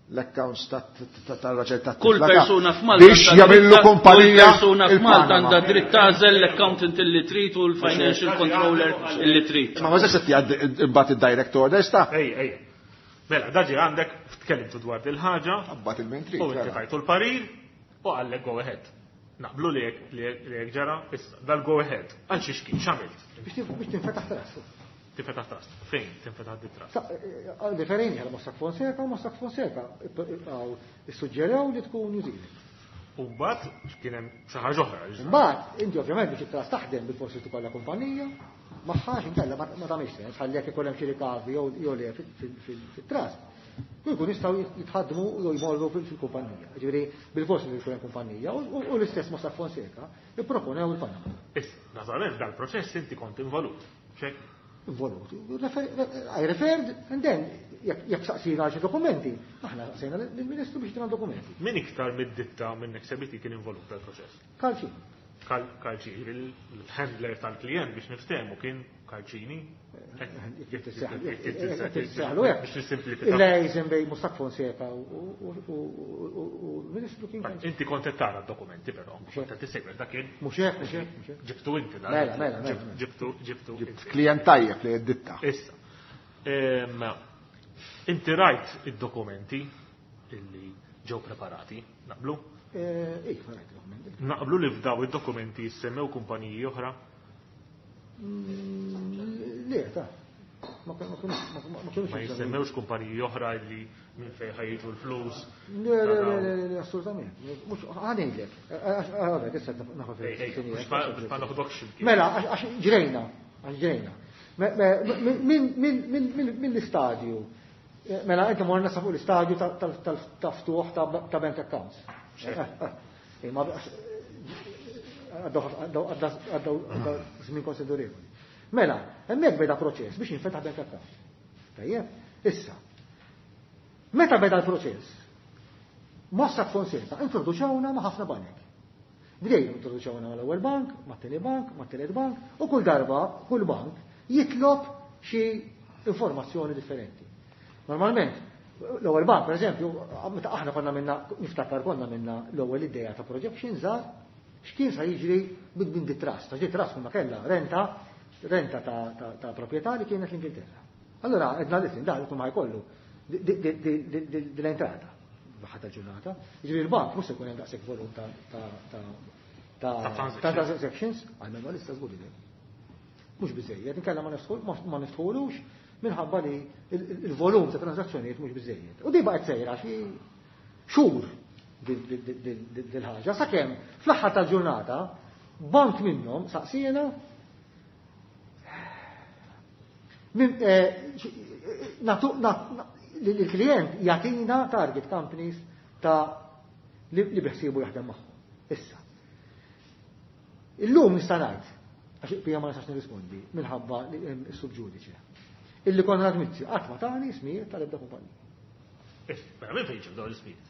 A: l-accounts tar-raġel ta'
F: Kull persuna f'Malta
A: biex jagħmillu kumpanija
F: Kull persuna f'Malta għandha dritt tagħżel l-accountant illi trid u l-financial controller illi trid.
A: Ma ma se jgħaddi imbagħad id-direct orders ta'
D: Ej, ej. Mela, daġi għandek tkellimtu dwar dil-ħaġa.
A: Abbat il-mentri.
D: U inti tajtu l-parir u għallek go ahead. Naqblu li jekk ġara, issa, dal-go ahead. Għal xiex kien, x'għamilt?
E: Biex tinfetaħ trust.
D: Tinfetaħ trust. Fejn tinfetaħ di trust?
E: Referejni għal Mossack Fonseca, Mossack Fonseca issuġġerew li tkun New Zealand.
D: U mbagħad kien hemm xi ħaġa oħra.
E: Mbagħad inti ovvjament biex it-trust taħdem bil-forsi tkollha kumpanija, magħha inkella ma tagħmilx sens, ħalli jekk ikun hemm xi rikavi jew le fit-trust. U jkun jistgħu jitħaddmu jew jmorru fil-kumpanija. Ġifieri bil-forsi li jkun hemm kumpanija u l-istess Mossack Fonseca ipproponew il-Panama.
D: Issa, naturalment dal-proċess inti kont involut. Xek?
E: Involut. I referred and then jekk saqsina xi dokumenti, aħna saqsejna lill-Ministru biex tina dokumenti.
D: Min iktar mid-ditta minn Nexia BT kien involut dal-proċess?
E: Karl Cini.
D: Karl Cini, il-handler tal-klient biex niftehmu kien Karl Cini. Biex nissimplifika.
E: Il-liaison bejn Mossack Fonseca u l-Ministru kien Karl Cini.
D: Inti kont qed tara d-dokumenti però, kont qed tissegwi dak kien.
E: Mhux hekk, mhux hekk, mhux hekk.
D: Ġibtu inti dan.
E: Mela, mela, mela.
D: Ġibtu, ġibtu.
A: Ġibt klient tajjeb li d-ditta.
D: Issa. Inti rajt id-dokumenti illi ġew preparati, naqblu?
E: Ej, rajt id-dokumenti.
D: Naqblu li f'daw id-dokumenti jissemmew kumpaniji oħra?
E: Le, ta' ma kienux
D: Ma jissemmewx kumpaniji oħra li minn fejn ħajġu l-flus.
E: Le, le, le, le, le, assolutament. Mhux ħanejlek. Għadek, issa naħu
D: Ej, ej,
E: fil-
D: mhux ma naħdokx imkien.
E: Mela, għax ġrejna, għax ġrejna. Minn l-istadju, mela, inti morna sa fuq l-istadju ta' ftuħ ta' bank accounts. Ma għaddew żmien konsiderevoli. Mela, hemmhekk beda proċess biex jinfetaħ bank account. Tajjeb, issa. Meta beda l-proċess, Mossack Fonseca introduċewna ma' ħafna banek. Bdejn introduċewna mal-ewwel bank, mat-tieni bank, mat-tielet bank, u kull darba, kull bank jitlob xi informazzjoni differenti. Normalment, l-ewwel bank, per eżempju, meta aħna konna minna, niftakar konna minna l-ewwel idea ta' projection żgħar, x'kien sa jiġri minn di trust, għax di trust konna kellha renta ta' proprjetà li kienet l-Ingilterra. Allora, edna listen, da, jkun ma jkollu l-entrata ħadd il-ġurnata. Jiġifieri l-bank mhux se jkun hemm daqshekk volum ta' transactions, għalmenu għalissa żgur li. Mhux biżejjed, inkella ma niftħulux minħabba li il-volum ta' transazzjonijiet mhux biżejjed. U di baqgħet sejra xi xhur dil-ħaġa, sakemm fl-aħħar tal-ġurnata bank minnhom saqsiena il-klient jagħtina target companies ta' li biħsibu jaħdem magħhom. Issa. Illum nista' ngħid, għax pija ma nistax nirrispondi minħabba li hemm is-subġudiċi. Illi Konrad Mizzi qatt ma tani ismijiet tal-ebda kumpanija.
D: Mela minn fejn ġew dawn l-ismijiet?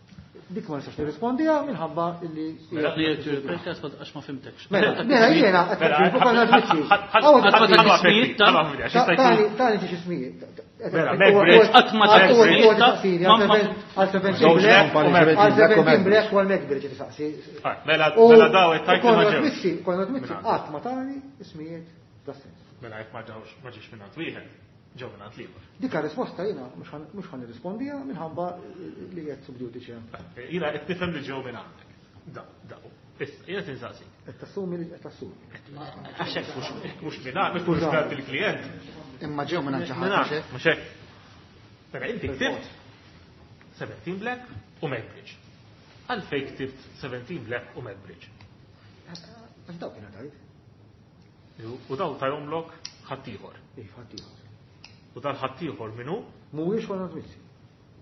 E: Dik ma nistax nirrispondiha minħabba illi.
F: Mela, għax ma fimtekx.
E: Mela, mela jiena qed fuq għal Tani xi ismijiet.
D: Mela,
F: Qatt ma
E: Għal 17 Black u għal Macbridge tisaqsi.
D: Mela, mela daw it-tajt ma
E: ġewx. Konrad Mizzi qatt ma tani ismijiet das-sens.
D: Mela jekk ma ġewx ma ġiex minn wieħed, ġew minn ieħor.
E: Dika risposta jiena mhux ħan nirrispondiha minħabba li qed sub judice.
D: Jiena qed nifhem li ġew minn għandek. Daw, daw. Issa, jiena tinsaqsi.
E: Qed tassumi li qed tassumi.
D: Għax hekk mhux minn għandek, mhux minn il-klient.
G: Imma ġew minn xi ħadd.
D: Mhux hekk. Mela inti ktibt 17 Black u Macbridge. Għalfejn ktibt 17 Black u Macbridge.
E: Għax daw kien tajt.
D: U daw tajomlok ħaddieħor.
E: Iva, ħaddieħor.
D: U dal ħaddieħor minnu?
E: Mhuwiex Konrad Mizzi.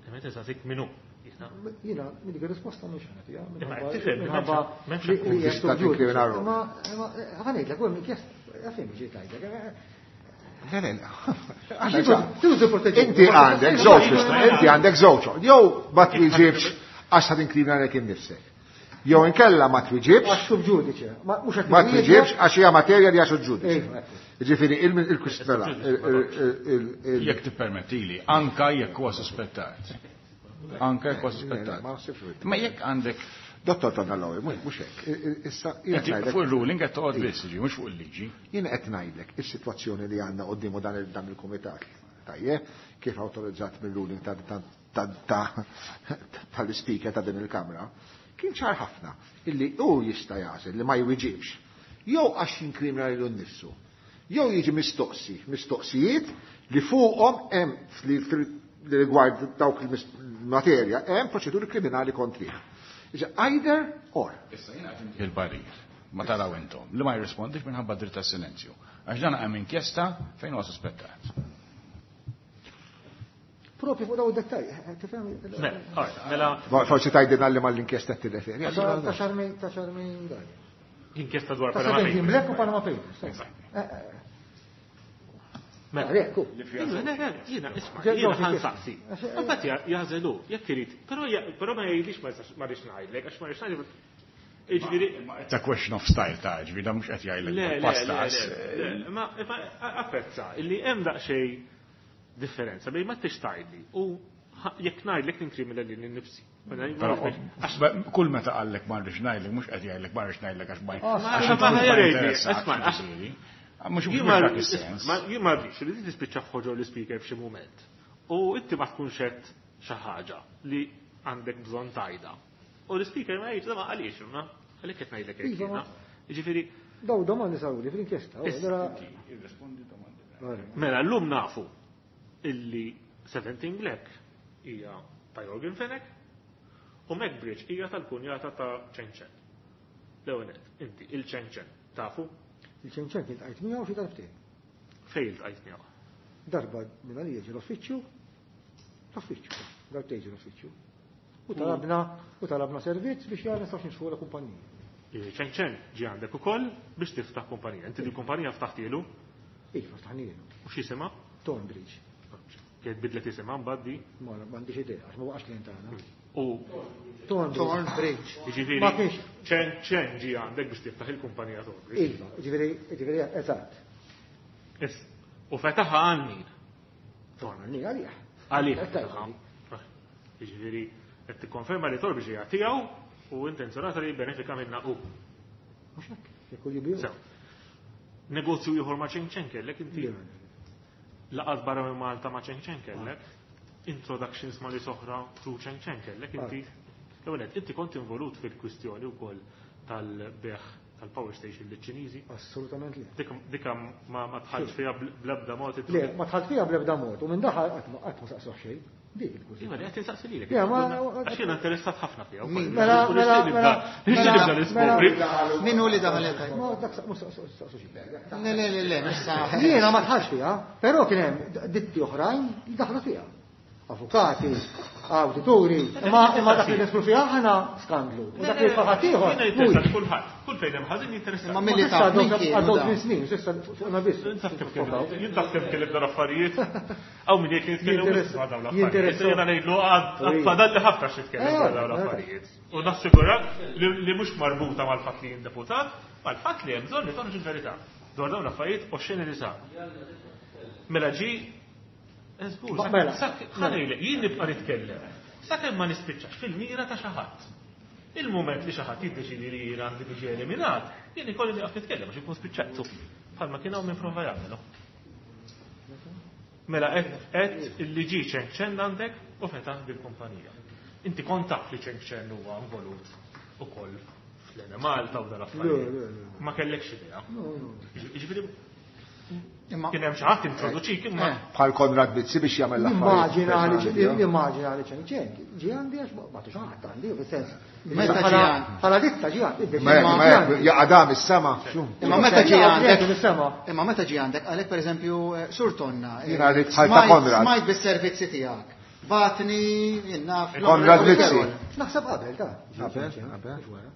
D: Imma tisaqsik minnu.
E: Jiena minn dik ir-risposta mhux ħa nagħtiha.
D: Imma tifhem
E: minħabba
D: m'hemmx
E: li
A: Tista' tinkrimina ruħek.
E: Ma ħa ngħidlek, u hemm inkjesta, għalfejn ġiet ngħidlek.
A: Le, le, Inti għandek żewġ inti għandek żewġ. Jew ma twiġibx għax ħad inkrimina lek innifsek. Jew inkella ma twiġibx.
E: Għax sub ġudice.
A: Ma twiġibx għax hija materja li għax ġudice. Ġifieri il-kwistjoni.
C: Jekk tippermettili, anka jekk huwa suspettat. Anka jekk huwa suspettat. Ma jekk għandek
A: Dottor Tonallowi, mhux hekk. Issa
C: fuq il-ruling qed toqgħod biss, mhux fuq il-liġi.
A: Jien qed ngħidlek is-sitwazzjoni li għandna quddiemu dan il-kumitat. Tajjeb, kif awtorizzat mill-ruling tal-ispeaker ta' din il-Kamra, kien ċar ħafna illi hu jista' jagħżel li ma jwiġibx. Jew għax jinkrimina lilu nnifsu. Jew jiġi mistoqsi, mistoqsijiet li fuqhom hemm li rigward dawk il-materja hemm proċeduri kriminali kontrih. Either or.
C: Issa jiena qed il-parir, ma taraw intom, li ma jirrispondix minħabba dritt tas-silenzju. Għax dan hemm inkjesta fejn huwa suspettat.
E: Propju fuq daw id-dettalji, tifhem?
D: Mela.
A: Forsi tgħidilna li mal-inkjesta qed tirreferi.
E: Ta' xarmi, ta' xarmi dan.
D: Inkjesta dwar
E: Ta'
D: Panama
E: Seventeen
D: Papers.
E: Black u Panama Papers.
D: Mela.
E: Ekku.
D: Jiena, isma',
E: Ġew
D: jiena
E: ġew
D: ħa nsaqsi.
E: Għax,
D: Imbagħad jażelu, jekk irid, però ma jgħidlix ma jistax ma rridx ngħidlek, għax ma rridx ngħidlek. Jiġifieri
C: It's a question of style ta' ġifieri da mhux qed jgħidlek
D: Le, le,
C: pastas.
D: le, le, ma apprezza illi hemm daqsxejn differenza bejn ma tix tgħidli u jekk ngħidlek ninkrimina lili nnifsi.
C: Però, kull meta qallek ma rridx ngħidlek mhux qed jgħidlek ma rridx ngħidlek għax ma
D: Ma
C: għax
D: ma
C: inti mhux ma
D: jgħidli,
C: jinteressak,
D: isma', għax
C: ġifieri. Mhux
D: Jien
C: mhux
D: ma
C: dak
D: rridx,
C: is-sens.
D: isma', jien ma rridx li tispiċċa f'ħoġor l-ispeaker f'xi mument. U inti ma tkunx qed xi ħaġa li għandek bżonn tajda. U l-ispeaker ma jgħidx, ma għaliex, ma għalhekk qed ngħidlek hekk
E: Iva,
D: jiena. Jiġifieri
E: Daw domandi saruli fl-inkjesta, u
D: Issa,
E: allura
C: Inti irrispondi domandi.
D: Mela llum nafu illi 17 Black hija ta' Yorgen Fenech u Macbridge hija tal-kunjata ta' Chen Chen. L-ewwel nett, inti il-Chen Chen tafu?
E: Il-Chen Chen kien tqajt miegħu xi darbtejn.
D: Fejn iltqajt miegħu?
E: Darba minn għalija ġie l-uffiċċju, l-uffiċċju, darbtejn ġie l-uffiċċju. U talabna servizz biex jara nistgħux nixtru la kumpanija.
D: Chen Chen ġie għandek ukoll biex tiftaħ kumpanija. Inti di kumpanija ftaħtielu?
E: Iva, ftaħnielu.
D: U x'isimha?
E: Thornbridge.
D: Kienet bidlet isimha mbagħad di?
E: Ma m'għandix idea, għax ma waqax klient tagħna.
D: U
E: Thornbridge.
G: Thornbridge.
D: Jiġifieri,
E: Ma kienx.
D: Chen Chen ġie għandek biex tiftaħ il-kumpanija Thornbridge.
E: Iva, jiġifieri, eżatt.
D: Is, u fetaħha għal min?
E: Għal min għalih.
D: Għalih.
E: Qed tgħid.
D: Jiġifieri, qed tikkonferma li Thornbridge hija tiegħu u intenzjonata li jibbenefika minnha hu.
E: Mhux hekk, jekk hu jibiju.
D: Sew. Negozju ieħor ma' Chen Chen kellek inti?
E: Le.
D: Laqat barra minn Malta ma' Chen Chen kellek? Introductions ma' li soħra through Chen Chen kellek inti? L-ewwel nett, inti kont involut fil-kwistjoni wkoll tal-beħ tal-power station liċ-Ċiniżi?
E: Assolutament le.
D: Dika ma tħallx fiha bl-ebda mod
E: Le, ma tħallx fiha bl-ebda mod u minn daħal qatt ma saqsuh xejn. Dik il-kwistjoni.
D: Iva, li qed insaqsi lilek.
E: Ja, ma-
D: Għax jiena interessat ħafna fiha wkoll.
E: Mela,
D: U
E: mela,
D: nixtieq
E: mela,
D: nibda- nixtieq nibda
E: mela,
D: niskopri.
E: mela.
G: Min hu li daħal qed?
E: Ma dak mhux saqsu xejn.
G: Le, le, le, le, issa.
E: Jiena ma tħallx fiha, però kien hemm ditti oħrajn li daħlu fiha. Avukati, awdituri, imma dak li nidħlu fiha aħna skandlu. U dak li jidħol ħaddieħor.
D: Jiena jinteressani kulħadd. Kull fejn hemm ħażin jinteressani.
G: Imma milli taf min kienu
E: Għaddew tmien snin, s'issa fuqna biss.
D: Jien taf kemm kellim dawn affarijiet. Hawn min jgħid li nitkellem wisq dwar dawn l-affarijiet. Jiena ngħidlu għad fadalli ħafna x'nitkellem dwar dawn l-affarijiet. U nassigurak li mhux marbuta mal-fatt li jien deputat, mal-fatt li hemm bżonn li toħroġ il-verità dwar dawn l-affarijiet oxxeni li saru. Mela ġie Żgur,
E: Mela.
D: ħa ngħidlek, jien nibqa' nitkellem sakemm ma nispiċċax fil-mira ta' xi ħadd. Il-mument li xi ħadd jiddeċiedi li jien għandi niġi eliminat, jien ikolli nieqaf nitkellem għax inkun spiċċajtu. Bħalma kien hawn min prova jagħmel. Mela qed illi ġie Cheng Chen għandek u fetaħ bil-kumpanija. Inti kont taf li Cheng Chen huwa involut ukoll fl-Enemalta u dal-affarijiet. Ma kellekx idea. Jiġifieri Kien hemm xi ħadd introduċik imma.
G: Eh.
A: Bħal Konrad Mizzi biex jagħmel l-affarijiet.
E: Nimmaġina li nimmaġina li ċen ċen ġie għandi għax ma tux ħadd għandi, fis-sens.
G: Meta ġie għandi?
E: Bħala ditta ġie għandi.
A: Ma jaqa' dam is-sema.
G: Imma meta ġie għandek.
E: Is-sema.
G: Imma meta ġie għandek għalek pereżempju eh, Sur Tonna. Eh,
A: Jiena rrid bħal ta' Konrad.
G: Smajt bis-servizzi tiegħek. Batni, jinnaf.
A: Konrad Mizzi.
E: Naħseb qabel ta'
A: Qabel, qabel.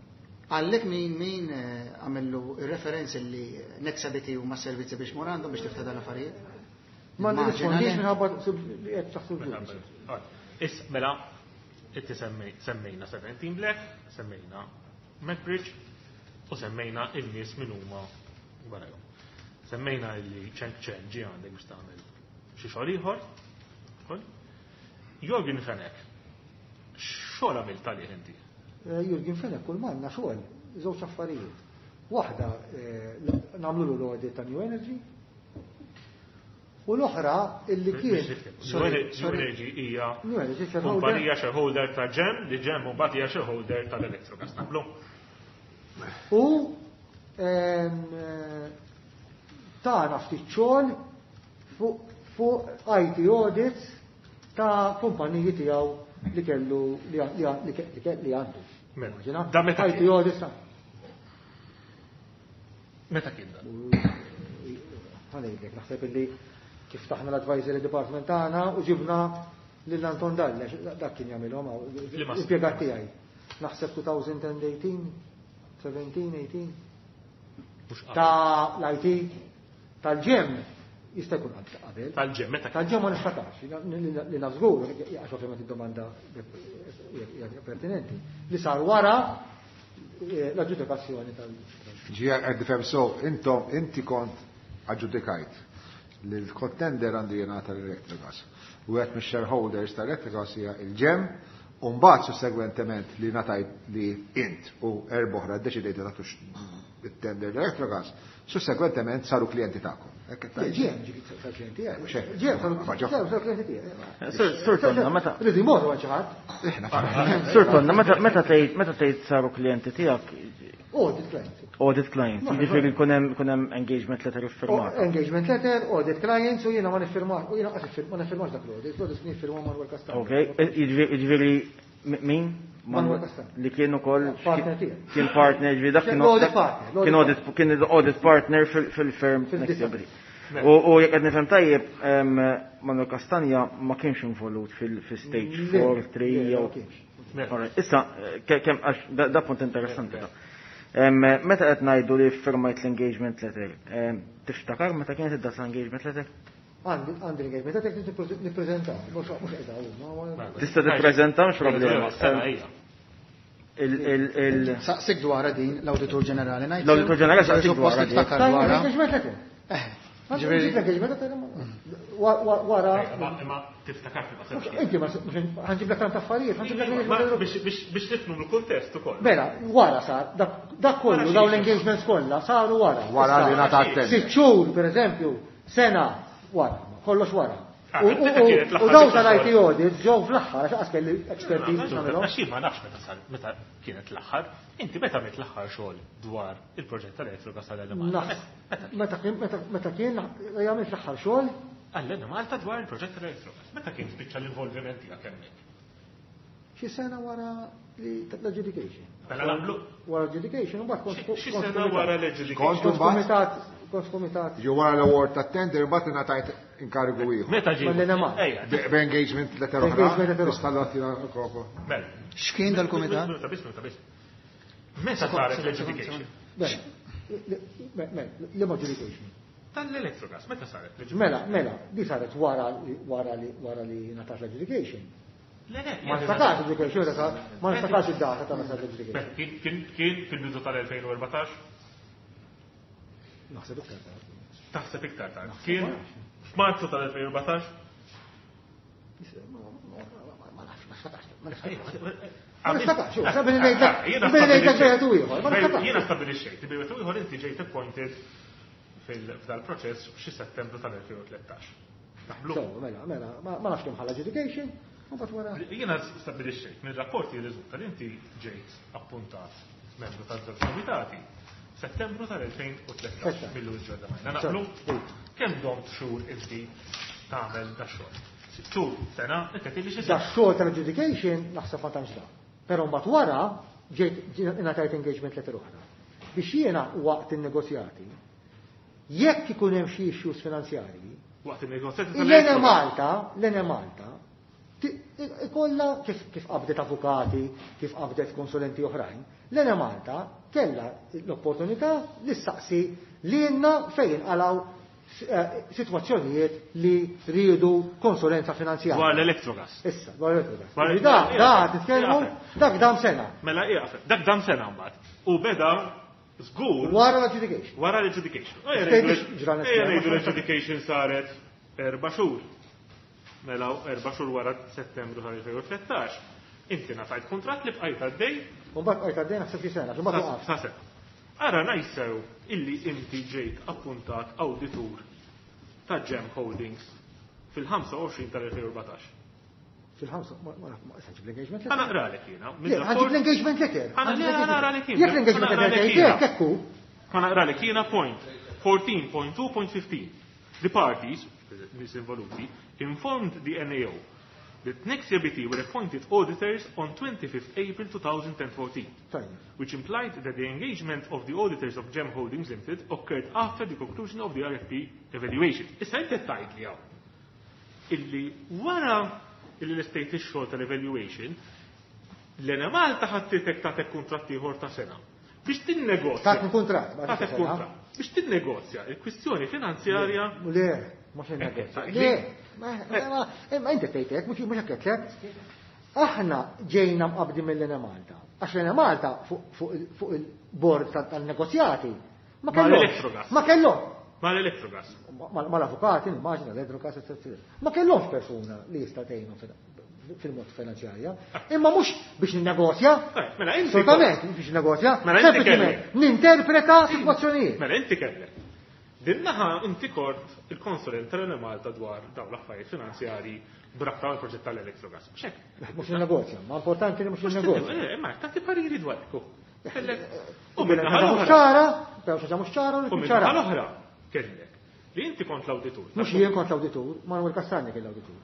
G: Għallek min min eh, għamillu il-referenzi li Nexa BT huma servizzi biex mur għandhom biex tifta dal-affarijiet?
E: Ma
G: Immaġina
E: nirrispondix
G: li-
E: minħabba li qed taħseb ġudiċi.
D: Is, mela, inti semmejna 17 Black, semmejna MacBridge u semmejna il-nies min huma warajhom. Semmejna illi Cheng Chen ġie għandek biex tagħmel xi xogħol ieħor. ukoll. Jorgen Fenech, xogħol għamilt għalih inti?
E: Eh, Jurgen Fenech kull manna xogħol, żewġ affarijiet. Waħda eh, nagħmlu l-audit ta' New Energy u l-oħra illi kien
D: New Energy hija
E: New Energy shareholder.
D: kumpanija shareholder ta' GEM, li GEM mbagħad hija shareholder tal-Electrogas. Naqblu?
E: U eh, tana ftit xogħol fuq IT audits ta' kumpaniji tiegħu li kellu li għandu.
D: Mela,
E: Immaġina,
D: da meta
E: IT
D: kien?
E: audits ta'
D: Meta kien dan?
E: Ħanejdlek, naħseb illi kif taħna l-advisory department tagħna u ġibna lil Anton Dalle, dak kien jagħmilhom
D: Li ma
E: impjegat tiegħi. Naħseb 2018, 17, 18.
D: Mhux qabel.
E: Ta' l-IT tal-GEM jista' jkun qabel.
D: Tal-GEM, meta kien?
E: Tal-GEM ma niftakarx, li naf żgur, għax ovvjament id-domanda hija pertinenti, li sar wara eh, l-aġġudikazzjoni tal-
A: Ġija qed nifhem so, intom inti kont aġġudikajt li l-contender għandu jingħata l-Electrogas. U għed mix-shareholders ta' Electrogas hija il-GEM, u mbagħad sussegwentement li ngħatajt li int u erba' oħra ddeċidejt tagħtux it-tender l-Electrogas, sussegwentement saru klijenti tagħkom. Hekk qed tgħid.
E: GEM ġifieri sar klijenti tiegħi.
A: Mhux hekk.
E: GEM saru
A: Ma ġo.
E: GEM saru klijenti tiegħi.
H: Sur Tonna, meta
E: Rridu jmorru għal xi ħadd.
H: Sur Tonna, meta meta tgħid meta tgħid saru klijenti tiegħek
E: Audit clients.
H: audit clients, jiġifieri jkun hemm jkun hemm engagement letter iffirmat.
E: Engagement letter, audit clients, u jiena ma niffirmax, u jiena qas ma niffirmax dak l-audit, l-audit kien jiffirma Manuel Castano.
H: Ok, jiġifieri min?
E: Manuel Castano.
H: Li kien ukoll
E: Partner tiegħi.
H: Kien partner, jiġifieri dak kien
E: L-audit partner, l-audit
H: Kien audit kien audit partner fil-firm
E: Fil-ditta.
H: Next Ability. U jekk qed nifhem tajjeb, Manuel Castagna ma kienx involut fil-stage
E: Le,
H: 4, 3
E: le,
H: jew.
E: ma kienx.
H: Alright, Issa, kemm għax da punt interessanti da. Meta qed ngħidu li firmajt l-engagement letter, tiftakar meta kienet id-data l-engagement letter?
E: Għandi għandi l-engagement letter nippreżenta, mhux qiegħda hawn.
H: Tista' tippreżenta mhux problema.
D: Sena hija.
G: Saqsik dwarha din l-Awditur Ġenerali ngħid.
H: L-Awditur Ġenerali saqsik
G: Suppost
H: dwarha din.
G: tiftakar
E: Tajn
G: dwarha.
E: l-engagement letter.
G: Eh,
E: Għandi
G: ġifieri
E: l-engagement letter wara.
D: Imma tiftakar fil
E: Inti ma ħanġib lek tant affarijiet, ħanġib lek engagement letter.
D: Biex nifhmu l-kuntest ukoll.
E: Mela, wara sar, dak kollu, dawn l-engagements kollha saru wara.
A: Wara li
E: Issa,
A: ngħata t-tender.
E: Sitt xhur, per eżempju, sena wara, kollox wara.
D: Ah,
E: U
D: meta kienet l-aħħar
E: dawn
D: biċċa
E: tal-IT
D: xogħol?
E: audits ġew fl-aħħar għax qas kelli expertise biex nagħmilhom.
D: Għax jien ma nafx meta sar, meta kienet l-aħħar, inti meta għamilt l-aħħar xogħol dwar il-proġett tal-Electrogas tal-Enemalta?
E: Naf. Meta kien meta kien jagħmel fl-aħħar xogħol,
D: Għall-Enemalta dwar il-proġett tal-Electrogas. Meta kien spiċċa l-involviment tiegħek hemmhekk?
E: xi sena wara li l-adjudication.
D: Mela nagħmlu
E: Wara adjudication, u mbagħad kont
D: xi sena wara l-adjudication.
A: Kont
E: kont
A: mbagħad
E: kumitat, kont kumitat.
A: ġew wara l-award tat-tender mbagħad ingħatajt inkarigu ieħor.
D: Meta ġie?
E: Mal-NMA.
D: Ejja,
A: B'engagement letter oħra.
E: Engagement letter oħra.
A: Nista' nagħtina kopja.
D: Mela.
G: X'kien dal-kumitat?
D: Minuta biss, minuta biss. Meta saret l-adjudication?
E: Mela, li adjudication.
D: Tal-Electrogas, meta saret l-adjudication?
E: Mela, mela, di saret wara li wara li wara li ngħatat l-adjudication.
D: Le, le,
E: Ma niftakarx adjudication, ma niftakarx id-data ta' meta l-adjudication.
D: Mela, Kien fil-bidu tal-2014,
E: Naħseb iktar tard.
D: taħseb iktar tard. Kien f'Marzu tal-2014,
E: Ma nafx, ma niftakarx, ma niftakarx. Ma niftakarx, xu, sabi li ngħidlek, billi ngħidlek wieħed u ieħor, ma niftakarx.
D: Jiena stabilixxejt, li bejn ieħor inti ġejt appointed fil-proċess f'xi Settembru tal-2013. Naqblu?
E: So, mela, mela, ma nafx kemm ħalla adjudication, u mbagħad wara.
D: Jiena stabilixxejt mir-rapporti jirriżulta li inti ġejt appuntat membru tal-żewġ komitati Settembru tal-2013
E: Issa.
D: mill ġodda majna. Naqblu? Kemm domt xhur inti tagħmel da xogħol? Sitt xhur, sena, inti qed xi
E: Da
D: sena.
E: xogħol tal-adjudication naħseb ma tantx da. Però mbagħad wara ġejt ingħatajt engagement letter oħra. Biex jiena waqt in-negozjati, jekk ikun hemm xi issues finanzjarji,
D: Waqt il-negozjati
E: l-Ene Malta, l-Ene Malta, ikolla kif qabdet avukati, kif qabdet konsulenti oħrajn, l-Ene Malta kella l-opportunità li ssaqsi lilna fejn inqalaw situazzjonijiet li rridu konsulenza finanzjarja.
D: Dwar l-Electrogas.
E: Issa, dwar l-Electrogas.
D: Dwar-
E: Da, da, titkellmu, dak dam sena.
D: Mela ieqaf, dak dam sena mbagħad. U beda żgur
E: Wara l-adjudication.
D: wara l-adjudication.
E: Stejt ġranet
D: Ejja
E: sena.
D: ngħidu l-adjudication saret 4 xhur. Mela 4 xhur wara Settembru tal-2013. Inti ngħatajt kuntratt li bqajt għaddej
E: U mbagħad bqajt għaddej naħseb xi sena, mbagħad waqaf.
D: sa sena. Ara najsew illi inti ġejt appuntat awditur ta' Gem Holdings fil-25 tal-2014.
E: Fil-ħamsa, ma issa ġib l-engagement
D: Ħa
E: letter.
D: naqralek jiena.
E: Le, ħa nġib l-engagement letter.
D: Ħa
E: Ħa nġib
D: naqralek jiena.
E: Jekk l-engagement
D: Ħa
E: letter
D: naqralek
E: tgħid
D: jiena.
E: hekk, hekk hu.
D: Ħa naqralek jiena point 14.2.15. The parties, nies involuti, informed the NAO that Nexia BT were appointed auditors on 25th April 2014.
E: Tajjeb.
D: Which implied that the engagement of the auditors of Gem Holdings Limited occurred after the conclusion of the RFP evaluation. Issa inti tgħid li hawn illi wara illi l-estate ix-xogħol tal-evaluation, l-Enemalta ħattitek tatek kuntratt ieħor ta' sena. Biex tinnegozja.
E: Tatni kuntratt, ma
D: Tatek
E: sena.
D: kuntratt. Biex tinnegozja il-kwistjoni finanzjarja.
E: Le, mhux innegozja. Le, ma inti tgħid hekk, mhux hekk qed. Aħna ġejna mqabdi mill-Enemalta. Għax l-Enemalta fuq il-bord tal-negozjati ma kellhom.
D: Mal-Electrogas.
E: Ma kellhom.
D: Mal-Electrogas.
E: Mal-avukati, immaġina, l-Electrogas, etc. Ma kellhomx persuna li jista' tgħinhom fil-mod finanzjarja. Imma mhux biex ninnegozja.
D: Mela inti
E: Assolutament, biex ninnegozja.
D: Mela inti
E: Sempliċement
D: kellek.
E: ninterpreta sitwazzjonijiet.
D: Mela inti kellek. Din naħa inti kort il-konsulent tal-Enemalta dwar dawn l-affarijiet finanzjarji b'rabta mal-proġett tal-Electrogas. Xek.
E: Mhux ninnegozja, ma importanti li mhux ninnegozja.
D: Ma tagħti pariri dwar ekku. Kellek. U
E: U
D: minn naħa
E: mhux
D: l-oħra.
E: ċara, però xi ħaġa mhux ċara u
D: U
E: tkun
D: minn
E: ċara.
D: naħa l-oħra kellek. Li inti kont l-awditur.
E: Mhux jien kont l-awditur, Manuel Castagna kien l-awditur.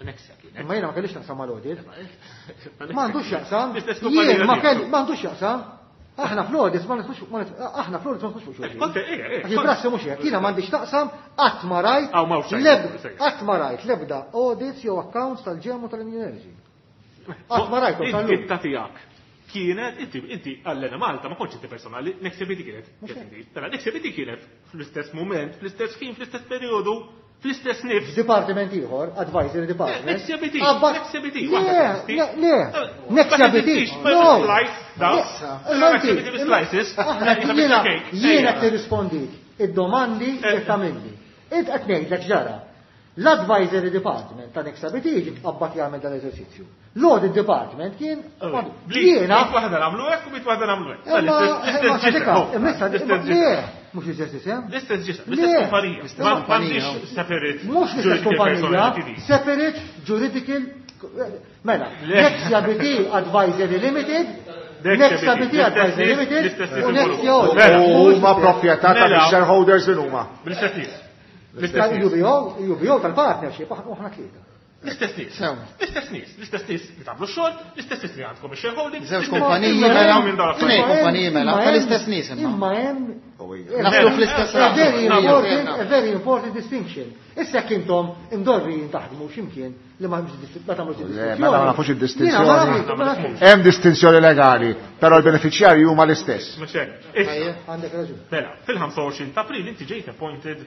D: Nexia kienet.
E: Imma jiena ma kellix naqsam mal-audit. Ma għandux x'jaqsam.
D: L-istess kumpanija
E: Jien ma
D: tiegħek.
E: kelli ma għandux x'jaqsam. Aħna fl-audit ma nistgħux aħna fl-audit ma nistgħux fuq xulxin.
D: Kont, eh, eh,
E: Għax il-prassi mhux hekk, jiena m'għandix taqsam qatt ma rajt
D: Aw, ma hux xejn.
E: qatt ma rajt l-ebda audits jew accounts tal-GEM u tal-Energy. Qatt ma rajthom tal-lum.
D: Id-ditta tiegħek kienet, inti għall-Enemalta, ma kontx inti personali, Nexia BT kienet. Mela, Nexia BT kienet fl-istess moment, fl-istess ħin, fl-istess periodu, fl-istess nifs.
E: F'dipartiment ieħor, advisory department.
D: Nexia BT,
E: Qabbat-
D: Nexia BT,
E: Le,
D: waħda teżisti.
E: le, le. Nexia
D: Ma
E: BT.
D: teżistix, ma
E: No.
D: slice, da.
E: Le,
D: Ma
E: imma inti-
D: Nexia BT bi slices.
E: Aħna
D: Isa
E: jiena
D: biċċa cake.
E: jiena
D: Ejja.
E: tirrispondik id-domandi li tagħmilli. Int qed ngħidlek ġara. L-advisory department ta' Nexia BT ġi tqabbad jagħmel dan l-eżerċizzju. L-audit department kien jiena
D: Bit waħda nagħmlu hekk u bit waħda nagħmlu hekk.
E: Imma
D: L-istess
E: imma
D: ġisem,
E: sadika,
D: oh,
E: imma issa-
D: l-istess
E: imma-
D: ġisem.
E: le, mhux l-istess isem.
D: L-istess ġisem,
E: Le.
D: l-istess kumpanija.
G: L-istess
D: Ma
G: kumpanija.
D: m'għandix separate
E: Mhux l-istess
D: juridical
E: kumpanija,
D: personality.
E: separate juridical mela,
D: Le.
E: Nexia BT Advisory Limited,
D: Nexia
E: Nexia
D: BT,
E: BT Advisory
D: l-istess
E: Limited
D: l-istess
E: u Nexia
D: involuti.
E: Audit.
D: Mela.
A: U huma proprjetà
D: Mela.
A: tal-shareholders in huma.
D: Bl-istess nies. L-istess nies.
E: Tal-UBO, UBO tal-partnership, aħna aħna tlieta.
D: L-istess nies. L-istess nies, l-istess nies li tagħmlu xogħol, l-istess nies li għandkom ix-shareholding.
G: Żewġ kumpaniji mela, tnejn kumpaniji mela, tal-istess nies imma.
E: Imma hemm
G: Naslu fl-istess
E: A very important, a very important distinction. Issa jekk intom imdorrijin taħdmu x'imkien li ma tagħmlux
A: distinzjoni. Mela ma nafux id-distinzjoni. Hemm distinzjoni legali, però l-benefiċjarji huma l-istess.
E: Għandek raġun.
D: Mela, fil-25 ta' April inti ġejt appointed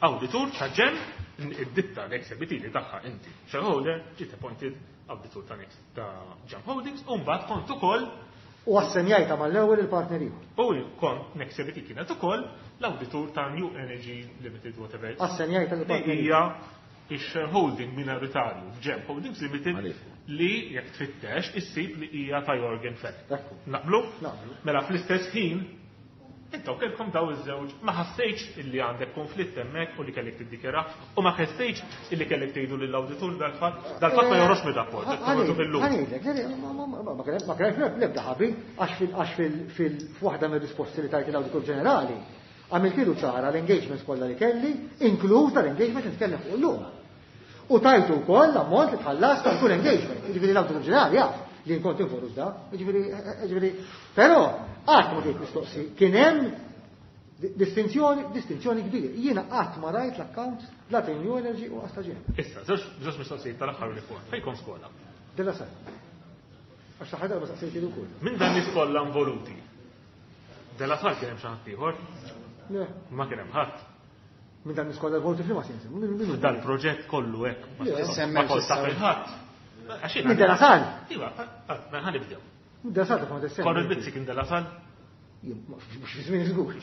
D: auditur ta' GEM, id-ditta l-ex li tagħha inti shareholder, ġiet appointed auditur ta' Next ta' GEM Holdings, u mbagħad kont ukoll
E: U assenjajta mal-ewwel il-partner ieħor.
D: U kont Nexia BT kienet ukoll l-auditur ta' New Energy Limited, whatever.
E: Assenjajta l-partner.
D: Li hija ix-shareholding minoritarju f'GEM Holdings Limited li jekk tfittex issib li hija ta' Yorgen Fenech. Naqblu?
E: Naqblu.
D: Mela fl-istess ħin intom kellkom daw iż-żewġ, ma ħassejtx illi għandek konflitt hemmhekk u li kellek tiddikjara u ma ħassejtx illi kellek tgħidu lill-awditur dal-fatt, dal-fatt ma joħroġx mir-rapport, qed toħroġu fil-lum.
E: Ħa ngħidlek, le, le, ma kien hemm l-ebda ħabi għax fil f'waħda mir-risposti li tajt l-Awditur Ġenerali għamiltilu ċara l-engagements kollha li kelli, inkluż tal-engagement li nitkellem fuq illum. U tajtu wkoll l-ammont li tħallas tal kull engagement. Jiġifieri l-Awditur Ġenerali jaf li nkont involut da, jiġifieri, però qatt ma ġejt mistoqsi, kien hemm distinzjoni, distinzjoni kbira. Jiena qatt ma rajt l-accounts la ta' New Energy u qas ta' GEM.
D: Issa, żewġ mistoqsijiet tal-aħħar li fuq. Fejn kont skola?
E: De La Salle. Għax l-aħħar darba saqsejt ukoll.
D: Minn dan nies kollha involuti. De La Salle kien hemm xi ħadd ieħor?
E: Le.
D: Ma kien hemm ħadd.
E: Minn dan nies kollha involuti f'liema sens?
D: Dal-proġett kollu hekk. Ma kont taf il-ħadd.
E: Minn De La Salle?
D: Iva, mela ħa nibdew.
E: Minn De La Salle kont issemmi.
D: Konrad Mizzi kien De La Salle?
E: Mhux fi żmien żgur.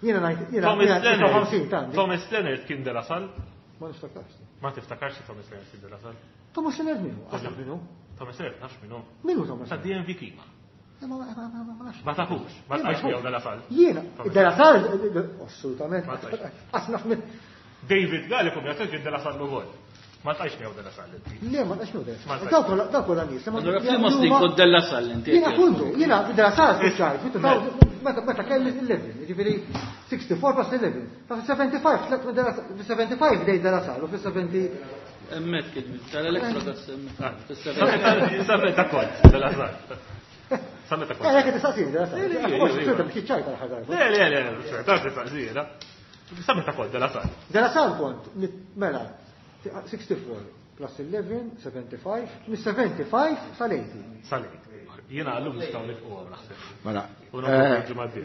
E: Jiena ngħid, jiena 59 tant.
D: Thomas Leonard kien De La Salle?
E: Ma niftakarx.
D: Ma tiftakarx Thomas Leonard kien De La Salle?
E: Thomas Leonard min hu? Għasab min hu?
D: Thomas Leonard nafx min hu.
E: Min hu Thomas?
D: Ta' DNV Klima.
E: Ma nafx.
D: Ma tafux, ma tafx miegħu De La Salle.
E: Jiena, De La Salle, assolutament. Qas naf min.
D: David Gallico jagħtik kien De La Salle ukoll. Ma tqajx miegħu De La Salle inti.
E: Le, ma tqajx miegħu De La Salle. Dawk kollha nies.
F: Allura f'liema snin kont De La Salle inti?
E: Jiena kuntu, jiena De La Salle spiċċajt, meta kelli 11, jiġifieri 64 plus 11. Ta' 75, 75 bdejt De La Salle u fis-70
F: Hemmhekk kien tal-Electrogas hemmhekk.
D: Sa meta kont De La Salle. Sa meta kont.
E: Eh, jekk tistaqsini De La Salle. Forsi biex ċajta l-ħaġa.
D: Le, le, le, ta' tistaqsini, Sa meta kont De La Salle.
E: De La Salle kont, mela, 64 plus 11, 75, mis-75 sal-80.
D: Sal-80. Jiena għallum nistgħu nifqu naħseb.
A: Mela.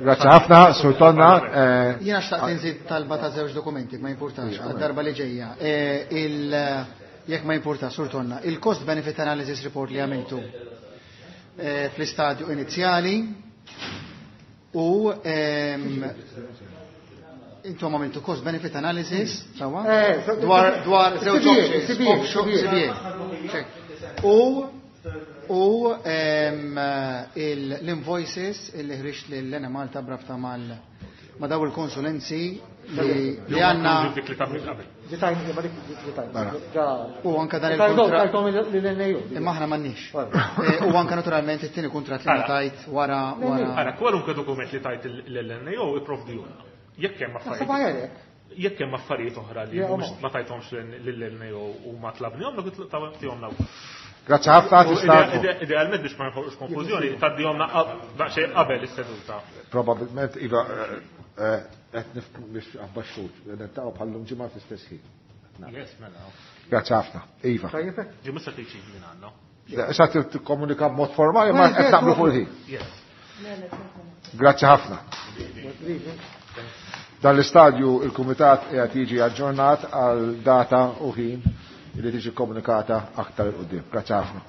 A: Grazzi ħafna, Sur Tonna.
G: Jiena xtaqt inżid talba ta' żewġ dokumenti, ma jimpurtax, għad-darba li ġejja. Jekk ma jimpurtax, Sur Tonna, il-cost benefit analysis report li għamiltu fl-istadju inizjali u intom għamiltu cost benefit analysis, sewwa? Dwar żewġ options, offshore CBA. U l-invoices illi ħriġt l-Enemalta brabta mal ma daw il-konsulenzi li għandna. U anka dan il-kontrat. Imma aħna m'għandniex. U anka naturalment it-tieni kontrat li tajt wara.
D: Ara, kwalunkwe dokument li tajt l-NAO ipprovdihulna. Jekk hemm affarijiet. Jekk hemm affarijiet oħra li ma tajthomx lill-NAO u ma tlabnihom, tagħtihomna.
A: Grazzi ħafna tista'
D: Idealment biex ma nħolqux konfużjoni, tgħaddihomna daqsxejn qabel is-seduta.
A: Probabilment iva qed nifhmu biex abbaxxut, niltaqgħu bħallum ġimgħa fl-istess ħin.
D: Yes, mela.
A: Grazzi ħafna. Iva.
D: Ġi mhux se tgħid minn għandna.
A: Issa tikkomunika b'mod formali ma qed naqblu fuq il-ħin.
D: Yes.
A: Grazzi ħafna. Dan l-istadju il-Kumitat qiegħed jiġi aġġornat għal data u ħin li tiġi komunikata aktar 'il quddiem. Grazzi ħafna.